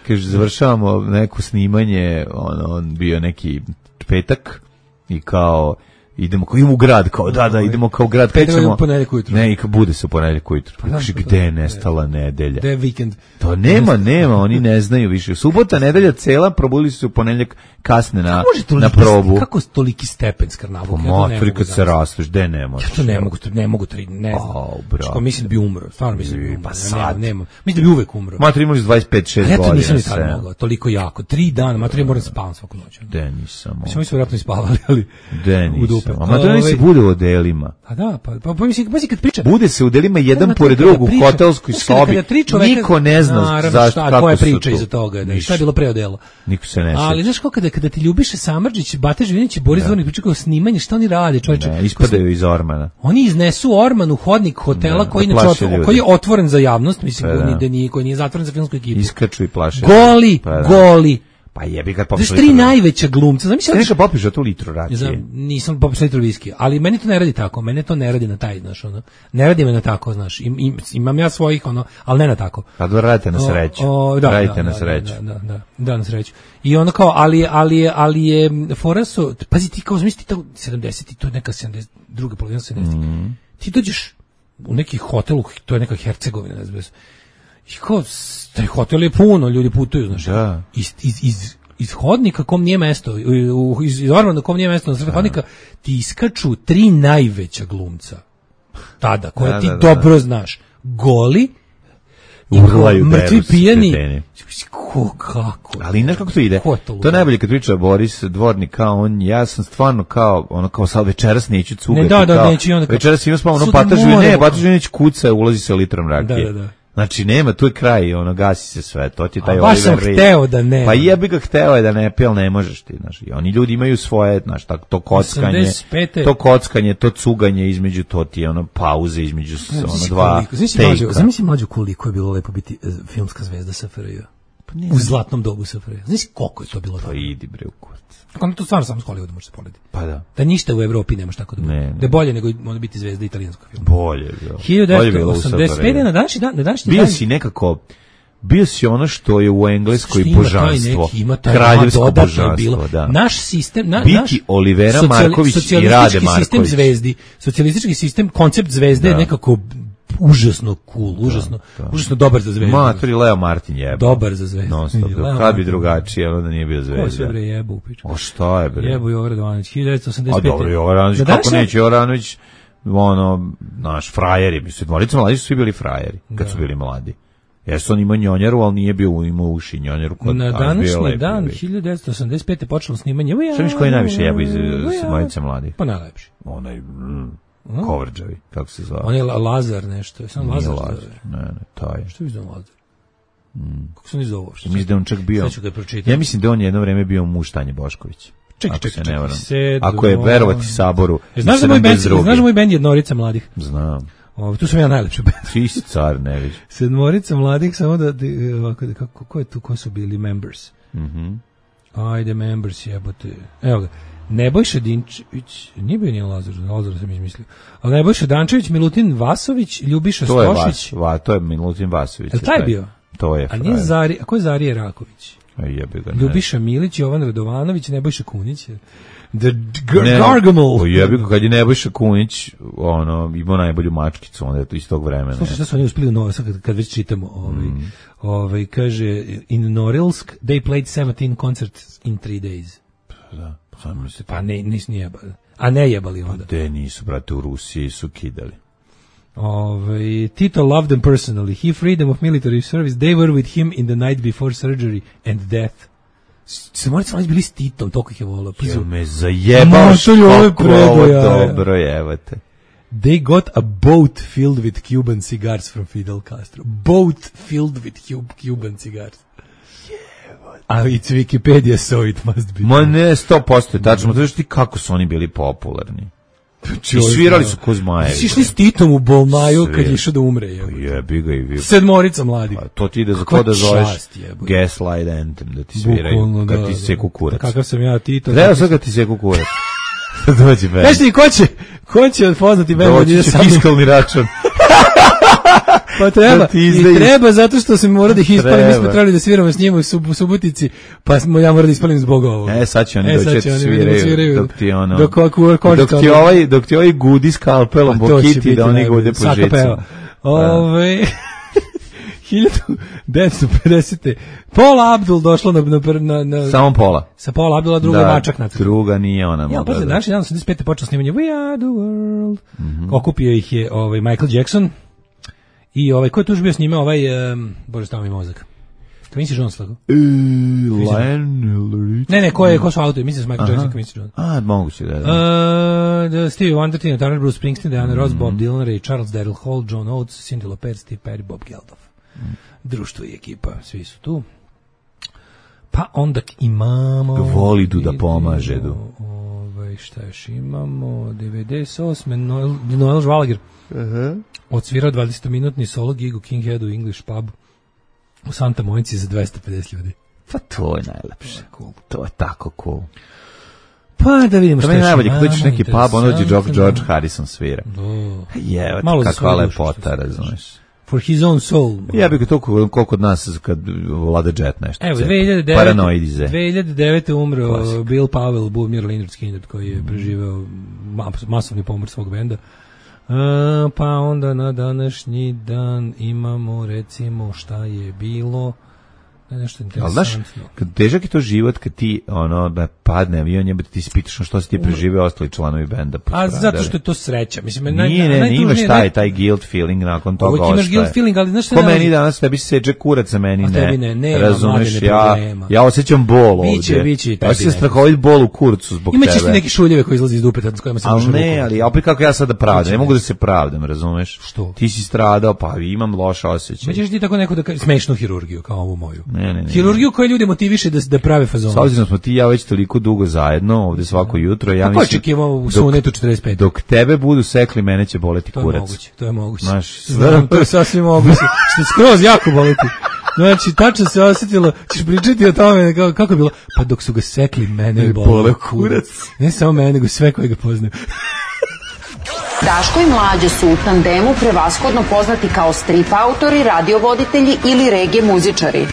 kaže, završavamo neko snimanje, on, on bio neki petak i kao idemo kao idemo u grad, kao da da idemo kao u grad, krećemo u ponedeljak ujutru. Ne, i kao bude se u ponedeljak ujutru. Pa kaže gde je nestala nedelja? Gde je vikend? To nema, nema, oni ne znaju više. Subota, nedelja cela, probudili su se u ponedeljak kasne na na probu. Kako toliki stepen skrnavog? Pa matri kad se rasteš, gde ne možeš? Ja to ne mogu, ne mogu, ne znam. Što mislim da bi umro, stvarno mislim da bi umro. Pa sad nema. Mislim da bi uvek umro. Matri imali dvadeset pet šest godina. Ja to nisam ni tad mogao, toliko jako. Tri dana, matri moram spavam svaku noć. Gde nisam. Mislim, mi smo vjerojatno ispavali, ali gde nisam. A matri se bude u odelima. A da, pa pa mislim, pa kad priča. Bude se u odelima jedan pored drugog u hotelskoj sobi. Niko ne zna zašto, kako koja priča iza toga, da šta je bilo pre odelo. Niko se ne sjeća. Ali znaš kako kada kada ti Ljubiša Samardžić, Bata Živinić i Boris Dvornik pričaju o snimanju, šta oni rade, čoveče? Ne, ispadaju iz ormana. Oni iznesu orman u hodnik hotela ne, koji inače koji je otvoren za javnost, mislim da nije, nije koji nije zatvoren za filmsku ekipu. Iskaču i plaše. Goli, pa, goli. Pa jebi kad popiš. Tri najveća glumca. Znači neka popiš tu litru rakije. Znam, nisam popio litru viskija, ali meni to ne radi tako. Mene to ne radi na taj, znaš, ono. Ne radi me na tako, znaš. Im, im, imam ja svojih, ono, ali ne na tako. Kad radite na sreću. O, o, da, radite da, na da, sreću. Da, da, da, da, na sreću. I ono kao, ali ali ali je fora su, pazi ti kao zamisli to sedamdeset, to je neka sedamdeset druga polovina sedamdesetih. Mm. Ti dođeš u neki hotel, to je neka Hercegovina, ne znam. I kao taj hotel je puno, ljudi putuju, znaš. Da. Iz iz iz iz hodnika kom nije mesto, u, iz, iz ormana kom nije mesto, na sred hodnika ti iskaču tri najveća glumca tada, koje da, ti da, da, dobro da. znaš. Goli, urlaju, mrtvi pijani. Ko, kako? Ali znaš kako to ide? To, to je najbolje kad priča Boris Dvornik, kao on, ja sam stvarno kao, ono kao sad večeras neću cugati. Ne, da, da, kao, neću, onda kao, večeras imam spavno, ono Patažu, ne, Patažunić kuca, ulazi se litrom rakije. Da, da, da. Znači nema, tu je kraj, ono gasi se sve, to ti taj Oliver Reed. Baš sam hteo da ne. Pa jebi ga hteo je da ne pije, ali ne možeš ti, znaš. I oni ljudi imaju svoje, znaš, to kockanje, to kockanje, to cuganje između, to ti je ono pauze između ono dva tejka. Zamisli mlađu koliko je bilo lepo biti filmska zvezda S F R J. Pa u zlatnom dobu S F R J. Znaš koliko je to bilo dobro? Pa idi bre u kurac. Kako to stvarno samo s Hollywooda može se porediti. Pa da. Da ništa u Evropi nemaš tako da bude. Da je bolje nego može biti zvezda italijanskog filma. Bolje, da. hiljadu devetsto osamdeset pet na današnji dan, na današnji bio dan. Bio si nekako bio si ono što je u Engleskoj ima božanstvo. Taj neki, kraljevsko božanstvo, da. Naš sistem, na, Biti naš Olivera Marković i Rade Marković. Sistem zvezdi, socijalistički sistem, koncept zvezde da. je nekako užasno cool, užasno, da, da. užasno dobar za zvezdu. Matori Leo Martin jebe. Dobar za zvezdu. Non stop. Kad bi drugačije, ono da nije bio zvezda. Ko sve bre jebu u pičku. O šta je bre? Jebu Jovan Radovanović, hiljadu devetsto osamdeset pet. A dobro, Jovan Radovanović, kako neće Jovan Radovanović, ono, naš frajeri, mislim, dvorica mladi su svi bili frajeri, kad da. su bili mladi. Jesu on imao njonjaru, ali nije bio imao uši njonjaru. Kod, na današnji dan, hiljadu devetsto osamdeset pet. počelo snimanje. Šta miš koji najviše jebu iz Dvorice mladih? Pa najlepši. Onaj... Kovrđavi, kako se zove? On je Lazar nešto, je sam Lazar. Lazar. Ne, ne, taj. Što je zove Lazar? Mm. Kako se ne zove? Mislim da on čak bio. Ja mislim da on jedno vreme bio muž Tanje Bošković. Čekaj, čekaj, čekaj. Ako je verovati Saboru. E, znaš da moj bend, znaš da moj bend Jednorica mladih? Znam. O, tu sam ja najlepši bend. Ti si car, ne vidiš. Sedmorica mladih, samo da, ovako, kako, ko je tu, ko su bili members? Mhm. Ajde, members, jebote. Evo ga. Nebojša Dinčević, nije bio nijedan Lazar, Lazar sam izmislio, ali Nebojša Dančević, Milutin Vasović, Ljubiša to Stošić. Je Vas, to je Milutin Vasović. Je taj bio? To je. A nije Zari, a ko je Zarije Raković? A jebi ga, ne. Ljubiša Milić, Jovan Radovanović, Nebojša Kunić. The Gargamel. Jebi ga, kad je Nebojša Kunić, ono, imao najbolju mačkicu, onda je to iz tog vremena. Slušaj, šta su oni uspili u Novo, sad kad već čitamo, ovaj, mm. ovaj, kaže, in Norilsk, they played seventeen concerts in three days. Da. Pa ne, nis nije jebali. A ne jebali onda. Gde nisu, brate, u Rusiji su kidali. Ove, Tito loved them personally. He freed them of military service. They were with him in the night before surgery and death. Se morate sam bili s Titom, toliko ih je volao. Jel me zajebaš kako ovo dobro jevate. They got a boat filled with Cuban cigars from Fidel Castro. Boat filled with Cuban cigars. A it's Wikipedia, so it must be. Ma ne, sto posto je tačno. Znaš ti kako su oni bili popularni. I svirali su ko zmajevi. Si išli s Titom u Bolmaju kad je išao da umre. Jebi ga i vi. Sedmorica mladih. To ti ide za ko da zoveš Gaslight Anthem, da ti sviraju, kad ti seku kurac. Kakav sam ja Tito. Treba sad kad ti seku kurac. Dođi band. Znaš ti, ko će, ko će odpoznati band? Dođi će fiskalni račun. Pa treba, i treba zato što se mora da ih ispalim, mi smo trebali da sviramo s njima u sub, Subotici, pa smo, ja moram da ispalim zbog ovoga. E, sad će oni e, doći da sviraju, sviraju, dok ti ono, dok, dok, dok ti ovaj, dok ti ovaj gudi skalpelom po kiti da oni gude po žicama. Ove, hiljadu devetsto pedesete Paula Abdul došla na, na, na, na samo Paula. Sa Paula Abdula, druga da, mačak na druga nije ona. Ja, pa znači, dan osamdeset pete počeo snimanje We Are The World. Mm-hmm. Okupio ih je ovaj, Michael Jackson i ovaj, ko je tu još bio s njime, ovaj, um, bože, stava mi mozak. Quincy Jones, tako? E, Lionel Ne, ne, ko je, ko su autori, mislim s Michael Jackson i Quincy Jones. A, moguće da je. Uh, Stevie Wonder, Tina Turner, Bruce Springsteen, Diana Ross, mm-hmm. Bob Dylan, Ray Charles, Daryl Hall, John Oates, Cyndi Lauper, Steve Perry, Bob Geldof. Mm. Društvo i ekipa, svi su tu. Pa onda imamo... Volidu da pomaže, du. Ovaj, šta još imamo? devedeset osme Noel, Noel Žvalager. Uh-huh. Odsvirao dvadesetominutni solo gig u King Headu English Pub u Santa Monici za dvesta pedeset ljudi. Pa to je najlepše. Cool. To je tako cool. Pa da vidimo što je. To je najbolje, kada ćeš neki pub, ono gdje George Harrison svira. Je, kakva lepota, razumiješ. For his own soul. Ja bih ga to koliko kod nas kad vlada jet nešto. Evo, dve hiljade devete. Paranoidize. dve hiljade devete umro Klasik. Bill Powell, Boomir Leonard Skinner, koji je preživeo masovni pomor svog benda. Uh, pa onda na današnji dan imamo, recimo, šta je bilo... nešto interesantno. Ali znaš, kad težak je to život, kad ti ono, da padne avion, jebate ti ispitaš što si ti preživeo ostali članovi benda. A zato što je to sreća. Mislim, nije, naj, ne, ne imaš taj, taj guilt feeling nakon toga ostaje. Imaš guilt feeling, ali znaš što... Ko meni danas, tebi seđe kurac, a meni ne. Tebi ne, ne, razumeš, ja, ja osjećam bol ovdje. Biće, biće. Ja osjećam strahovit bol u kurcu zbog Ima tebe. Imaće ti neki šuljeve koji izlazi iz dupeta s kojima se možeš rukom. Ali ne, ali opet kako ja sada pravdam, ne mogu da se pravdam, razumeš? Što? Ti si stradao, pa imam loš osjećaj. Hoćeš ti tako neku da smešnu hirurgiju kao ovu moju. Ne, ne, ne. Hirurgiju koje ljudi motiviše da da prave fazon. S obzirom smo ti ja već toliko dugo zajedno, ovdje svako jutro, ja mislim. Kako očekivao u Sunetu četrdeset pet? Dok tebe budu sekli, mene će boleti kurac. To je moguće, to je moguće. Znaš, znam, to je sasvim moguće. Što skroz jako boleti. Znači, tačno se osjetilo, ćeš pričati o tome, kako, kako je bilo? Pa dok su ga sekli, mene je boleo kurac. Ne samo mene, nego sve koje ga poznaju. Daško i Mlađa su u tandemu prevashodno poznati kao strip autori, radiovoditelji ili reggae muzičari.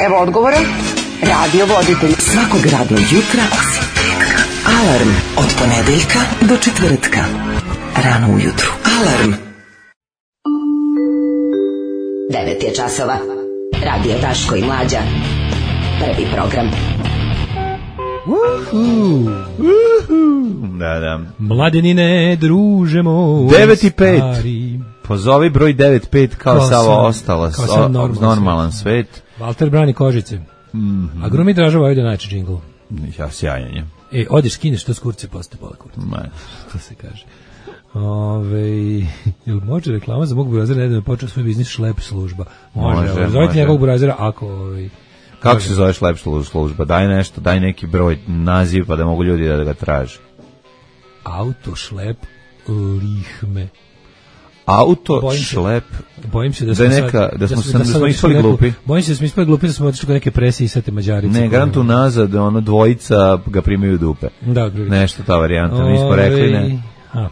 Evo odgovora. Radiovoditelj. Svakog radnog jutra osim petka. Alarm od ponedeljka do četvrtka. Rano ujutru. Alarm. devet je časova. Radio Daško i Mlađa. Prvi program. Uhu, uhu. Da, da. Mladenine, druže moj. devet i pet. Pozovi broj devet pet kao, kao Savo ostalo. Kao sam normalan, normalan svet. svet. Walter brani kožice. Mm-hmm. A Grumi Dražava ovdje najče džingl. Ja, sjajanje. E, odiš, skineš to s kurce, poste pola kurce. Ne. To se kaže. Ove, jel može reklama za mog burazera nedavno počeo svoj biznis šlep služba? Može, može. Zovite može. Njegovog burazera ako... Ovaj, kako se zove šlep služba? Daj nešto, daj neki broj, naziv pa da mogu ljudi da ga traže. Auto šlep lihme. Auto bojim šlep. Se, bojim se da, da, neka, da smo, da smo, da smo ispali glupi. Bojim se da smo ispali glupi, da smo otišli kod neke presije i sate Mađarice. Ne, garantu nazad, ono dvojica ga primaju dupe. Da, drugi. Nešto ta varijanta, mi smo rekli ne. A.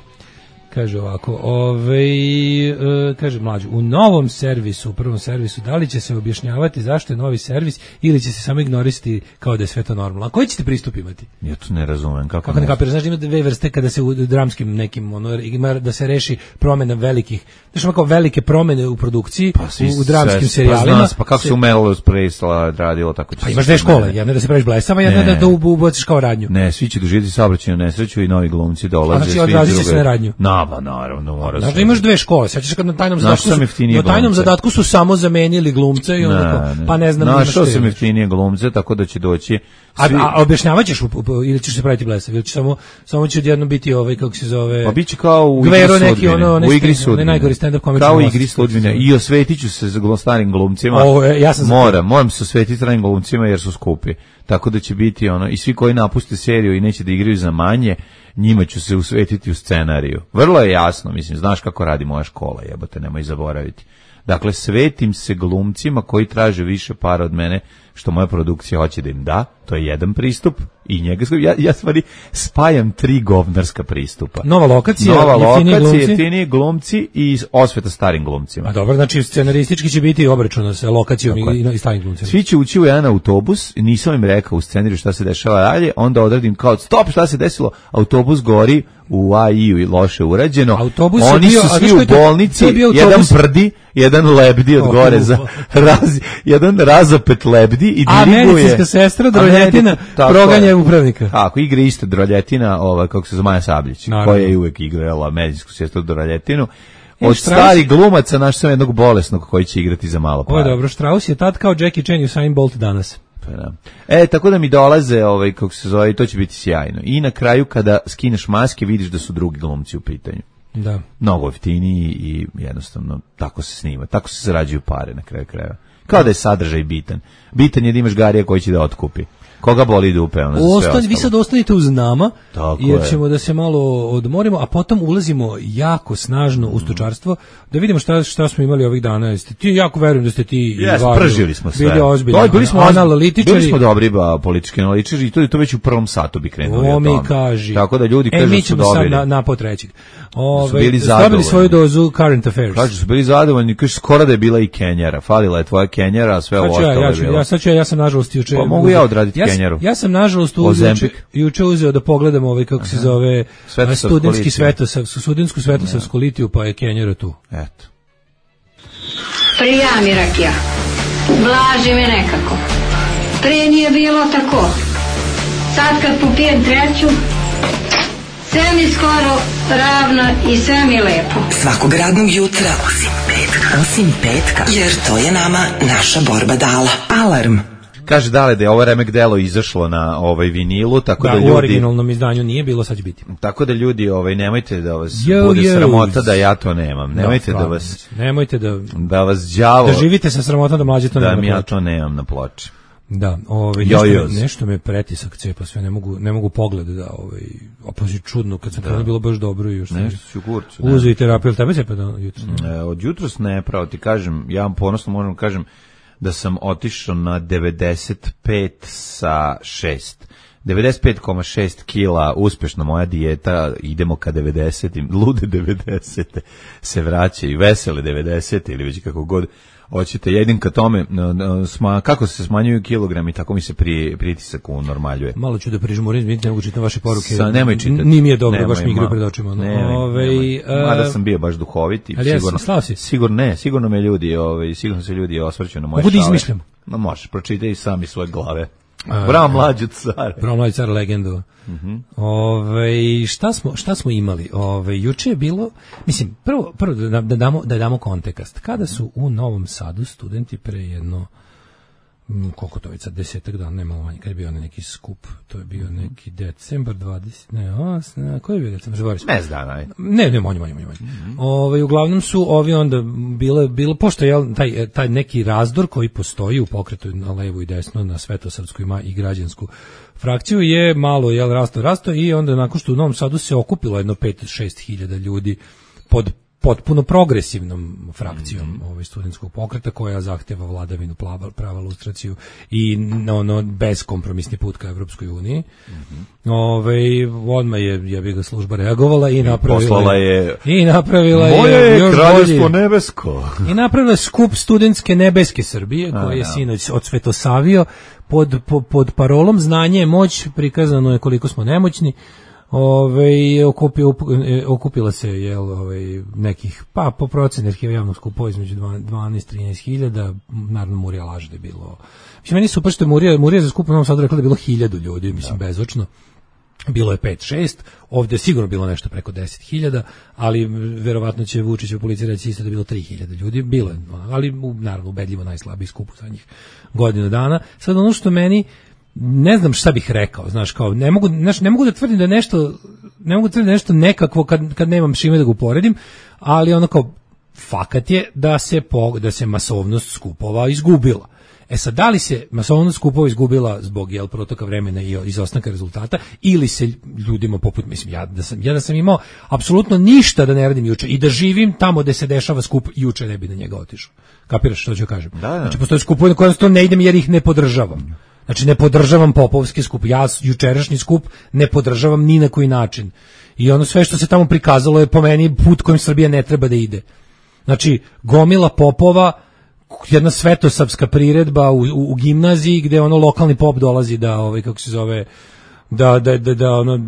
Kaže ovako, ovaj, e, kaže mlađu, u novom servisu, u prvom servisu, da li će se objašnjavati zašto je novi servis ili će se samo ignorisati kao da je sve to normalno? A koji ćete pristup imati? Ja to ne razumem. Kako, kako ne kapiraš? Znaš da ima dve vrste kada se u dramskim nekim, ono, ima da se reši promjena velikih, znaš ima kao velike promjene u produkciji, pa, u, u dramskim sve, serijalima. Pa, zna, pa kako se u Melrose Place radilo, tako će pa imaš dve škole, jedna da se praviš blesava, jedna da, da ubaciš kao radnju. Ne, svi će doživjeti saobraćajnu nesreću i novi glumci dolaze. A znači odrazit će se na radnju. Na, pa naravno, mora se. Znači imaš dve škole, sećaš se kad na tajnom zadatku su, na tajnom zadatku su samo zamenili glumce i onda pa ne znam. Našao sam jeftinije glumce, tako da će doći. Svi... A, a objašnjavaćeš ili ćeš se praviti blesav, ili će samo samo će odjednom biti ovaj kako se zove. Pa biće kao u Gvero neki ono u igri sudbine. Najgori stand-up komičar. Kao u igri sudbine i osvetiću se za starim glumcima. O, ja sam moram, moram se osvetiti starim glumcima jer su skupi. Tako da će biti ono i svi koji napuste seriju i neće da igraju za manje, njima ću se usvetiti u scenariju. Vrlo je jasno, mislim, znaš kako radi moja škola, jebote, nemoj zaboraviti. Dakle, svetim se glumcima koji traže više para od mene, što moja produkcija hoće da im da, to je jedan pristup i njega, ja, ja stvari spajam tri govnarska pristupa. Nova lokacija, Nova lokacija, jeftiniji glumci i osveta starim glumcima. A dobro, znači scenaristički će biti obračuna sa lokacijom i, i starim glumcima. Svi će ući u jedan autobus, nisam im rekao u scenariju šta se dešava dalje, onda odradim kao stop, šta se desilo, autobus gori, u A I-u i loše urađeno. Autobus Oni bio, su svi u bolnici, jedan prdi, jedan lebdi od gore, za, raz, jedan razopet lebdi i diriguje. A medicinska sestra Droljetina proganja upravnika. Tako, igra isto Droljetina, ova, kako se Maja Sabljić, koja je uvek igrala medicinsku sestru Droljetinu. Od starih glumaca naš sam jednog bolesnog koji će igrati za malo para. O, dobro, Strauss je tad kao Jackie Chan i Usain Bolt danas. E, tako da mi dolaze, ovaj, kako se zove, to će biti sjajno. I na kraju, kada skineš maske, vidiš da su drugi glumci u pitanju. Da. Mnogo jeftiniji i jednostavno tako se snima. Tako se zarađuju pare na kraju krajeva. Kao da je sadržaj bitan. Bitan je da imaš Garija koji će da otkupi. Koga boli dupe, ono za sve ostalo. Vi sad ostanite uz nama, tako jer je. ćemo da se malo odmorimo, a potom ulazimo jako snažno u stočarstvo, da vidimo šta, šta smo imali ovih dana. Jeste ti, jako verujem da ste ti yes, važno, pržili smo sve. Bili ozbiljni, to, bili smo analitičari. Bili smo dobri ba, politički analitičari i to je to već u prvom satu bi krenuli o, o tome. Kaži. Tako da ljudi e, kažu mi ćemo su sad na, na po trećeg. Ove, bili zadovoljni. Dobili svoju dozu current affairs. Kažu su bili zadovoljni, kažu skoro da je bila i Kenjara. Falila je tvoja Kenjara, a sve ovo ostalo ja, je bilo. Ja, sad ću ja, ja sam nažalost juče... Pa mogu ja odraditi ja, Kenjaru. Ja sam nažalost juče, juče uzeo da pogledam ovaj, kako se zove, studentski svetosav, studentsku svetosavsku litiju, pa je Kenjara tu. Eto. Prija mi rakija. Blaži mi nekako. Prije nije bilo tako. Sad kad popijem treću, sve mi skoro ravno i sve mi lepo. Svakog radnog jutra, osim petka, osim petka, jer to je nama naša borba dala. Alarm. Kaže Dale da je ovo remek delo izašlo na ovaj vinilu, tako da, da ljudi... u originalnom izdanju nije bilo, sad će biti. Tako da ljudi, ovaj, nemojte da vas yo, bude yo. sramota da ja to nemam. Nemojte no, da vas... Nemojte da... Da vas đavo... Da živite sa sramotom da mlađe to da nema mi ja to nemam na ploči. Da, ovaj nešto, me, nešto me pretisak cepa, sve ne mogu ne mogu pogled da ovaj opozi čudno kad sam da. Bilo baš dobro i još nešto su kurcu. Uzeo terapiju, tebe cepa da jutros. E, od jutros ne, pravo ti kažem, ja vam ponosno možem kažem da sam otišao na devedeset pet sa šest. devedeset pet zarez šest kila, uspešna moja dijeta, idemo ka devedesetim, lude devedesete se vraćaju, vesele devedesete ili već kako god hoćete, jedin ka tome, sma, kako se smanjuju kilogrami, tako mi se pri, pritisak unormaljuje. Malo ću da prižmurim, ne mogu čitati vaše poruke. Sa, nemoj čitati. Nije mi je dobro, nemoj, baš mi igraju pred očima. No. Nemoj, Ove, nemoj. Mada sam bio baš duhovit i sigurno, si? sigurno ne, sigurno me ljudi, ove, sigurno se ljudi osvrću na moje šale. Mogu da izmišljam. Ma možeš, pročitaj i sami svoje glave. Bravo mlađi car. Bravo mlađi car, legendu. Mm-hmm. Ove, šta smo šta smo imali? Ove, juče je bilo, mislim, prvo prvo da, da damo da damo kontekst. Kada su u Novom Sadu studenti pre jedno m, koliko to je sad desetak dana, nema manje, kad je bio neki skup, to je bio neki decembar dvadeseti, ne, os, ne, koji je bio decembar? Mes dana, aj. Ne, ne, manje, manje, manje. Mm-hmm. Ove, uglavnom su ovi onda bile, bilo, pošto je taj, taj neki razdor koji postoji u pokretu na levo i desno, na svetosavsku ima i građansku frakciju, je malo, jel, rasto, rasto i onda nakon što u Novom Sadu se okupilo jedno pet do šest hiljada ljudi pod potpuno progresivnom frakcijom mm. ovaj studentskog pokreta koja zahteva vladavinu prava, prava lustraciju i ono beskompromisni put ka Evropskoj uniji. Mm-hmm. Ovaj odmah je je bi ga služba reagovala i, I napravila je i napravila moje je još kraljevstvo nebesko. I napravila skup studentske nebeske Srbije koji je sinoć odsvetosavio pod, pod pod parolom znanje je moć, prikazano je koliko smo nemoćni. Ove, okupio, okupila se je ovaj, nekih, pa po procenu arhiva javnog skupova između dvanaest do trinaest hiljada, naravno Murija laže da je bilo. Mislim, meni super što je Murija, Murija za skup u Novom Sadu rekla da je bilo hiljadu ljudi, mislim, da. Bezočno. Bilo je pet šest, ovdje je sigurno bilo nešto preko deset hiljada, ali verovatno će Vučićeva policija reći isto da je bilo tri hiljade ljudi, bilo je, ali naravno ubedljivo najslabiji skup u zadnjih godinu dana. Sad ono što meni ne znam šta bih rekao, znaš, kao ne mogu, znaš, ne mogu da tvrdim da nešto, ne mogu da tvrdim da nešto nekakvo kad kad nemam šime da ga uporedim, ali ono kao fakat je da se po, da se masovnost skupova izgubila. E sad, da li se masovnost skupova izgubila zbog jel protoka vremena i izostanka rezultata ili se ljudima poput, mislim, ja da sam ja da sam imao apsolutno ništa da ne radim juče i da živim tamo gde se dešava skup, juče ne bi na njega otišao. Kapiraš što ću kažem? Da, da. Znači postoje skupovi na koje to ne idem jer ih ne podržavam. Znači ne podržavam popovski skup, ja jučerašnji skup ne podržavam ni na koji način. I ono sve što se tamo prikazalo je po meni put kojim Srbija ne treba da ide. Znači gomila popova, jedna svetosavska priredba u, u, u gimnaziji gde ono lokalni pop dolazi da ovaj kako se zove da da da da ono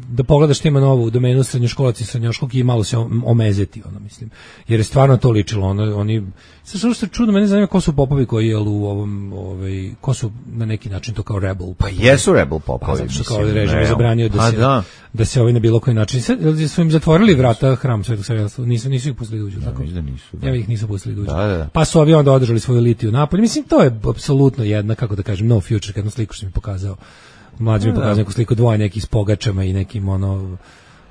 da pogledaš što ima novu domenu srednjoškolaca i srednjoškolki i malo se omezeti, ono mislim. Jer je stvarno to ličilo, ono, oni sve što se čudno, mene zanima ko su popovi koji je u ovom, ovaj, ko su na neki način to kao rebel popovi. Pa jesu rebel popovi. Pa zato što kao režim je zabranio da se, da. da se ovaj na bilo koji način, sve, su im zatvorili vrata hram Svetog Save, nisu, nisu ih pustili da uđu, tako? Da nisu, da. Ja ih nisu pustili da uđu. Da, da. Pa su ovi onda održali svoju litiju napolje, mislim, to je apsolutno jedna, kako da kažem, no future, jednu sliku što mi pokazao. Mlađi mi pokazao neku sliku dvoje nekih s pogačama i nekim ono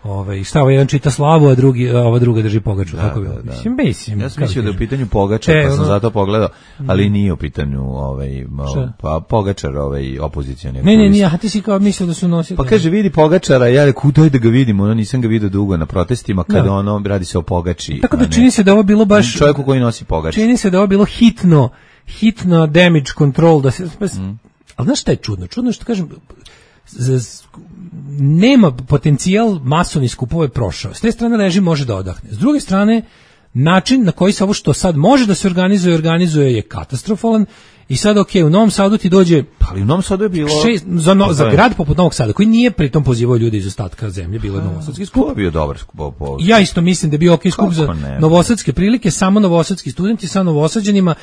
ovaj šta ovaj jedan čita slavu a drugi a ova druga drži pogaču, da, tako bi. Da, mislim, mislim, ja sam mislio da je u pitanju pogačar, pa sam ono, zato pogledao, ali nije u pitanju ovaj pa pogačar ovaj opozicioni. Ne, ne, ne, a ti si kao mislio da su nosili. Pa kaže vidi pogačara, ja rekao daj da ga vidimo, ono nisam ga video dugo na protestima kada da. ono radi se o pogači. Tako da čini se da ovo bilo baš čovjeku koji nosi pogač. Čini se da ovo bilo hitno, hitno damage control da se mm. Ali znaš šta je čudno? Čudno je što kažem, nema potencijal masovni skupova je prošao. S te strane režim može da odahne. S druge strane, način na koji se ovo što sad može da se organizuje, organizuje je katastrofalan. I sad, ok, u Novom Sadu ti dođe... Ali u Novom Sadu je bilo... Šest, za, no, za grad poput Novog Sada, koji nije pritom pozivao ljude iz ostatka zemlje, bilo je novosadski skup. To je bio dobar skup. Po... Ja isto mislim da je bio ok skup za ne, novosadske prilike, samo novosadski studenti sa novosađanima,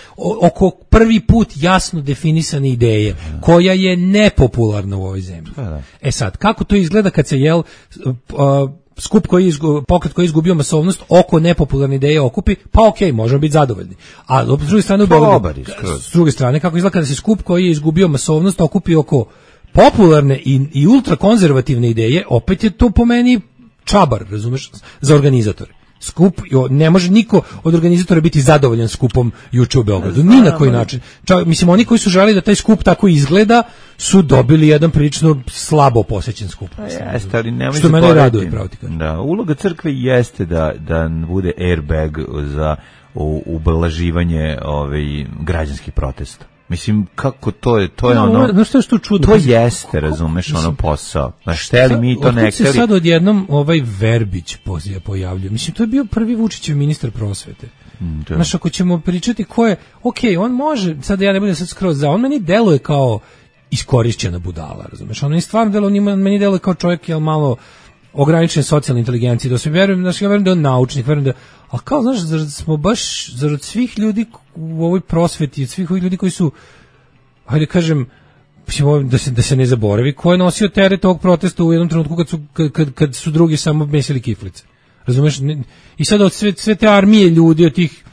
oko prvi put jasno definisane ideje, da. koja je nepopularna u ovoj zemlji. Da, da. E sad, kako to izgleda kad se, jel... Uh, skup koji je izgu, pokret koji je izgubio masovnost oko nepopularne ideje okupi, pa okej, okay, možemo biti zadovoljni. A s druge strane u Beogradu, s druge strane kako izgleda kada se skup koji je izgubio masovnost okupi oko popularne i, i ultrakonzervativne ideje, opet je to po meni čabar, razumeš, za organizatore. Skup, ne može niko od organizatora biti zadovoljan skupom juče u Beogradu, ni na koji način. Čak, mislim, oni koji su želeli da taj skup tako izgleda, su dobili jedan prilično slabo posećen skup. Jeste, ali nemoj što mene raduje, pravo ti kažem. Da, uloga crkve jeste da, da bude airbag za ublaživanje ovaj, građanskih protesta. Mislim, kako to je, to je no, ono, no, što je što čudno, to jeste, razumeš, ono posao. Znaš, šteli mi to ne hteli. Se sad odjednom ovaj Verbić pojavljuje. Mislim, to je bio prvi Vučićev ministar prosvete. Mm, znaš, ako ćemo pričati ko je, ok, on može, sad ja ne budem sad skroz za, on meni deluje kao iskorišćena budala, razumeš, on meni stvarno deluje, on meni deluje kao čovjek, jel malo ograničene socijalne inteligencije, da se verujem, znači ja verujem da je on naučnik, verujem da, a kao, znaš, zar smo baš, zar od svih ljudi u ovoj prosveti, od svih ovih ljudi koji su, hajde kažem, da se, da se ne zaboravi, ko je nosio teret ovog protesta u jednom trenutku kad su, kad, kad su drugi samo mesili kiflice. Razumeš? I sad od sve, sve te armije ljudi, od tih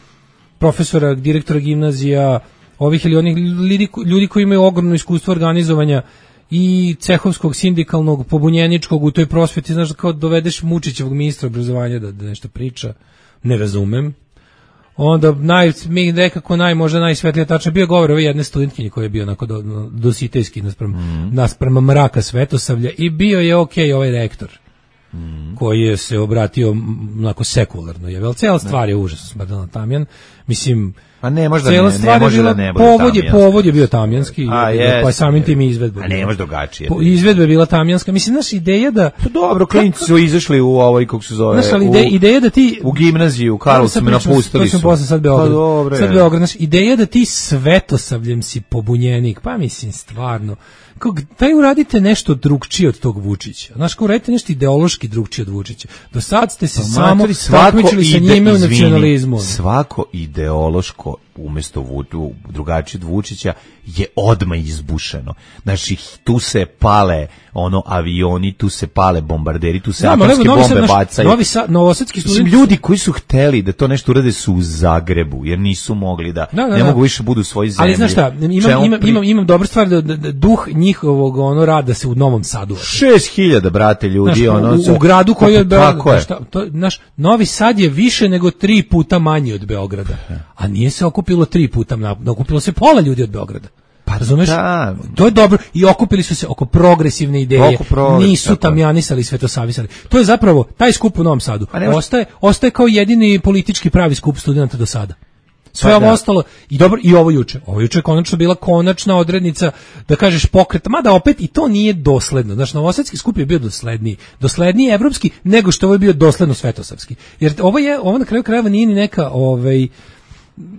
profesora, direktora gimnazija, ovih ili onih ljudi, ljudi koji imaju ogromno iskustvo organizovanja i cehovskog, sindikalnog, pobunjeničkog u toj prosveti, znaš, kao dovedeš Mučićevog ministra obrazovanja da, da nešto priča, ne razumem. Onda naj, mi nekako naj, možda najsvetlija tačna bio govor ove jedne studentkinje koja je bio onako do, dositejski naspram, mm. naspram mraka Svetosavlja i bio je ok ovaj rektor. mm. koji je se obratio onako sekularno. Je, ali cijela stvar je užasno smrdela Tamjan. Mislim, a ne, možda ne, ne može da ne bude povod je, povod je bio tamjanski, a, je, pa samim tim izvedba. A ne može drugačije. Po, izvedba je bila tamjanska. Mislim, naša ideja da... Pa dobro, klinci su izašli u ovoj, kako se zove, naša ideja, ideja da ti... U gimnaziju, u Karlovcu me napustili su. To sam posle sad Beograd. Pa dobro, sad Beograd. Naša ideja da ti svetosavljem si pobunjenik, pa mislim, stvarno... Kako, taj uradite nešto drugčije od tog Vučića. Znaš, kao uradite nešto ideološki drugčije od Vučića. Do sad ste se pa, samo takmičili sa njime u nacionalizmu. Svako ideološko umjesto Vučića, drugačije od Vučića je odmah izbušeno. Znači, tu se pale ono avioni, tu se pale bombarderi, tu se atomske bombe sad, bacaju. Novi Sad, novosadski studenti... Ljudi koji su hteli da to nešto urade su u Zagrebu, jer nisu mogli da, da, da ne da. mogu više budu u svojoj zemlji. Ali znaš šta, imam, imam, pri... imam, imam dobru stvar da, da, da duh njihovog ono rada se u Novom Sadu. šest hiljada brate ljudi. Znaš, ono, u, u gradu koji je... Tako je. Šta, to, naš, Novi Sad je više nego tri puta manji od Beograda. A nije se okupilo tri puta, okupilo se pola ljudi od Beograda. Pa razumeš? Da. To je dobro. I okupili su se oko progresivne ideje. Oko progres, nisu tamjanisali, svetosavisali. To je zapravo taj skup u Novom Sadu. Ostaje, ostaje kao jedini politički pravi skup studenta do sada. Sve pa ovo da. ostalo i dobro i ovo juče. Ovo juče je konačno bila konačna odrednica da kažeš pokreta, mada opet i to nije dosledno. Znaš, novosadski skup je bio dosledniji, dosledniji evropski nego što ovo je bio dosledno svetosavski. Jer ovo je, ovo na kraju krajeva nije ni neka ovaj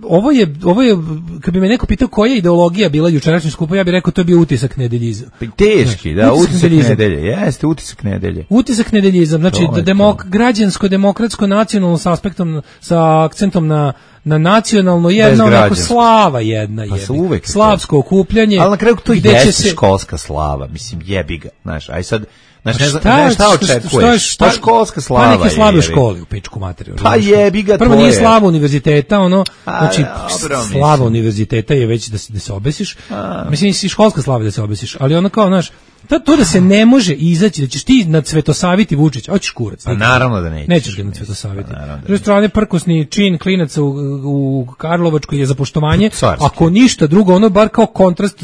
Ovo je, ovo je, kad bi me neko pitao koja je ideologija bila jučerašnjeg skupa, ja bih rekao to je bio utisak nedeljizma. Teški, da, utisak, utisak nedelje, jeste, utisak nedelje. Utisak nedeljizam, znači da demok, građansko, demokratsko, nacionalno s aspektom, sa akcentom na na nacionalno jedna onako slava jedna je. Pa slavsko okupljanje. Ali na kraju to jeste se... školska slava, mislim jebi ga, znaš, aj sad Znaš, ne, šta, ne, šta očekuješ? Šta, šta školska slava? Pa neke slave u školi, u pičku materiju. Pa jebi ga Prvo nije slava univerziteta, ono, a, znači, dobro, slava mislim. univerziteta je već da se, da se obesiš. A. Mislim, i školska slava da se obesiš, ali ono kao, znaš, to, to da se ne može izaći, da ćeš ti nad Svetosaviti Vučić, hoćeš kurac. Pa naravno da nećeš. Nećeš ga nad Svetosaviti. Pa s druge strane, prkosni čin klinaca u, u Karlovačkoj je za poštovanje, Carski. Ako ništa drugo, ono bar kao kontrast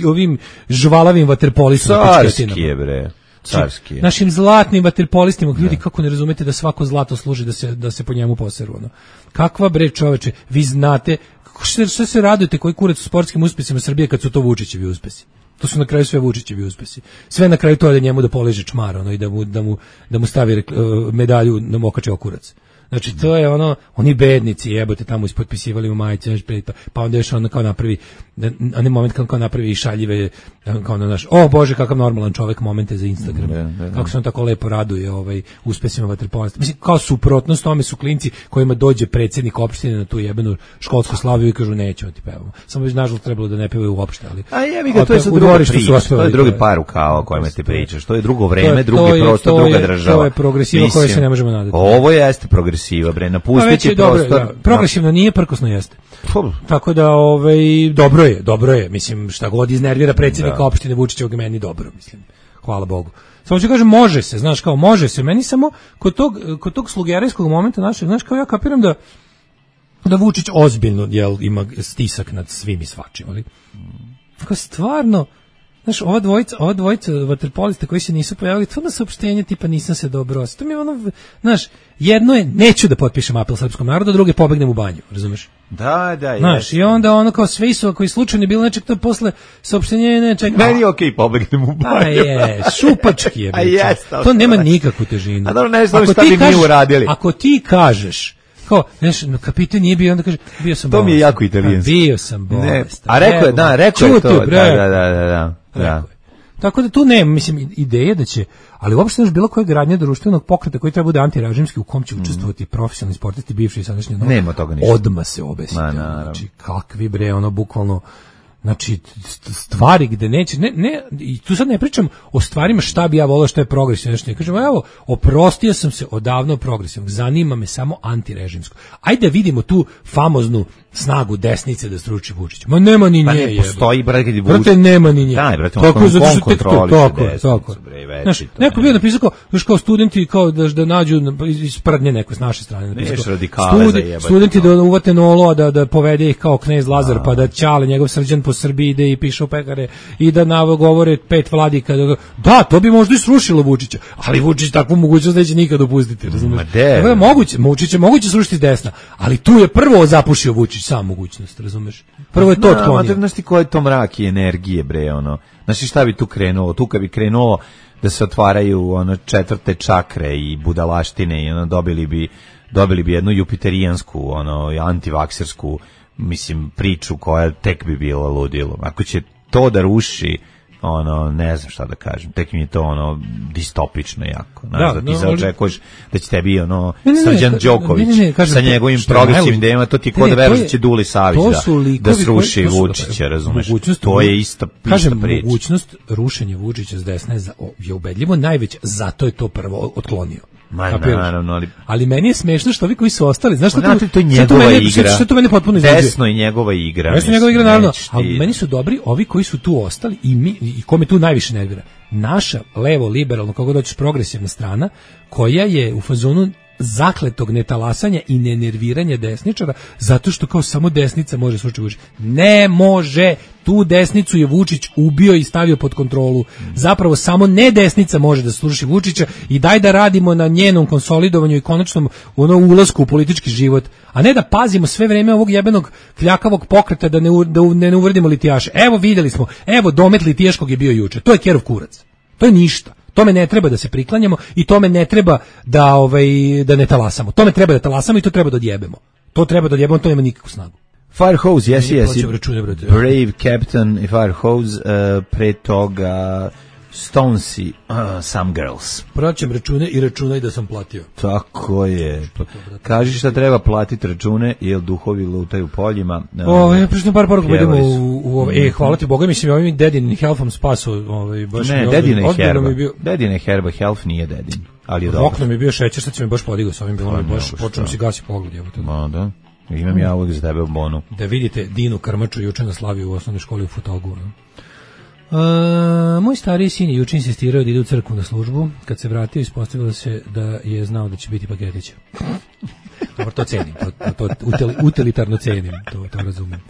ovim žvalavim vaterpolistima. Carski je, bre. Carski. Našim zlatnim vaterpolistima, ljudi, kako ne razumete da svako zlato služi da se da se po njemu poseru, ono. Kakva bre, čoveče, vi znate što, što se radujete, koji kurac u sportskim uspesima Srbije kad su to Vučićevi uspesi. To su na kraju sve Vučićevi uspesi. Sve na kraju to da njemu da poliže čmar, ono, i da mu da mu da mu stavi uh, medalju na mokače okurac. Znači to je ono, oni bednici jebote tamo ispotpisivali u majice, pa, pa onda još ono kao napravi, a ne moment kao, kao napravi i šaljive, kao na naš, o Bože kakav normalan čovjek momente za Instagram, ne, ne, ne. Kako se on tako lepo raduje ovaj, uspesima vaterpolista. Mislim, kao suprotnost tome su klinci kojima dođe predsjednik opštine na tu jebenu školsku slaviju i kažu nećemo ti pevamo. Samo već nažalost trebalo da ne pevaju uopšte, ali... A jebi ga, to je sad druga priča, to je drugi par rukava o kojima ti pričaš, to je drugo vreme, drugi prostor, druga država. To je progresiva koja se ne možemo nadati. Ovo jeste progresiva, bre, napustiti prostor. Dobro, da, progresivno nije, prkosno jeste. Tako da, ovaj, dobro je, dobro je, mislim, šta god iznervira predsjednika da. opštine Vučićevog meni dobro, mislim, hvala Bogu. Samo ću kažem, može se, znaš, kao, može se, meni samo, kod tog, kod tog slugerijskog momenta našeg, znaš, kao ja kapiram da, da Vučić ozbiljno, jel, ima stisak nad svim i svačim, ali, kao stvarno, znaš, ova dvojica, ova dvojica vaterpolista koji se nisu pojavili, to na saopštenje tipa nisam se dobro osjećao. To mi je ono, znaš, jedno je, neću da potpišem apel srpskom narodu, druge pobegnem u banju, razumeš? Da, da, znaš, i onda ono kao sve su, koji slučajno bilo nečeg, to posle saopštenje, ne, čekaj. Meni je okej, okay, pobegnem u banju. A je, šupački je. A jest, to nema nikakvu težinu. A dobro, ne znam šta bi mi uradili. Ako ti kažeš, kao, znaš, no, kapitan nije bio, onda kaže, bio sam bolestan. To mi je jako italijanski. Bio sam bolestan. A rekao je, da, rekao je to, da, da, da, da, da. Tako da tu nema, mislim, ideje da će, ali uopšte još bilo koje gradnje društvenog pokreta koji treba bude antirežimski, u kom će učestvovati mm. profesionalni sportisti, bivši i sadašnji, no, nema toga ništa. Odma se obesite. Znači, kakvi bre, ono, bukvalno, znači, stvari gde neće, ne, ne, i tu sad ne pričam o stvarima šta bi ja volao, što je progresivno, nešto ne kažem, evo, oprostio sam se odavno progresivnog, zanima me samo antirežimsko. Ajde vidimo tu famoznu snagu desnice da struči Vučić. Ma nema ni nje. Pa ne postoji, brate, kad je Vučić. Brate, nema ni nje. Daj, brate, tako on zato što kontroli tako, tako. Znaš, neko bio napisao kao, još kao studenti kao da, da nađu iz prdnje neko s naše strane. Neš radikale Studi, za jebati. Studenti da uvate nolo, da, da povede ih kao knez Lazar, a. pa da Ćale, njegov Srđan po, Srbiji ide i piše u pekare i da navo govore pet vladika. Da, to bi možda i srušilo Vučića, ali Vučić takvu mogućnost neće nikad dopustiti, razumeš? Tako da moguće, Vučića moguće srušiti s desna, ali tu je prvo zapušio Vučić sam mogućnost, razumeš? Prvo je to otklonio. Znaš ti koji je to mrak i energije, bre, ono. Znaš šta bi tu krenulo? Tu kad bi krenulo da se otvaraju ono četvrte čakre i budalaštine i ono dobili bi dobili bi jednu jupiterijansku, ono antivaksersku, mislim, priču koja tek bi bila ludilo. Ako će to da ruši, ono, ne znam šta da kažem, tek mi je to ono distopično jako. Znaš, da, da ti no, zaočekuješ da će tebi ono Srđan Đoković ne, ne, ne, kažem, sa njegovim progresivnim idejama, to ti kod da veruješ da će Duli Savić da, da sruši koji, Vučića, razumeš? To je ista, kažem, ista priča. Mogućnost rušenja Vučića s desna je, za, je ubedljivo najveća, zato je to prvo otklonio. Ma, naravno, ali... ali meni je smešno što ovi koji su ostali, znaš što to, to, to je njegova mene, igra, što to mene potpuno izluđuje. Desno je njegova igra. Desno je njegova igra, naravno, ali meni su dobri ovi koji su tu ostali i, mi, i kome tu najviše nervira. Naša levo, liberalno, kako doćeš progresivna strana, koja je u fazonu zakletog netalasanja i nenerviranja desničara, zato što kao samo desnica može srušiti Vučića. Ne može, tu desnicu je Vučić ubio i stavio pod kontrolu. Zapravo samo ne desnica može da sruši Vučića i daj da radimo na njenom konsolidovanju i konačnom ono ulasku u politički život, a ne da pazimo sve vreme ovog jebenog kljakavog pokreta da ne, da ne uvredimo litijaše. Evo videli smo, evo domet litijaškog je bio juče. To je kerov kurac. To je ništa. Tome ne treba da se priklanjamo i tome ne treba da ovaj da ne talasamo. Tome treba da talasamo i to treba da odjebemo. To treba da odjebemo, to nema nikakvu snagu. Firehose, yes, yes. Brave Captain i Firehose, uh, pre toga Stonesi, uh, Some Girls. Praćam račune i računaj da sam platio. Tako je. Kaži šta treba platiti račune, jer duhovi lutaju poljima. O, ja prišli par poruka, idemo u, u, u e, hvala ti Boga, mislim, ovim Dedin Helfom spaso, ovaj, baš ne, Dedin je herba. Dedin je herba, Helf nije Dedin. Ali je dobro. Okno mi je bio šećer, što će mi baš podigao s ovim, bilo mi baš, počnem si gasi pogled. Ma da, imam ja uvijek za tebe u bonu. Da vidite Dinu Krmaču juče na slavi u osnovnoj školi u Futogu, no? Uh, moj stariji sin je juče insistirao da ide u crkvu na službu. Kad se vratio, ispostavilo se da je znao da će biti paketić. Dobro, to cenim, to, to, to utilitarno cenim, to, to razumem.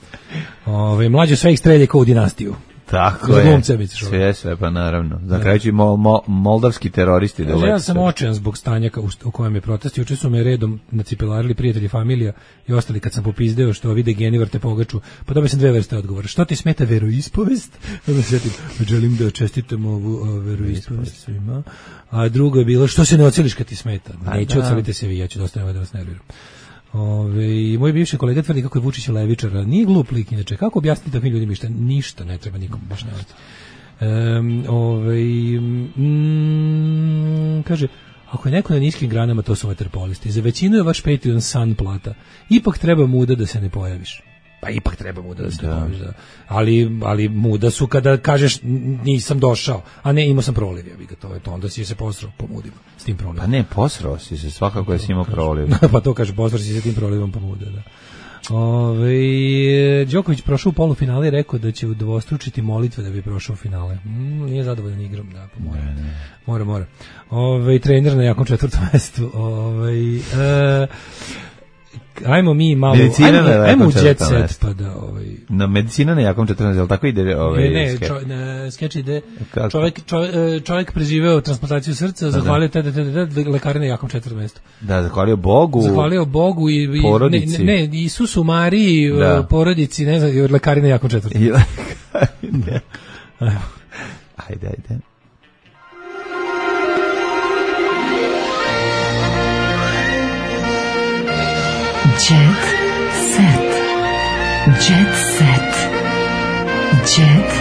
Ove, mlađe sve ih strelje kao u dinastiju. Tako je, sve, sve, pa naravno. Za kraju će mo, mo, moldavski teroristi da leče. Ja sam očajan zbog stanja u, u kojem je protest. Juče su me redom nacipelarili prijatelji, familija i ostali kad sam popizdeo što vide geni vrte pogaču. Pa dobio sam dve vrste odgovora. Što ti smeta veroispovest? Onda se sjetim, želim da čestitam ovu veroispovest svima. A drugo je bilo, što se ne oceliš kad ti smeta? Neću, ocelite se vi, ja ću dosta da vas nerviram. Ove, moj bivši kolega tvrdi kako je Vučić levičar, nije glup lik inače. Kako objasniti takvim ljudima ništa? Ništa ne treba nikom objašnjavati. Um, ove, mm, kaže, ako je neko na niskim granama, to su vaterpolisti. Za većinu je vaš Patreon san plata. Ipak treba muda da se ne pojaviš. Pa ipak treba muda da se ne pojaviš. Da. Ali, ali muda su kada kažeš nisam došao, a ne imao sam proliv. Ja bi ga to, to onda si se posrao po mudima s tim prolivom. Pa ne, posrao si se, svakako je si imao proliv. Pa to kaže, posrao si se tim prolivom po mude, da. Ove, Đoković prošao u polufinale i rekao da će udvostručiti molitve da bi prošao u finale. Mm, nije zadovoljan igrom, da, pa mora. Ne, ne. Mora, mora. Ove, trener na jakom četvrtom mestu. Ove, e, ajmo mi malo, medicina ajmo, ajmo u jet set, pa da, ovaj... Na medicina na jakom četrnaest, jel tako ide ovaj... Ne, ne, čo, na, skeč ide, čovjek, čovjek, čovjek preživeo transplantaciju srca, zahvalio te, te, te, te, lekare na jakom četvrtom mestu. Da, zahvalio Bogu. Zahvalio Bogu i... i porodici. Ne, ne, Isusu, Mariji, da. Porodici, ne znam, lekari na jakom četvrtom. I lekari, ne. Ajde, ajde. Jet set. Jet set. Jet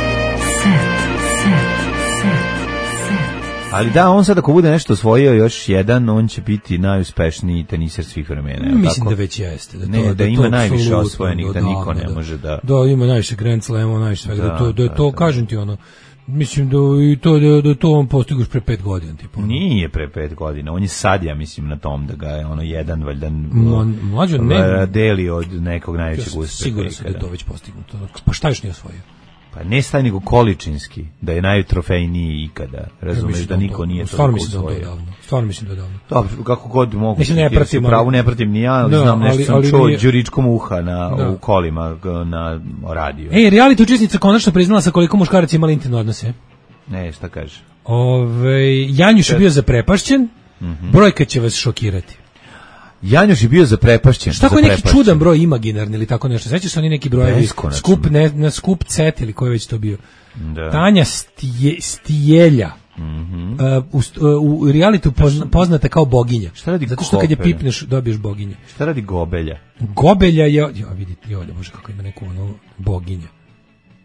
set. Set. Set. Set. Ali da, on sad ako bude nešto osvojio još jedan, on će biti najuspešniji teniser svih vremena. Mislim tako? Da već jeste. Da, to, ne, da, da ima to najviše osvojenih, da, da niko ne da, može da... Da, ima najviše Grand Slamova, najviše svega. Da, da, to, da, da to, da. Kažem ti ono, mislim da i to da, da to on postigoš pre pet godina tipa. Nije pre pet godina, on je sad ja mislim na tom da ga je ono jedan valjda mlađo ne deli od nekog najvećeg uspeha. Sigurno sam da to već postignuto. Pa šta još nije osvojio? Pa ne staj nego količinski, da je najtrofejniji ikada. Razumeš da niko nije to stvarno mislim da je davno. Stvarno mislim da je davno. Dobro, kako god mogu. Mislim ne pratim, pravu ne pratim ni ja, ali da, znam nešto ali, sam ali čuo nije... Đuričkom uha na da. u kolima na radiju. Ej, reality učesnica konačno priznala sa koliko muškaraca imali intimne odnose. Ne, šta kaže? Ove, Janjuš je bio zaprepašćen, mm-hmm. brojka će vas šokirati. Janjuš je bio zaprepašćen. Šta koji neki čudan broj imaginarni ili tako nešto. Sećaš se oni neki brojevi? Skup ne, na skup cet ili koji već to bio. Da. Tanja Stije, Stijelja. Mm-hmm. uh, u, u realitu pozna, poznata kao boginja. Šta radi Zato što kad je pipneš dobiješ boginje. Šta radi Gobelja? Gobelja je, jo vidite, jo, može kako ima neku ono boginja.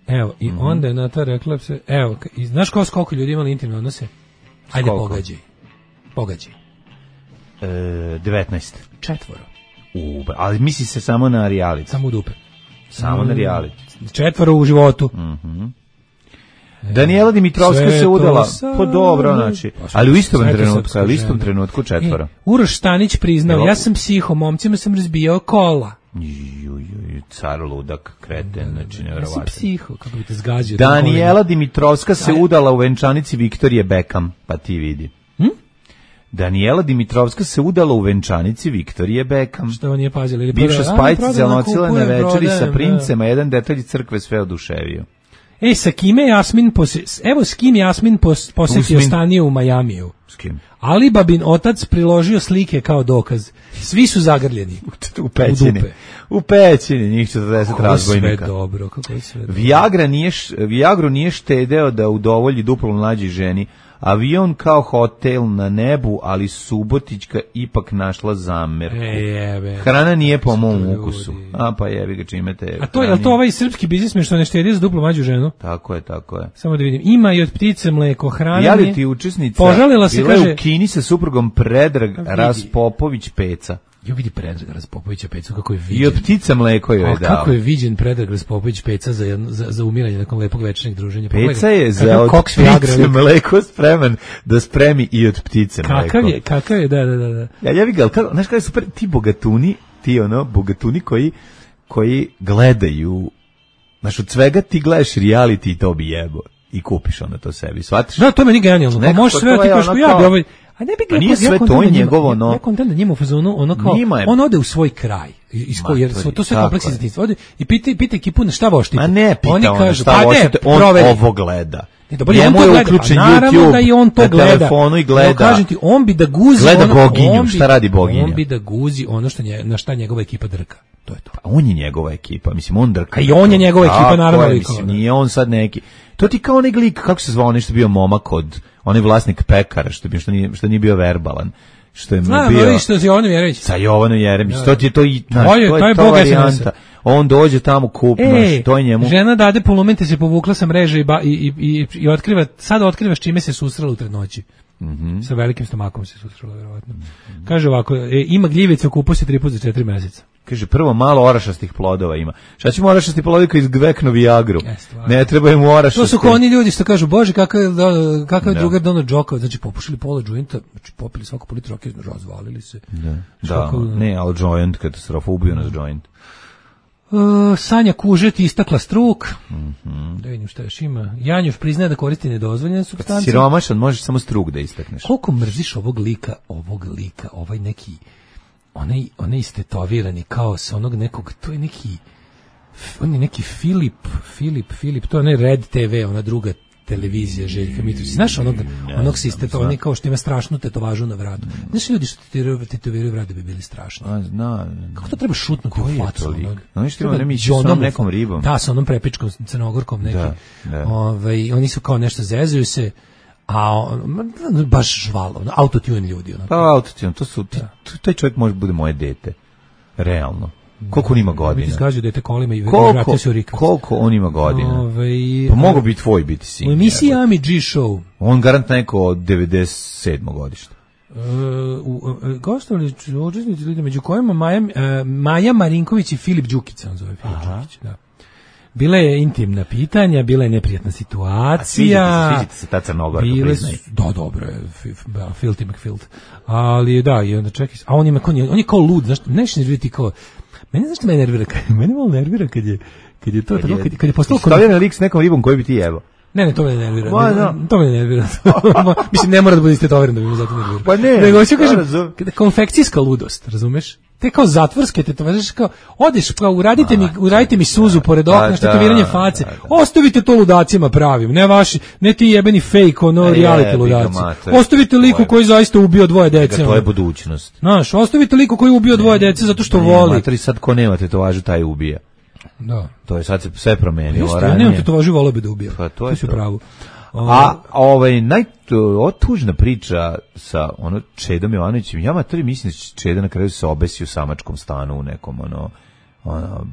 Evo, i mm-hmm. onda je na ta rekla se, evo, i znaš kao koliko ljudi imali intimne odnose? Ajde, koliko? pogađaj. Pogađaj. E, devetnaest. Četvoro. U, ali misli se samo na reality. Samo u dupe. Samo mm. na reality. Četvoro u životu. Mhm. Daniela Dimitrovska se udala, po dobro, znači, ali u istom trenutku, ali u istom trenutku četvoro. E, Uroš Stanić priznao, ja sam psiho, momcima sam razbijao kola. Ju, ju, car ludak, kreten, znači nevjerovatno. Ja sam psiho, kako bi te zgađio. Daniela Dimitrovska se udala u venčanici Viktorije Beckham, pa ti vidi. Hm? Daniela Dimitrovska se udala u venčanici Viktorije Beckham. Što on nije pazila? Ili bivša spajtica zanocila na večeri sa princema, jedan detalj crkve sve oduševio. Ej, sa kime Jasmin pose... Evo s kim Jasmin pos... posetio stanije u Majamiju. S kim? Alibabin otac priložio slike kao dokaz. Svi su zagrljeni. U pećini. U, u pećini, njih četrdeset razbojnika. Sve dobro, kako je sve dobro. Viagra nije, Viagru nije štedeo da udovolji duplo mlađi ženi. Avion kao hotel na nebu, ali Subotićka ipak našla zamerku. E, jebe. Hrana nije po mom ukusu. A pa jebi ga čime te... A to je li to ovaj srpski biznismen što ne štedi za duplo mlađu ženu? Tako je, tako je. Samo da vidim. Ima i od ptice mleko, hrana nije... Reality učesnica požalila se, bila kaže... u Kini sa suprugom Predrag Raspopović Peca. Jo vidi Predrag Raspopovića Peca kako je viđen. I od ptica mleko joj je dao. Kako je viđen Predrag Raspopović Peca za, jedno, za, za umiranje nakon lepog večernjeg druženja. Peca je za od ptice mleko spreman da spremi i od ptice mleko. Kakav je, kakav je, da, da, da. Ja, ja vidim, kako, znaš kada je super, ti bogatuni, ti ono, bogatuni koji, koji gledaju, znaš, od svega ti gledaš reality i to bi jebo. I kupiš onda to sebi, shvatiš? Da, to meni genijalno. Pa možeš sve, ti kažeš, ja bi ovaj... A ne bi ga, nije sve to i njegovo, no. Ja kontent da njima u fazonu, ono kao, on ode u svoj kraj, iz koji, jer to sve kompleksi zatinstva, ode i pita, pita ekipu na šta voštite. A ne pita oni on kažu, šta voštite, on ovo gleda. Njemu je uključen YouTube, da i on to na gleda. telefonu i gleda. No, kažem ti, on bi da guzi gleda ono, boginju, on bi, šta radi boginja? On bi da guzi ono što nje, na šta njegova ekipa drka. To je to. Pa on je njegova ekipa, mislim, on drka. A i on je njegova ekipa, naravno. Je, mislim, nije on sad neki... To ti kao onaj lik, kako se zvao, nešto bio momak od, onaj vlasnik pekara, što, bi, što, nije, što nije bio verbalan. Što je Zna, bio... No, što je Jovanom Jeremić. Sa Jovanom Jeremić, ja, to ti je to i... Znaš, to je, to je, to je to bog varijanta. On dođe tamo kup, e, naš, to je njemu... Žena dade polumente se povukla sa mreže i, ba, i, i, i, i otkriva, sad otkriva s čime se susrela u trudnoći. Mm-hmm. Sa velikim stomakom se susrela, verovatno. Mm-hmm. Kaže ovako, e, ima gljivica u kupusi tri puta za četiri meseca. Kaže, prvo malo orašastih plodova ima. Šta ćemo orašasti plodovi koji izgveknu Viagru? Ne treba im orašasti. To su kao oni ljudi što kažu, bože, kakav je, kakav je drugar Donald Džokova, znači popušili pola džointa, znači popili svako po litru rakije, razvalili se. Da, da ne, ali džoint, katastrofa, ubio nas džoint. Uh, Sanja Kužet istakla struk. Mm-hmm. Da vidim šta još ima. Janjuš priznaje da koristi nedozvoljene supstance. Siromašan, možeš samo struk da istakneš. Koliko mrziš ovog lika, ovog lika, ovaj neki, onaj, onaj istetovirani kao sa onog nekog, to je neki, on je neki Filip, Filip, Filip, to je onaj Red te ve, ona druga televizija Željka Mitrovića. Znaš onog, ja, onog si istetovirani kao što ima strašnu tetovažu na vratu. Znaš ljudi što tetoviraju vrat da bi bili strašni. A, zna. Kako to treba šutnuti u facu? Oni što ima nemići sa nekom ribom. Da, sa onom prepičkom crnogorkom neki. Da, da. Ove, oni su kao nešto zezuju se, a on, baš žvalo, autotune ljudi. Onako. Pa autotune, to su, ti, taj čovjek može bude moje dete. Realno. Koliko on ima godina? Biti zgađu dete kolima i koliko, vratio se u Rikavac. Koliko on ima godina? Ove, pa mogu biti tvoj biti sin. U emisiji Ami G Show. On garant neko od devedeset sedmog godišta. Uh, uh, gostovali učesnici ljudi među kojima Maja, uh, Maja Marinković i Filip Đukić, on zove Filip Đukić, da. Bila je intimna pitanja, bila je neprijatna situacija. A sviđa ti se ta Crnogorka, priznaj. Da, dobro je, filthy McFilt. Ali da, i onda čekaj, a on je, on je kao lud, znaš, nešto nervira kao, mene znaš što me nervira, mene malo nervira kad je, kad je to, kad je, kad je postalo... Stavljena lik s nekom ribom koji bi ti jebao. Ne, ne, to me ne nervira. Ma, ne, no. To me ne nervira. Mislim, ne mora da bude istetoviran da bi me zato nervira. Pa ne. Nego ću kažem, konfekcijska ludost, razumeš? Te kao zatvorske, te to znaš kao, odeš, kao, uradite mi, uradite mi suzu pored okna, štetoviranje face, ostavite to ludacima pravim, ne vaši, ne ti jebeni fake, ono, reality ludaci. Ostavite liku koji zaista ubio dvoje dece. To je budućnost. Znaš, ostavite liku koji ubio dvoje dece zato što voli. Matri, sad ko nema tetovažu, taj ubija. Da. To je sad se sve promenilo. Jeste, ja nemam tetovažu, volio bi da ubija. Pa to je to. Pravo. A ovaj naj otužna priča sa ono Čedom Jovanovićem, ja materi mislim da Čeda na kraju se obesio u samačkom stanu u nekom ono ono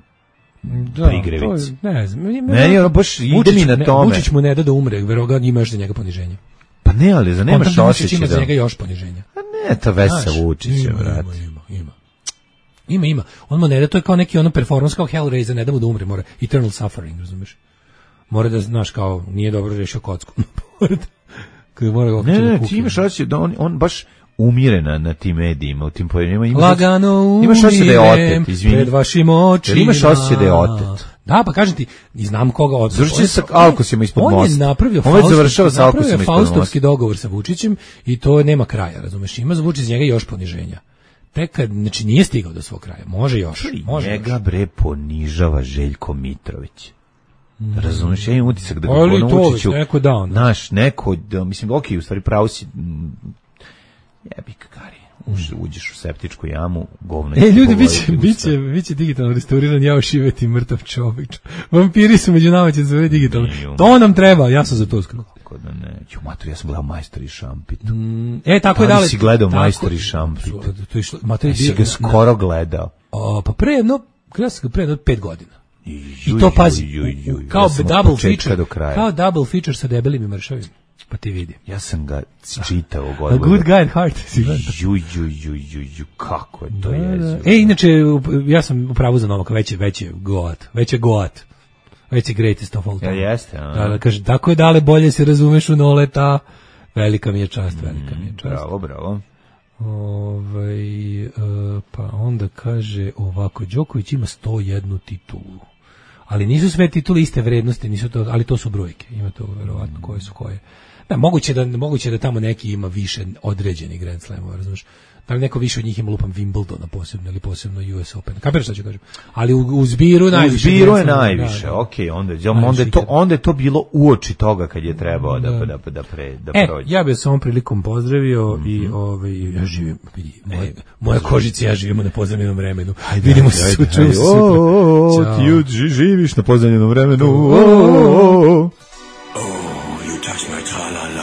da, prigrevici. To, ne znam. Meni ono baš ide mi na tome. Vučić mu ne da da umre, verovatno ima još za njega poniženje. Pa ne, ali za nemaš osjećaj da za njega još poniženja. Pa ne, ta Vesa Vučića, brate. Ima, ima. Ima, ima. On mu ne da, to je kao neki ono performans kao Hellraiser, ne da mu da umre, mora eternal suffering, razumeš? Mora da, znaš, kao, nije dobro rešio kocku. mora ne, ne, ti imaš osjećaj da on, on baš umire na, na tim medijima, u tim pojavljima. Imaš Lagano umirem, imaš osjećaj da je otet, izvini. Pred vašim očima. Imaš osjećaj da je otet. Da, pa kažem ti, i znam koga otet. Završi sa alkosima ispod mosta. On je napravio, on Faust, završava sa alkosima ispod mosta. Faustovski dogovor sa Vučićem i to nema kraja, razumeš? Ima za Vučić njega još poniženja. Tek kad, znači nije stigao do svog kraja, može još. Može njega još. Bre ponižava Željko Mitrović. Mm. Razumiješ, ja imam utisak da ga ali ono Vučiću, neko dao, naš, neko, da, mislim, ok, u stvari pravo si, jebik, Kari, Uš, uđeš u septičku jamu, govno. E, ljudi, biće, biće, biće digitalno restauriran, ja ošiveti mrtav čovjek. Vampiri su među nama, će se zove digitalno. To nam treba, ja sam za to skoro. Kako da ne, ću mater, ja sam gledao Majstor i Šampit. Mm, e, tako je dale. Da si gledao Majstor i Šampit? To je šlo, mater, si ga skoro gledao. O, pa pre jedno, gledao sam ga pre jedno pet godina. I to pazi, kao ja double feature, kao double feature sa debelim i mršavim. Pa ti vidi. Ja sam ga čitao godinu. A good guy at heart. Ju, ju, ju, ju, ju, kako je to da, jezivo. Da. E, inače, ja sam u pravu za Novaka, već je, već je goat, već je goat, već je greatest of all time. Ja jeste, a? Da, da, kaže, tako je dale, bolje se razumeš u Noleta, velika mi je čast, velika mi je čast. Bravo, bravo. Ovaj, uh, pa onda kaže ovako, Đoković ima sto jednu titulu. Ali nisu sve titule iste vrednosti, nisu to, ali to su brojke. Ima to verovatno koje su koje. Da, moguće da moguće da tamo neki ima više određenih Grand Slamova, razumeš? Da li neko više od njih ima lupam Wimbledona posebno ili posebno U S Open. Kapiraš šta ću kažem? Ali u, u zbiru najviše. U zbiru je najviše. Da, da. Okej, onda onda je to onda je to bilo uoči toga kad je trebao da da da, da pre da e, prođe. Ja bih se ovom prilikom pozdravio mm-hmm. i ovaj ja živim vidi moje moja kožica ja živimo na pozemljenom vremenu. Ajde, vidimo se sutra. O, ti živiš na pozemljenom vremenu.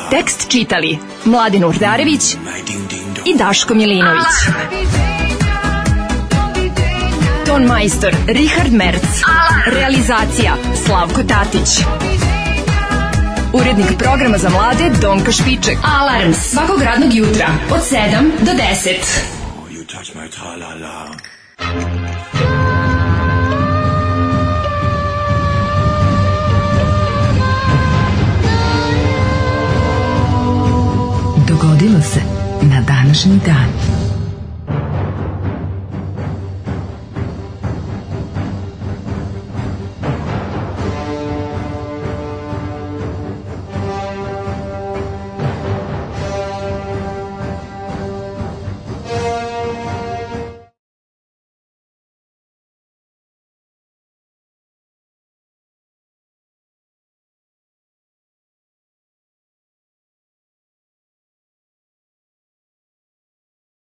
Tekst čitali Mladin Urdarević i Daško Milinović. Ton majstor Richard Merc. Realizacija Slavko Tatić. Urednik programa za mlade Donka Špiček. Alarms svakog radnog jutra od sedam do deset. Dogodilo se na današnji dan.